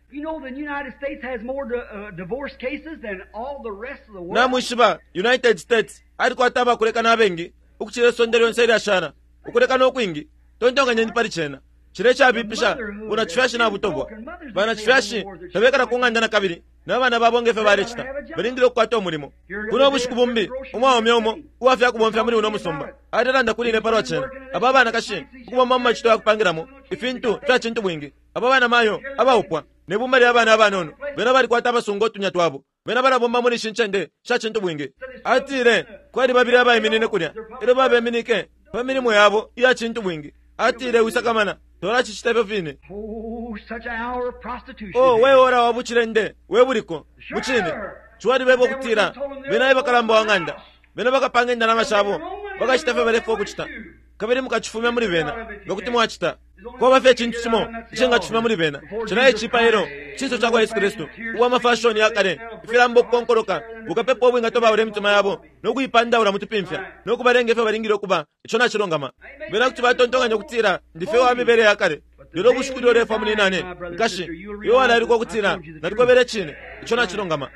Namwishiba, United States alikwata abakulekana abengi ukucila isonde lyonse ilyashala, ukulekana ukwingi. Tontonkanyeni pali cena. Cilya icabipisha, bunacifyashi nabutobwa. Banacifyashi tabekala ku ng'anda na kabili na bana babo nge fyo balecita. Balingile ukukwata umulimo. Kuno ubushiku bumbi, umwaume umo uwa fya kubomfya muli uno musumba alelanda kuli ine palwa cena. Aba banakashi ukubomba mu macito ya kupangilamo ifintu ifya cintubwingi. Aba banamayo abaupwa, ne bumba lya bana abanono, bena balikwata abasunga utunya twabo. Bena balabomba muli ishi ncende sha cintubwingi. Atile, Kwali babili abaiminine kulya, ilyo babeminike pa milimo yabo iya cintubwingi. Atile, Wisakamana, twalacicita ifyo fine. Oh, we ora wa bucilende we buliko! Mucine, ciwalibeba ukutila bena e bakalamba wa ng'anda. Bena bakapanga indalama shabo, bakacita ifyo balefwaya ukucita, kabili mukacifumya muli bena nga kuti mwacita. Kwaba fye icintu cimo icingacifumya muli bena, cena e cipailo, icinso cakwa Yesu Kristu, uwa mafashoni ya kale, ifilamba ukukonkoloka, bukapepa ubwingatobaula imitima yabo no kuipandaula mutupimfya, no kubalenga ifyo balingile ukuba. Ico nacilungama. Bena kuti batontonkanya ukutila ndi fye uwa mibele ya kale. Lelo ubushiku ilyo ulefwa, munyinane, nkashi, iwe walailukwa ukutila nalikwebele icine. Ico nacilungama.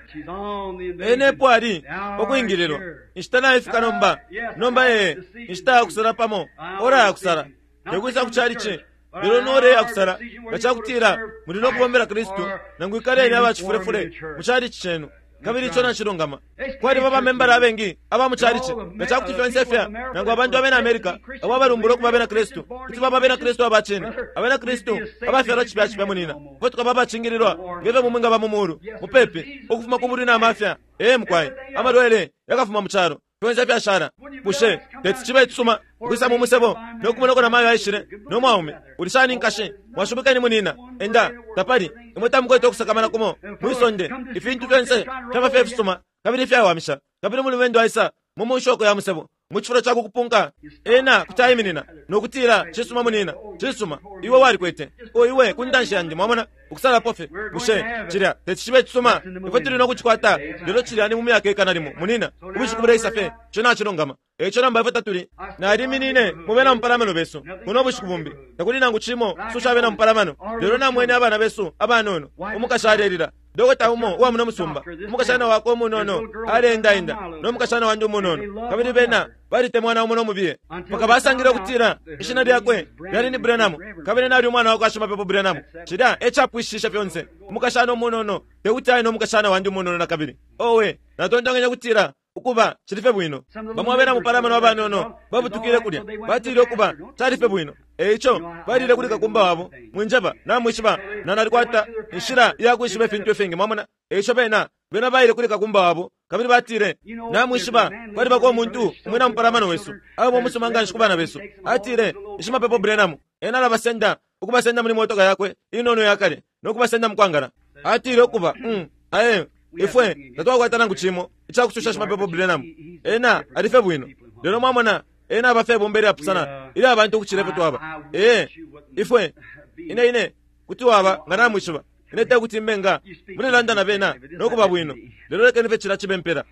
Ena epo ali, pa kwingililwa. Inshita naifika nomba. Nomba, ee, inshita ya kusala pamo, ora ya kusala. Te kwisa ku chalichi, lelo ni ora iya kusala nga ca kutila muli no kubombela Kristu nangu ikaleni aba cifulefule mu chalichi cenu. Kabili ico nacilungama. Kwaliba bamembala abengi aba mu calici, nga ca kuti fyonse fya nangu abantu abena Amerika abo abalumbula ukuba abena Kristu kuti baba abena Kristu aba cine, abena Kristu abafyalwa cipya cipya, munina, ifwe tukaba abacingililwa nge fyo mumwingaba mu mulu, mupepi, ukufuma ku bulwi na mafya. Ee, mukwai. Amalwele yakafuma mu calo. Fyonse fyashala. Bushe teti cibe icisuma ukwisa mu musebo no kumona uko namayo aishile no mwaume? Uli shani, nkashi? Mwashubikeni, munina. Enda, tapali. Imwe tamukwete ukusakamana kumo mwi sonde. Ifintu fyonse fyaba fye ifisuma kabili ifyawamisha. Kabili umulumendo aisa mu munshoko ya musebo, mu cifulo ca kukupunka, ena kuti aiminina no kutila, Cisuma, munina. Cisuma, iwe walikwete. O iwe, ku ntanshi yandi, mwamona, ukusalapo fye. Bushe cilya teti cibe icisuma? Ifwe tuli no kucikwata, lelo cilya ni mu myaka ikana limo, munina. Ubushiku buleisa fye. Ico nacilungama. E ico nomba ifwe tatuli. Naliminine mu bena mupalamano besu buno bushiku bumbi. Takuli nangu cimo kususha abena mupalamano, lelo namwene abana besu abanono. Umukashi alelila. Dokota umo uwa muno musumba, umukashana wakwe umunono aleendaenda no mukashana wandi umunono, kabili bena balitemwana umo no mubiye, mpaka basangile ukutila ishina lyakwe lyali ni Branham, kabili nali umwana wakwa Shimapepo Branham. Cilya e capwishishe fyonse. Umukashana umunono tekuti aye no mukashana wandi umunono nakabili. Owe, natontonkenye ukutila, Ukuba, cili fye bwino. Bamo abena mupalamano abanono babutukile kulya, batile, Ukuba, cali fye bwino. E ico balile kuli kakumba wabo. Mwinjeba, namwishiba, na nalikwata inshila iya kwishiba ifintu ifingi, mwamona. E ico bena, bena baile kuli kakumba wabo, kabili batile, Namwishiba, kwalibako umuntu umwina mupalamano wesu, aba umusuma nganshi ku bana besu. Atile, Ni Shimapepo Branham. Ena alabasenda, ukubasenda muli motoka yakwe inono iya kale, no kubasenda mukwangala. Atile, Ukuba, um, aye, ifwe tatwakwata nangu cimo icakususha Shimapepo Branham. Ena ali fye bwino. Lelo mwamona, ena aba fye ibumba ilyapusana ilya bantu ukucila ifyo twaba. Ee, ifwe, ine, ine, kuti waba nga namwishiba. Ine tekuti mbe nga mulelanda na bena no kuba bwino, lelo lekeni fye cilya cibe impela.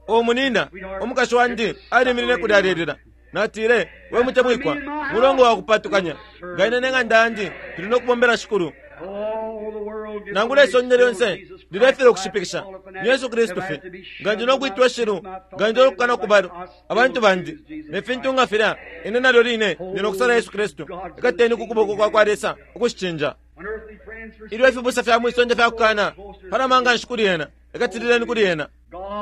O munina, umukashi wandi aliminine kulya alelila. Natile, We mutemwikwa, mulongo wa kupatukanya, nga ine ne ng'anda yandi tuli no kubombela Shikulu. Nangula isonde lyonse lilefilwa ukushipikisha, ni Yesu Kristu fye. Nga ndi no kwitwa ishilu, nga ndi no kukana kuba abantu bandi, ne fintu nga filya, ine nalyo line ndi no kusala Yesu Kristu. Ikateni ku kuboko kwa kwa Lesa ukushicinja. Ilyo ifibusa fya mwi sonde fyakukana, palama nganshi kuli Ena, ikatilileni kuli Ena.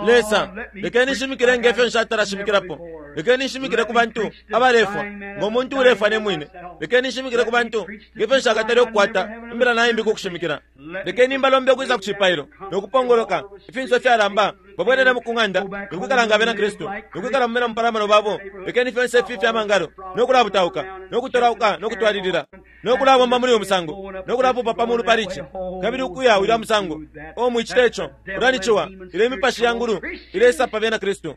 Lesa, lekeni nshimikile nge fyo nshatala shimikilapo. Lekeni nshimikile ku bantu abalefwa, ngo muntu ulefwa ne mwine. Lekeni nshimikile ku bantu nge fyo nshakatale ukukwata imbila naimbi ku kushimikila. Lekeni mbalombe ukwisa ku cipailo no kupongoloka ifinso ifyalamba, babwelelemo ku ng'anda no kwikala nga Abena Kristu, no kwikala mu bena mupalamano babo. Lekeni fyonse ifi ifya mangalo no kulabutauka no kutolauka no kutwalilila no kulabomba muli uyu musango no kulapupa pa mulu pali ici kabili ukuya ulya musango. O, mwicita ico! Ulya ni ciwa. Ilyo imipashi ya ngulu ileisa pa Bena Kristu.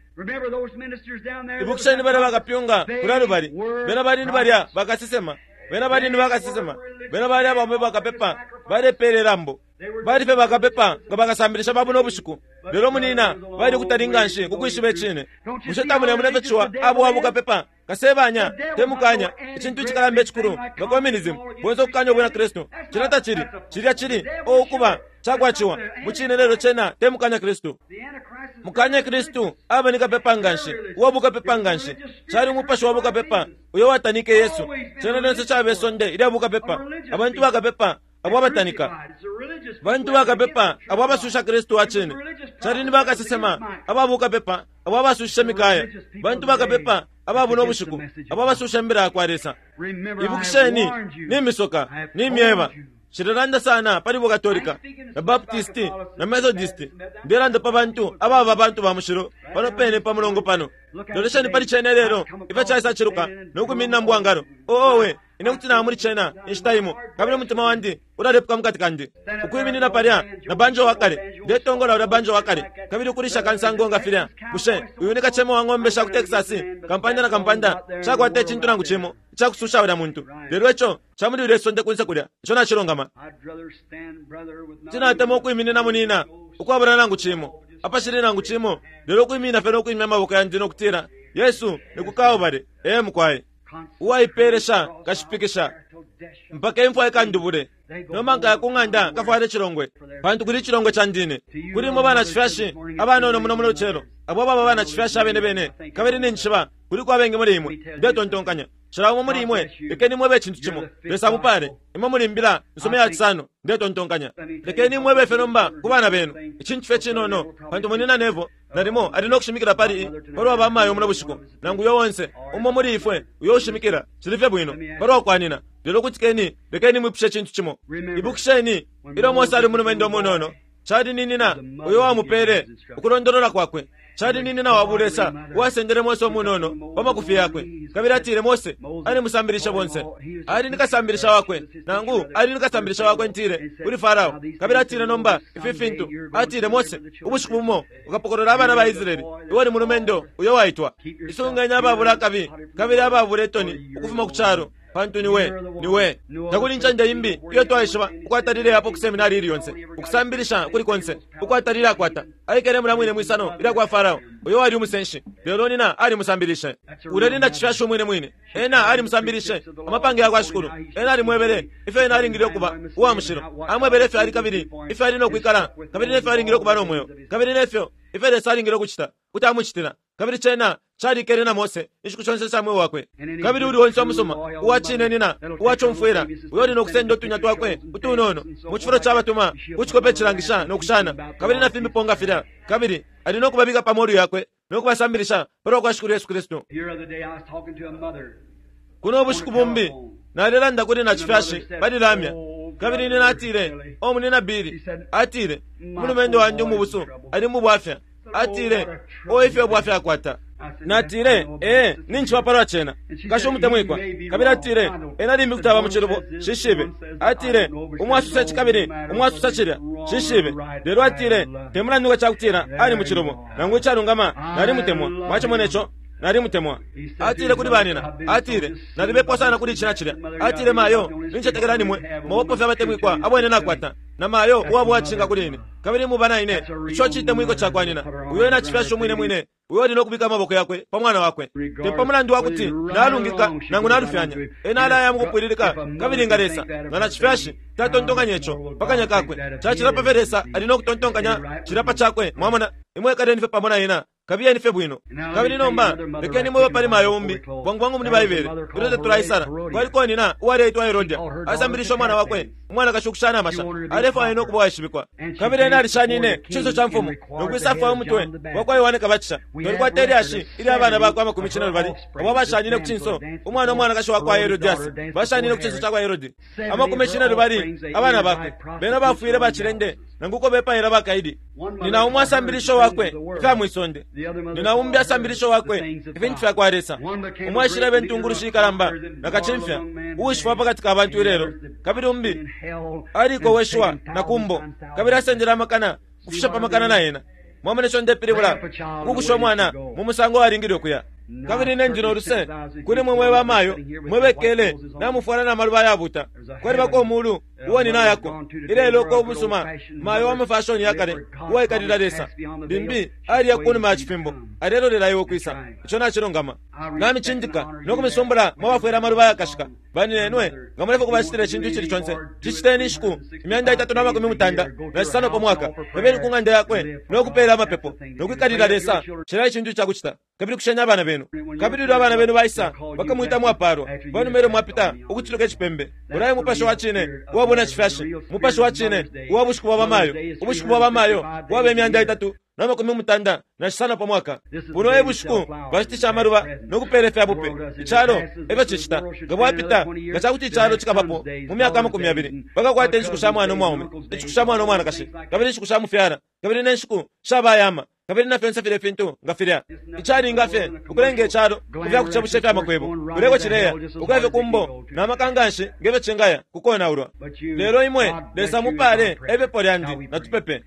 Ibukisheni balya bakapyunga kulya lubali, bena bali ni balya bakasesema. Bena bali ni bakasesema. Bena bali abaume bakapepa, balepele lambo. Bali fye bakapepa nga bakasambilisha ba buno bushiku. Lelo munina, bali kutali nganshi ku kwishiba icine. Bushe tamulemona ifyo ciwa aba uwa bukapepa? Kasebanya, te mukanya, icintu icikalamba icikulu nga communism, bonse ukukanya ubwina Kristu. Cilya tacili. Cilya cili, oh, ukuba, cakwa ciwa, mucine, lelo cena te mukanya Kristu. Mukanya Kristu aba ni kapepa nganshi, uwa bukapepa nganshi. Cali umupashi wa bukapepa uyo watanike Yesu. Cena lyonse caba isonde ilya bukapepa, abantu bakapepa abo abatanika. Bantu bakapepa abo abasusha Kristu wa cine. Cali ni bakasesema aba bukapepa abo abasushishe Mikaya. Bantu bakapepa aba buno bushiku abo abasusha imbila ya kwa Lesa. Ibukisheni, nimisoka, nimyeba. Nshilelanda sana pali buKatolika na Baptist na Methodist. Ndelanda pa bantu ababa bantu ba mushilo pano pene pa mulongo pano. Lolesheni pali cena ilelo, ifyo caisa ciluka no kwiminina mu bwangalo. Oh, owe, ine kuti naba muli cena inshita imo, kabili umutima wandi ulalepuka mukati kandi. Ukwiminina palya na banjo wa kale, ndetongola ulya banjo wa kale, kabili ukulisha kansango nga filya. Bushe uyu ni kacema wa ng'ombe sha ku Texas, kampanda na kampanda? Nshakwata icintu nangu cimo icakususha ulya muntu, lelo ico ca muli lilye sonde kunse kulya, ico nacilungama. Kuti natemwa ukwiminina munina ukwabula nangu cimo, apashili nangu cimo, lelo ukwiminina fye no kwimya amaboko yandi no kutila, Yesu, ni ku Kalbale. Ee, mukwai. Uwaipeelesha nkashipikisha mpaka imfwa ikandubule. Nomba nkaya ku ng'anda nkafwale icilongwe, pantu kuli icilongwe candi ine. Kuli imwe banacifyashi abanono muno muno lucelo, abo ababa banacifyashi abene bene, kabili ninjishiba kuliko abengi muli imwe, ndetontonkanya. Cila umo muli imwe, lekeni mwebe icintu cimo. Lesa amupale. Imwe muli Mbila nsuma iya cisano, ndetontonkanya. Lekeni mwebe fye nomba ku bana benu, icintu fye cinono, pantu Munyina Neville nalimo ali no kushimikila pali i, palwa ba mayo muno bushiku, nangu uyo onse umo muli ifwe uyo ushimikila, cili fye bwino, palwa kwanina. Lelo kutikeni, lekeni mwipushe icintu cimo. Ibukisheni, ilyo Mose ali umulumendo umunono, Cali ni nyina uyo wamupele ukulondolola kwakwe. Cali ni nyina wa bulesa uwasendele Mose umunono pa makufi yakwe. Kabili atile Mose alimusambilishe bonse. Ali ni kasambilisha wakwe, nangu ali ni kasambilisha wakwe ntile, kuli Farao. Kabili atile nomba ifi fintu. Atile Mose, ubushiku bumo ukapokolola abana ba Israele. Iwe ni mulumendo uyo waitwa. Isungeni ababula akabi kabili ababula itoni ukufuma ku calo. Pantu ni we, ni we. Takuli incende imbi iyo twaishiba ukwatalile apo ku seminari ili yonse, ukusambilisha kuli konse ukwatalile akwata. Aikele mulya mwine mwisano ilya kwa Farao, uyo wali umusenshi, lelo nina alimusambilishe. Ulya ni nacifyashi umwine mwine. Ena alimusambilishe amapange ya kwa Shikulu. Ena alimwebele ifyo ena alingile ukuba uwa mushilo. Amwebele ifyo ali kabili ifyo ali no kwikala, kabili nefyo alingile ukuba no mweo, kabili nefyo ifyo Lesa alingile ukucita kuti amucitila. Kabili cena calikele na Mose inshiku shonse isha mweo wakwe. Kabili uli onse umusuma, uwa cine nina, uwa cumfwila, uyo uli no kusenda utunya twakwe utunono mu cifulo ca batuma ku cikope cilangisha no kushana, kabili na fimbipo nga filya, kabili ali no kubabika pa molu yakwe no kubasambilisha palwa kwa Shikulu Yesu Kristu. Kuno ubushiku bumbi nalelanda kuli nacifyashi pali lamya, kabili ine natile, O Munyina Billy, atile, umulumendo wandi umubusu ali mu bwafya. Atile, O ifyo bwafya akwata! Natile, Ee, ninjishiba palwa cena, nkashi umutemwikwa. Kabili atile, Ena limbi kuti aba mucilubo, nshishibe. Atile, Umo asosa ici kabili umo asosa cilya, nshishibe. Lelo atile, Te mulandu nga cakutila ali mucilubo nangu icalungama, nalimutemwa. Mwacimone co. Nalimutemwa. Atile kuli banina, atile, Nalibepwa sana kuli ici na cilya. Atile, Mayo, nincetekela ni mwe mwabapo fye abatemwikwa abo ine nakwata, na mayo uwaba uwacishinka kuli ine. Kabili muba na ine, ico citemwiko cakwa nyina, uyo ena cifyashi umwine mwine, uyo uli no kubika amaboko yakwe pa mwana wakwe. Te pa mulandu wa kuti nalungika nangu nalufyanya, ena alaya mukupwililika, kabili nga Lesa, nga nacifyashi, tatontonkanya ico pa kanya kakwe, cacila pa fyo Lesa ali no kutontonkanya cilya pa cakwe. Mwamona? Imwe ikaleni fye pamo na ena. Kabiyeni fye bwino. Kabili nomba lekeni mwebe pali mayo umbi, bwangu bwangu muli Baibele, ilyo tatulaisala. Kwaliko nyina uwaleitwa Herodia, asambilishe umwana wakwe umwanakashi ukushana amasha. Alefwaya no kuba uwaishibikwa. Kabili ena alishanine ku cinso ca mfumu no kwisafwaya umutwe wa kwa Yohane Kabatisha. Twalikwata ilyashi ilya bana bakwe amakumi cinelubali abo abashanine ku cinso umwana umwanakashi wa kwa Herodiasi bashanine ku cinso ca kwa Herodi. Amakumi cinelubali abana bakwe bena bafwile bacilende nangu uko bepaila bakaidi. Nyina umo asambilisho wakwe ifya mwi sonde, nyina umbi asambilisho wakwe ifintu fya kwa Lesa. Umo aishileba intungulushi ikalamba na kacimfya uwishibwa pa kati ka bantu ilelo, kabili umbi alikoweshiwa na ku mbo kabili asendele amakana ukufisha pa makana na ena. Mwamona ico ndepilibula? Ukukusha umwana mu musango alingile ukuya. Kabili ine ndi no luse kuli mwe mwe bamayo mwe bekele namufwala na maluba ayabuta. Kwalibako umulu uo ninayako ilelo uko umusuma mayo wa mafashoni ya kale uwaikalila Lesa limbi aliya kunuma ya cifimbo alelolela iwe ukwisa. Ico nacilungama. Namicindika no kumisumbula mwabafwele amaluba ayakashika. Baninenwe, nga mulefwaya ukubacitila icintu icili conse, ciciteni inshiku 365 pa mwaka. Bebeni ku ng'anda yakwe no kupeela amapepo no kwikalila Lesa. Cila icintu ica kucita, kabili kusheni abana benu. Kabili ilyo abana benu baisa, bakamwita mwapaalwa pa numa ilyo mwapita ukuciluka icipembe. Ulya e mupashi wa cine uwa bunacifyashi, umupashi wa cine uwa bushiku bwa bamayo. Ubushiku bwa bamayo bwaba 365 pa mwaka. Buno e bushiku bashitisha amaluba no kupeela ifya bupe. Icalo e fyo cicita. Nga bwapita, nga ca kuti icalo cikabapo mu myaka 20, bakakwata inshiku sha mwana umwaume, inshiku sha mwana umwanakashi, kabili inshiku sha mufyala, kabili ne nshiku sha bayama, kabili na fyonse filya ifintu nga filya. Icalinga fye ukulenga icalo ku fya kucebusha ifya makwebo, uleko cileya ukuya fye ku mbo na maka nga nshi nge fyo cingaya ku konaulwa. Lelo imwe, Lesa amupaale, e pepo lyandi. Natupepe.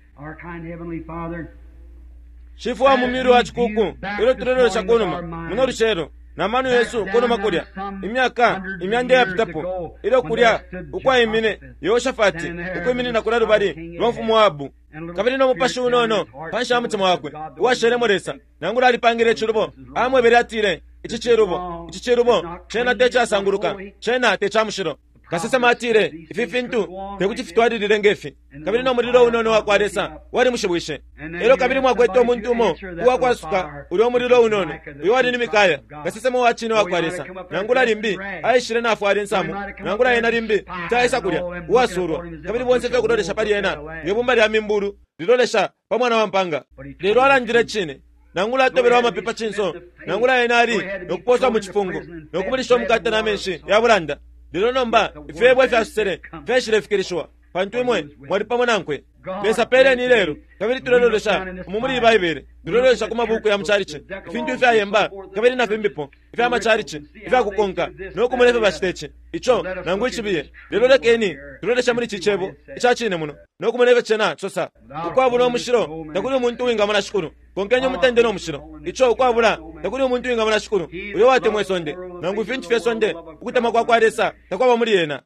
Shifwe wa mu myulu wa cikuuku, ilyo tulelolesha ku numa muno lucelo, na mano yesu ku numa kulya, imyaka imyanda iyapitapo, ilyo kulya ukwaimine Yehoshafati ukwiminina kulya lubali lwa mfumu Ahabu, kabili no mupashi unono panshi ya mutima wakwe uwashelemo Lesa, nangula alipangile icilubo, amwebele atile, Ici cilubo, ici cilubo, cena te casanguluka, cena te ca mushilo. Kasesema atile ifi fintu tekuti fitwalilile ngefi, kabili no mulilo unono wakwa Lesa wali mushibwishe. Elyo kabili mwakwete umuntu umo uwakwasuka ulya umulilo unono, uyo wali ni Mikaya, kasesema wa cine wakwa Lesa. Nangula limbi aishile nafwala insamu, nangula ena limbi taisa kulya uwasulwa, kabili bonse fye kulolesha pali ena nge bumba lya mimbulu lilolesha pa mwana wa mpanga. Lelo alandile cine, nangula atobelwa amapepa cinso, nangula ena ali nokuposwa mu cifungo nokubulisha umukate na menshi ya bulanda. Lelo nomba ifyebo ifyasosele fyashilefikilishiwa, pantu imwe mwali pamo nankwe. Lesa peleni ilelo, kabili tulelolesha umu muli Baibele, tulelolesha ku mabuku ya muchalichi, ifintu ifyayemba kabili na fimbipo ifya machalichi ifyakukonka nokumona ifyo bacita ici ico nangu icibiye. Lelo lekeni tulolesha muli ici cebo ica cine muno nokumona ifyo cena cisosa. Ukwabula umushilo takuli umuntu uwingamona Shikulu. Konkenye umutende no mushilo ico ukwabula takuli umuntu uwingamona Shikulu. Uyo watemwa isonde nangu ifintu fye sonde, ukutemwa kwa kwa Lesa takwaba muli ena.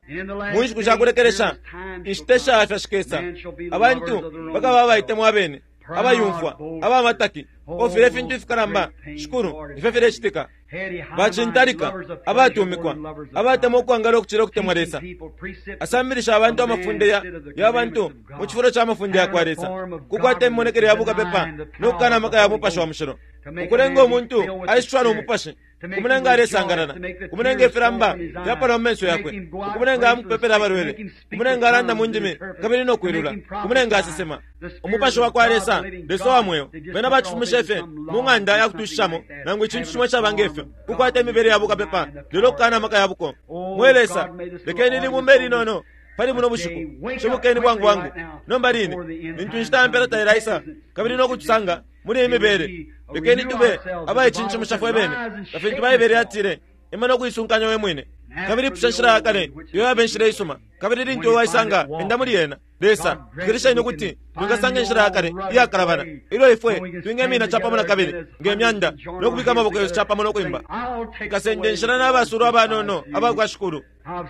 Mu nshiku sha kulekelesha inshita ishafya shikesa, abantu bakaba abaitemwa abene, abayumfwa, abamataki, ofile ifintu ifikalamba. Shikulu, ifyo filecitika. Bacintalika, abatumikwa, abatemwa ukwangala ukucila ukutemwa Lesa. Asambilisha abantu amafunde ya bantu mu cifulo ca mafunde ya kwa Lesa, kukwata imimonekele ya bukapepa no kukana amaka ya mupashi wa mushilo, ukulenga umuntu aishishwa no mupashi, kumulenga alesangalala, kumulenga ifilamba fyapala mu menso yakwe, ukumulenga amupepela abalwele, kumulenga alanda mu ndimi kabili no kwilula, kumulenga asesema. Umupashi wa kwa Lesa, Lesa wa mweo, bena bacifumisha fye mu ng'anda ya kutushishamo nangu icintu cimo caba ngefyo, kukwata imibele ya bukapepa lelo kukana amaka ya buko. Mwe Lesa, lekeni libumba ilinono pali buno bushiku, shibukeni bwangu bwangu nomba line, lintu inshita ya mpela tailaisa kabili no kutusanga muli iyi mibele. Lekeni tube abaicincimusha fwe bene, nga fintu Baibele yatile, ima no kuisunkanya we mwine, kabili pusha nshila ya kale iyo yaba inshila isuma, kabili lintu waisanga enda muli yena. Lesa, fikilisheni ukuti twingasanga inshila ya kale iyakalabana, ilyo ifwe twingemina capamo na kabili nge myanda no kubika amaboko yesu capamo no kwimba. Nkasenda inshila n'abasulwa abanono abakwa Shikulu.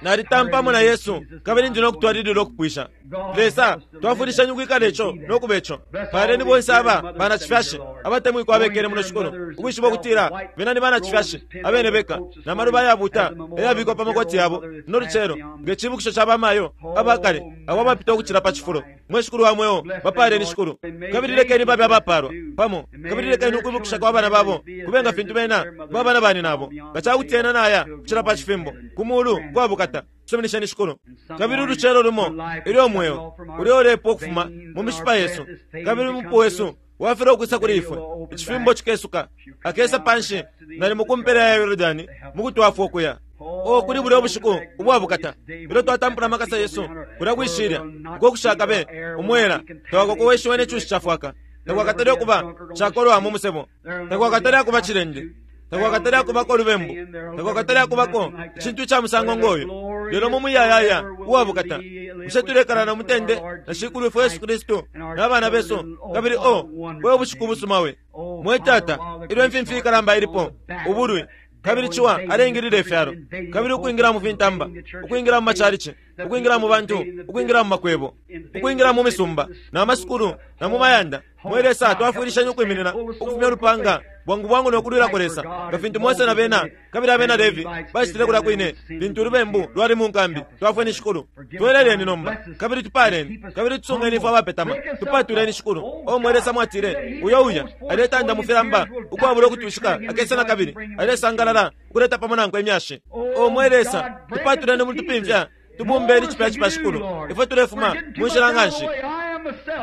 Nalitampamo na Yesu kabili ndi no kutwalilila ukupwisha. Lesa, twafundisheni ukwikala ico no kuba ico. Paleni bonse aba banacifyashi abatemwikwa abekele muno Shikulu, ukwishiba ukutila bena ni banacifyashi abene beka, na maluba ayabuta ayabikwa pa makoti yabo no lucelo nge cibukisho ca bamayo abakale abo abapita ukucila pa cifulo. Mwe Shikulu wa mweo, bapaleni Shikulu, kabili lekeni babe abapalwa pamo, kabili lekeni ukwibukisha kwa bana babo kube nga fintu bena babana bani nabo, nga cakuti ena naya kucila pa cifimbo ku mulu kwa bukata. Suminisheni Shikulu. Kabili ulucelo lumo ilyo mweo ulyo ulepa ukufuma mu mishipa yesu, kabili umupu wesu wafila ukwisa kuli ifwe, icifimbo cikesuka, akesa panshi nalimo ku mpela ya Yordani mukutwafwa ukuya. O kuli bulya ubushiku ubwa bukata ilyo twatampula amakasa yesu kulya kwishilya uko kushakabe umwela, tawakokoweshiwe ne cushi cafwaka, takwakatale ukuba cakolwa mu musebo, takwakatale akuba cilende, takwakatale akubako lubembu, takwakatale akubako icintu ica musango ngoyo. Lelo mu muyayaya uwa bukata bushe tulekala no mutende na Shikulu ifwe Yesu Kristu n'abana besu, kabili o we ubushiku busuma we. Mwe Tata, ilyo imfimfi ikalamba ilipo ubulwi, kabili ciwa alengilila ifyalo, kabili ukwingila mu fintamba, ukwingila mu macalici, ukwingila mu bantu, ukwingila mu makwebo, ukwingila mu misumba na masukulu na mu mayanda. Mwe Lesa, twafwilisheni ukwiminina ukufumya ulupanga bwangu bwangu no kulwilako Lesa, nga fintu Mose na bena kabili abena Levi bacitile kulya kwine lintu ulubembu lwali mu nkambi. Twafweni Shikulu, tweleleni nomba, kabili tupaleni, kabili tusungeni ifwe abapetama, tupatuleni Shikulu. O mwe Lesa, mwatile uyo uya aletanda mu filamba ukwabula ukutwishika akesa na kabili alesangalala ukuleta pamo nankwe imyashi. O mwe Lesa, tupatuleni mu tupimfya, tubumbeni cipya cipya Shikulu. Ifwe tulefuma mu nshila nganshi.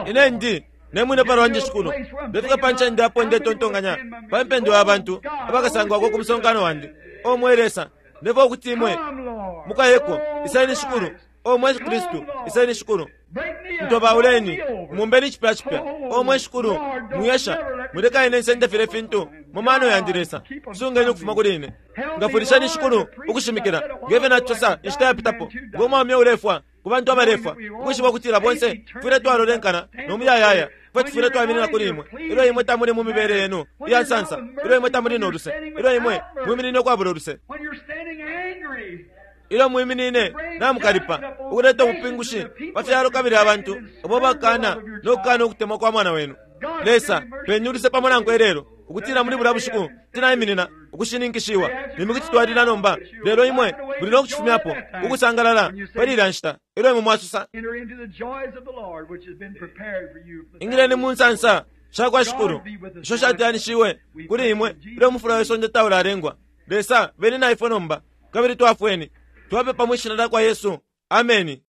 Ine ndi nemwine palwanje Shikulu, ndefika pa ncende apo ndetontonkanya pa mpendwa ya bantu abakasangwako ku musonkano wandi. O mwe Lesa, ndefwa ukuti imwe mukayeko. Iseni Shikulu. O mwe Kristu, iseni Shikulu. Ntobauleni, mumbeni cipya cipya. O mwe Shikulu, mwiyesha muleka ine nsende file fintu mu mano yandi. Lesa, sungeni ukufuma kuli ine. Ngafulisheni Shikulu ukushimikila ngefyo nacisosa inshita yapitapo, ngo mwaume ulefwa ku bantu abalefwa, ukwishiba ukutila bonse tufwile twalolenkana no muyayaya. Fwe tufwile twaminina kuli imwe ilyo imwe tamuli mu mibele yenu iya nsansa, ilyo imwe tamuli no luse, ilyo imwe mwiminine ukwabula uluse, ilyo mwiminine namukalipa ukuleta ubupingushi pa fyalo kabili abantu abo bakana no kukana ukutemwa kwa mwana wenu. Lesa, peni uluse pamo nankwe ilelo, ukutila muli bulya bushiku tinaiminina ukushininkishiwa. Nimwe kuti twalila nomba, lelo imwe Muli no kucifumyapo ukusangalala pali ilya nshita ilyo imwe mwasosa, Ingileni mu nsansa sha kwa Shikulu isho shateyanishiwe kuli imwe ilyo umufula we sonde taulalengwa. Lesa, beni na ifwe nomba, kabili twafweni. Twapepa mwi Shina lya kwa Yesu. Ameni.